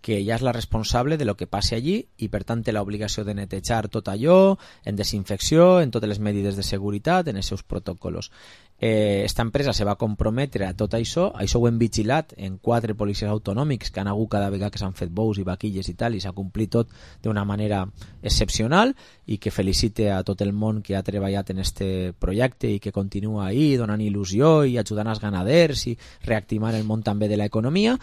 que ja és la responsable de lo que passi allí i per tant té l'obligació de netejar tot allò, en desinfecció, en totes les medides de seguretat, en els seus protocols. Eh, esta empresa se va comprometre a tot això, això ho hem vigilat en quatre policies autonòmics que han hagut cada vegada que s'han fet bous i vaquilles i tal, i s'ha complit tot d'una manera excepcional i que felicite a tot el món que ha treballat en este projecte i que continua ahí donant il·lusió i ajudant als ganaders i reactivant el món també de l'economia.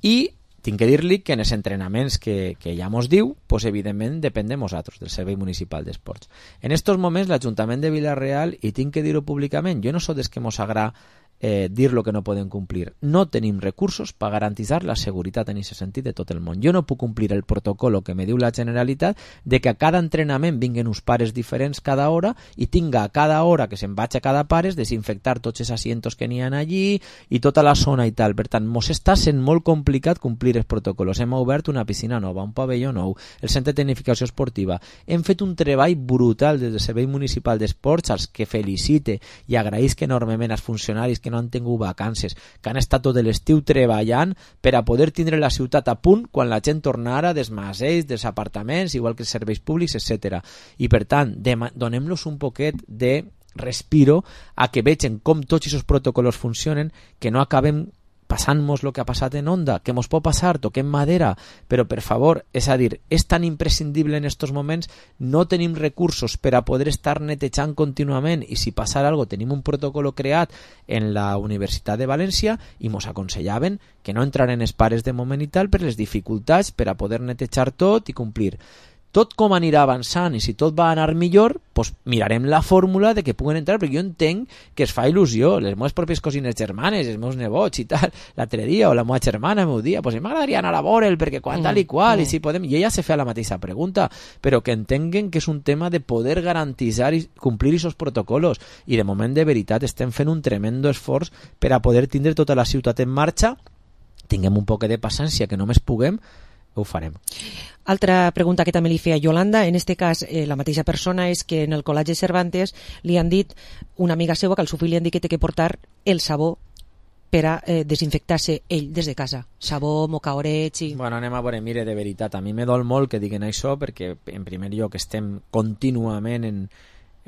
I tinc que dir-li que en els entrenaments que, que ja mos diu, pues evidentment depèn de nosaltres, del Servei Municipal d'Esports. En estos moments l'Ajuntament de Vila-real, i tinc que dir-ho públicament, jo no sóc des que mos agrada eh, dir lo que no podem complir. No tenim recursos per garantir la seguretat en aquest sentit de tot el món. Jo no puc complir el protocolo que me diu la Generalitat de que a cada entrenament vinguen uns pares diferents cada hora i tinga a cada hora que se'n vaig a cada pares desinfectar tots els asientos que n'hi ha allí i tota la zona i tal. Per tant, mos està sent molt complicat complir els protocolos. Hem obert una piscina nova, un pavelló nou, el centre de tecnificació esportiva. Hem fet un treball brutal des del Servei Municipal d'Esports, als que felicite i agraïsc enormement als funcionaris que no han tingut vacances, que han estat tot l'estiu treballant per a poder tindre la ciutat a punt quan la gent tornara dels masells, dels apartaments, igual que els serveis públics, etcètera. I per tant, donem-los un poquet de respiro a que vegin com tots aquests protocols funcionen, que no acabem passant-nos el que ha passat en Onda, que mos pot passar, toquem madera, però per favor, és a dir, és tan imprescindible en estos moments, no tenim recursos per a poder estar netejant contínuament i si passar algo tenim un protocol creat en la Universitat de València i mos aconsellaven que no entraren els pares de moment i tal per les dificultats per a poder netejar tot i complir. Tot com anirà avançant i si tot va anar millor, pues mirarem la fórmula de que puguen entrar, perquè jo entenc que es fa il·lusió, les meves pròpies cosines germanes, els meus nebots i tal, l'altre dia, o la meva germana meu dia, pues m'agradaria anar a veure'l perquè quan tal i qual, mm. i si podem, i ella se fa la mateixa pregunta, però que entenguen que és un tema de poder garantitzar i complir aquests protocols, i de moment de veritat estem fent un tremendo esforç per a poder tindre tota la ciutat en marxa, tinguem un poc de paciència, que només puguem, ho farem. Altra pregunta que també li feia Yolanda, en este cas eh, la mateixa persona, és que en el Col·legi Cervantes li han dit, una amiga seva, que al seu fill li han dit que té que portar el sabó per a eh, desinfectar-se ell des de casa. Sabó, mocaorets i... Bueno, anem a veure, mire, de veritat, a mi me dol molt que diguen això perquè en primer lloc estem contínuament en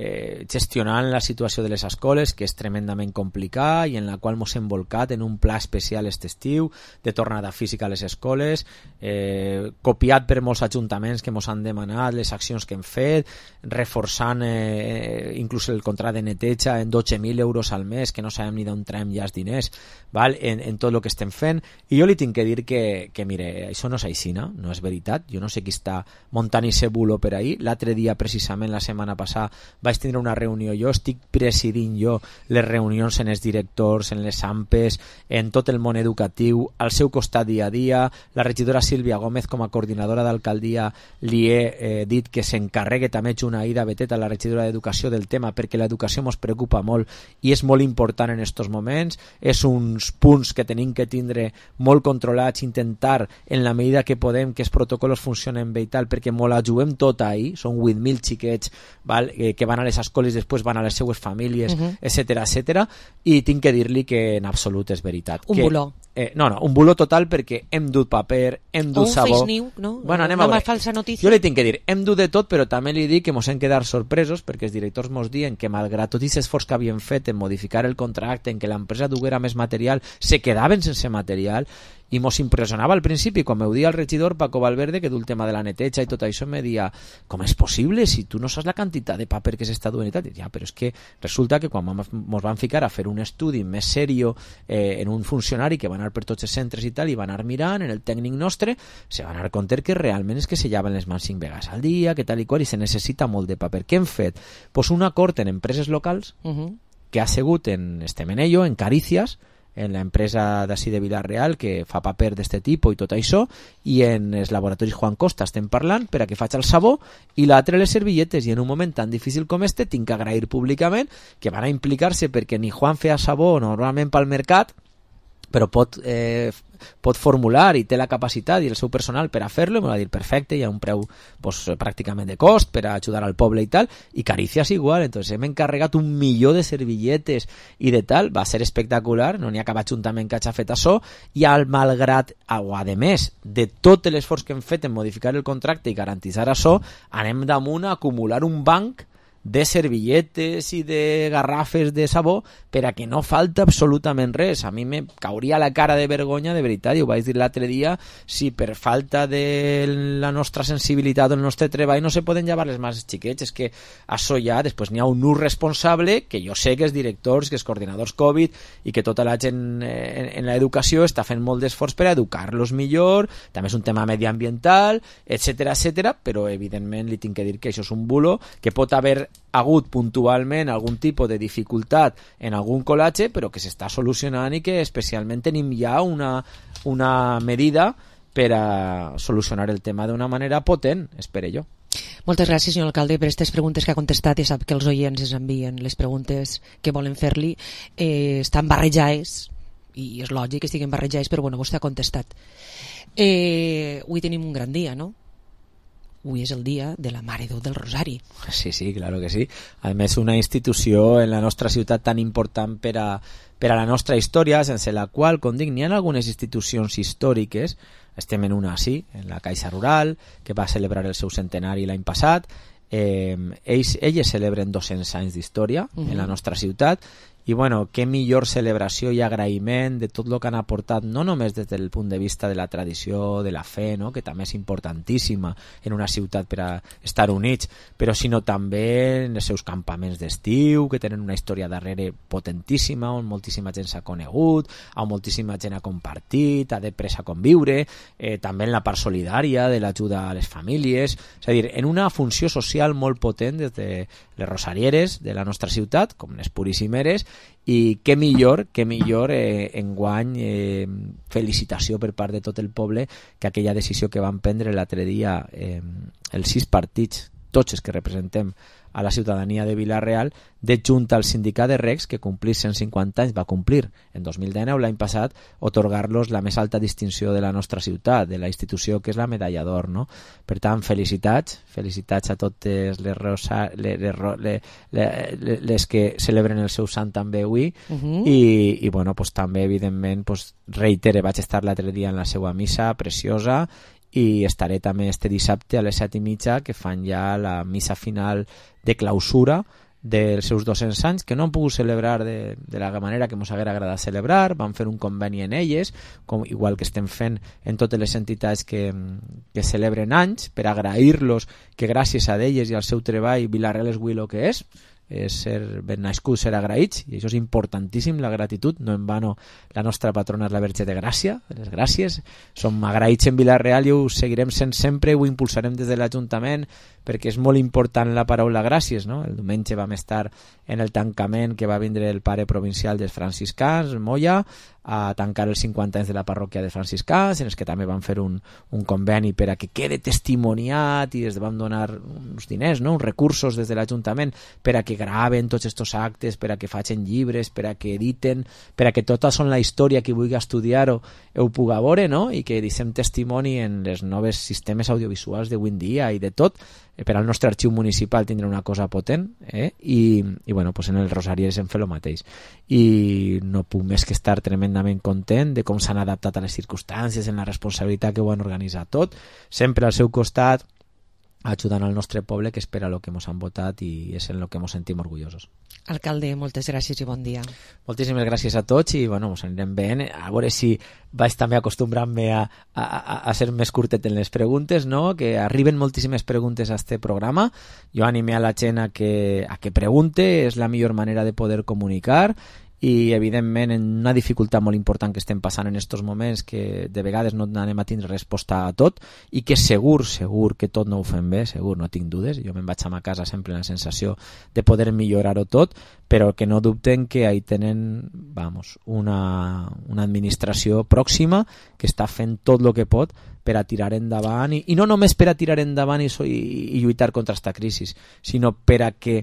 Eh, gestionant la situació de les escoles, que és tremendament complicada i en la qual ens hem volcat en un pla especial aquest estiu de tornada física a les escoles, eh, copiat per molts ajuntaments que ens han demanat les accions que hem fet, reforçant eh, inclús el contracte de neteja en dotze mil euros al mes, que no sabem ni d'on traiem ja els diners, val? En, en tot el que estem fent. I jo li tinc que dir que, que mire, això no és així, no? No és veritat. Jo no sé qui està muntant i bulo per ahí. L'altre dia, precisament la setmana passada, vaig tindre una reunió, jo estic presidint jo les reunions en els directors, en les AMPes, en tot el món educatiu, al seu costat dia a dia. La regidora Sílvia Gómez, com a coordinadora d'alcaldia, li he eh, dit que s'encarregue també una Ida Betet, a la regidora d'Educació, del tema, perquè l'educació ens preocupa molt i és molt important en estos moments. És uns punts que tenim que tindre molt controlats, intentar en la medida que podem que els protocols funcionen bé i tal, perquè molt la juguem tot ahí, són vuit mil xiquets, val? Eh, que van a les escoles, després van a les seues famílies, uh-huh. etcètera, etcètera, i tinc que dir-li que en absolut és veritat. Un que, buló. Eh, no, no, un buló total, perquè hem dut paper, hem dut sabó... O un fake news, no? Bueno, anem Una a veure. falsa notícia. Jo li tinc que dir, hem dut de tot, però també li dic que mos hem quedat sorpresos, perquè els directors mos diuen que malgrat tot aquest esforç que havien fet en modificar el contracte, en que l'empresa duguera més material, se quedaven sense material, i mos impressionava al principi, quan m'ho dia el regidor Paco Valverde, que du el tema de la neteja i tot això, me dia, com és possible si tu no saps la quantitat de paper que s'està duent i tal? I ja, però és que resulta que quan mos van ficar a fer un estudi més serio eh, en un funcionari que va anar per tots els centres i tal, i va anar mirant en el tècnic nostre, se va anar compte que realment és que se llaven les mans cinc vegades al dia, que tal i qual, i se necessita molt de paper. Què hem fet? Pues un acord en empreses locals uh-huh. que ha sigut en este Menello, en Carícies, en l'empresa d'ací de Vila-real que fa paper d'este tipus i tot això, i en els laboratoris Juan Costa estem parlant per a que faig el sabó i l'altre les servilletes, i en un moment tan difícil com este tinc que agrair públicament que van a implicar-se, perquè ni Juan feia sabó normalment pel mercat, però pot, eh, pot formular i té la capacitat i el seu personal per a fer-lo, i m'ho va dir perfecte, hi ha un preu pues, pràcticament de cost per a ajudar al poble i tal, i Carícies igual. Entonces hem encarregat un milió de servilletes i de tal, va ser espectacular, no n'hi ha cap ajuntament que hagi fet això, i al malgrat, o a més de tot l'esforç que hem fet en modificar el contracte i garantitzar això, anem damunt a acumular un banc de servilletes i de garrafes de sabó per a que no falta absolutament res. A mi me cauria la cara de vergonya, de veritat, i ho vaig dir l'altre dia, si per falta de la nostra sensibilitat o el nostre treball no se poden llevar les mans xiquets. És que això ja, després n'hi ha un ús responsable, que jo sé que els directors, que els coordinadors Covid i que tota la gent en, en l'educació està fent molt d'esforç per educar-los millor, també és un tema mediambiental, etcètera, etcètera, però evidentment li tinc que dir que això és un bulo, que pot haver hagut puntualment algun tipus de dificultat en algun col·latge, però que s'està solucionant i que especialment tenim ja una, una medida per a solucionar el tema d'una manera potent, espero jo. Moltes gràcies, senyor alcalde, per aquestes preguntes que ha contestat. Ja sap que els oients ens envien les preguntes que volen fer-li. Eh, estan barrejades, i és lògic que estiguin barrejades, però bueno, vostè ha contestat. Eh, avui tenim un gran dia, no? Avui és el dia de la Mare de Déu del Rosari. Sí, sí, claro que sí. A més, una institució en la nostra ciutat tan important per a, per a la nostra història, sense la qual, com dic, n'hi ha algunes institucions històriques. Estem en una, sí, en la Caixa Rural, que va celebrar el seu centenari l'any passat. Eh, ells, elles celebren dos-cents anys d'història uh-huh. en la nostra ciutat, i bueno, què millor celebració i agraïment de tot el que han aportat, no només des del punt de vista de la tradició, de la fe, no? Que també és importantíssima en una ciutat per a estar units, però sinó també en els seus campaments d'estiu, que tenen una història darrere potentíssima, on moltíssima gent s'ha conegut, on moltíssima gent ha compartit, ha després a conviure, eh, també en la part solidària de l'ajuda a les famílies, és a dir, en una funció social molt potent des de les rosarieres de la nostra ciutat, com les puríssimeres, i què millor, què millor eh, enguany eh, felicitació per part de tot el poble que aquella decisió que van prendre l'altre dia eh, els sis partits, tots els que representem a la ciutadania de Vila-real, de junta al sindicat de Recs, que complir cent cinquanta anys va complir en dos mil dinou, l'any passat, otorgar-los la més alta distinció de la nostra ciutat, de la institució que és la Medalla d'Or, no? Per tant, felicitats, felicitats a totes les, rosa, les, les, les, les que celebren el seu sant també avui, uh-huh. i, i bueno, pues, també, evidentment, pues, reitere, vaig estar l'altre dia en la seva missa preciosa, i estaré també este dissabte a les set i mitja, que fan ja la missa final de clausura dels seus dos-cents anys, que no han pogut celebrar de, de la manera que ens haguera agradat celebrar. Van fer un conveni en elles, com, igual que estem fent en totes les entitats que, que celebren anys, per agrair-los que gràcies a elles i al seu treball Vila-real és avui el que és, és ser ben nascut, ser agraïts, i això és importantíssim, la gratitud. No en vano, la nostra patrona és la Verge de Gràcia, les gràcies, som agraïts en Vila-real i ho seguirem sent sempre, ho impulsarem des de l'Ajuntament, perquè és molt important la paraula gràcies, no? El diumenge vam estar en el tancament que va vindre el pare provincial dels franciscans, Moya, a tancar els cinquanta anys de la parròquia de franciscans, en els que també van fer un, un conveni per a que quede testimoniat, i des vam donar uns diners, no? Uns recursos des de l'Ajuntament per a que graven tots aquests actes, per a que facin llibres, per a que editen, per a que tota són la història que vulgui estudiar-ho ho puga veure, no? I que deixem testimoni en els nous sistemes audiovisuals d'avui en dia i de tot, per al nostre arxiu municipal tindrà una cosa potent, eh? I, i bueno, pues en el Rosariers hem fet el mateix, i no puc més que estar tremendament content de com s'han adaptat a les circumstàncies, en la responsabilitat que ho han organitzat tot, sempre al seu costat, ajudant al nostre poble, que espera el que ens han votat, i és en el que ens sentim orgullosos. Alcalde, moltes gràcies i bon dia. Moltíssimes gràcies a tots, i bueno, ens anirem veient, a veure si vaig també acostumbrant-me a, a, a ser més curtet en les preguntes, no? Que arriben moltíssimes preguntes a este programa. Jo animé a la gent a que, a que pregunte, és la millor manera de poder comunicar, i evidentment en una dificultat molt important que estem passant en estos moments, que de vegades no anem a tindre resposta a tot, i que segur, segur que tot no ho fem bé, segur, no tinc dudes, jo me'n vaig a ma casa sempre amb la sensació de poder millorar-ho tot, però que no dubten que ahí tenen, vamos, una, una administració pròxima que està fent tot el que pot per a tirar endavant, i, i no només per a tirar endavant i, i, i lluitar contra esta crisi, sinó per a que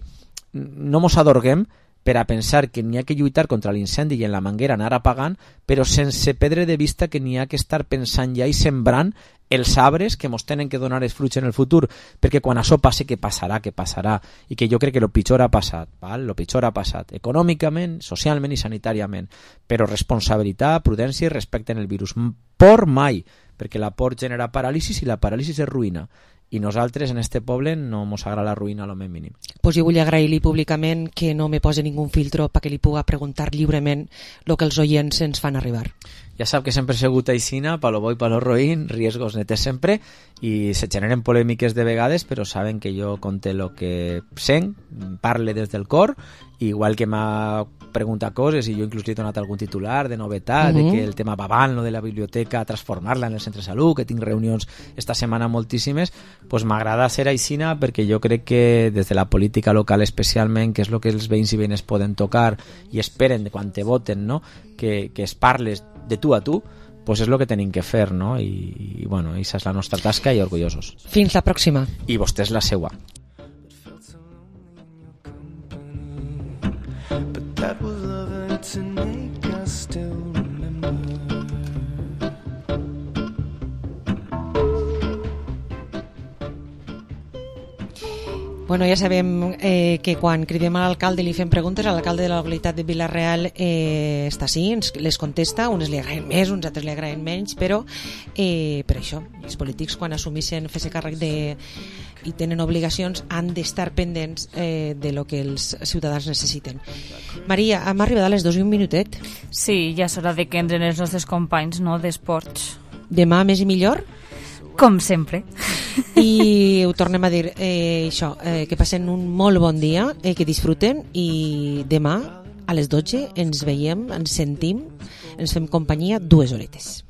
no mos adorguem, per a pensar que n'hi ha que lluitar contra l'incendi i en la manguera anar apagant, però sense perdre de vista que n'hi ha que estar pensant ja i sembrant els arbres que mos tenen que donar els fruits en el futur, perquè quan això passe, que passarà, que passarà, i que jo crec que el pitjor ha passat, val? El pitjor ha passat econòmicament, socialment i sanitàriament, però responsabilitat, prudència i respecte en el virus. Por mai, perquè la por genera paràlisis i la paràlisis és ruïna, i nosaltres en este poble no mos agrada la ruïna a lo més mínim. Pues jo vull agrair-li públicament que no me posi ningú filtro perquè li puga preguntar lliurement el que els oients ens fan arribar. Ja sap que sempre he sigut aixina, pa lo bo i pa lo roïn, riesgos netes sempre, i se generen polèmiques de vegades, però saben que jo conte lo que sent, parle des del cor, igual que m'ha preguntat coses i jo inclús li he donat algun titular de novetat, uh-huh. de que el tema va avant, lo de la biblioteca, transformar-la en el centre de salut, que tinc reunions esta setmana moltíssimes, pues m'agrada ser aixina perquè jo crec que des de la política local especialment, que és el que els veïns i veïnes poden tocar i esperen de quan te voten, no? que, que es parles de tu a tu, pues és el que tenim que fer, no? I, i bueno, aquesta és la nostra tasca i orgullosos. Fins la pròxima. I vostè és la seua. That was loving to make us still remember. Bueno, ja sabem eh, que quan cridem a l'alcalde i li fem preguntes, l'alcalde de la localitat de Vila-real eh, està així, ens les contesta, unes li agraden més, uns altres li agraden menys, però eh, per això, els polítics quan assumeixen fer-se càrrec de i tenen obligacions han d'estar pendents eh, de lo que els ciutadans necessiten. Maria, hem arribat a les dos i un minutet. Sí, ja és hora de que entren els nostres companys, no?, d'esports. Demà més i millor? Com sempre. I ho tornem a dir, eh, això, eh, que passen un molt bon dia, eh, que disfruten, i demà a les dotze ens veiem, ens sentim, ens fem companyia dues horetes.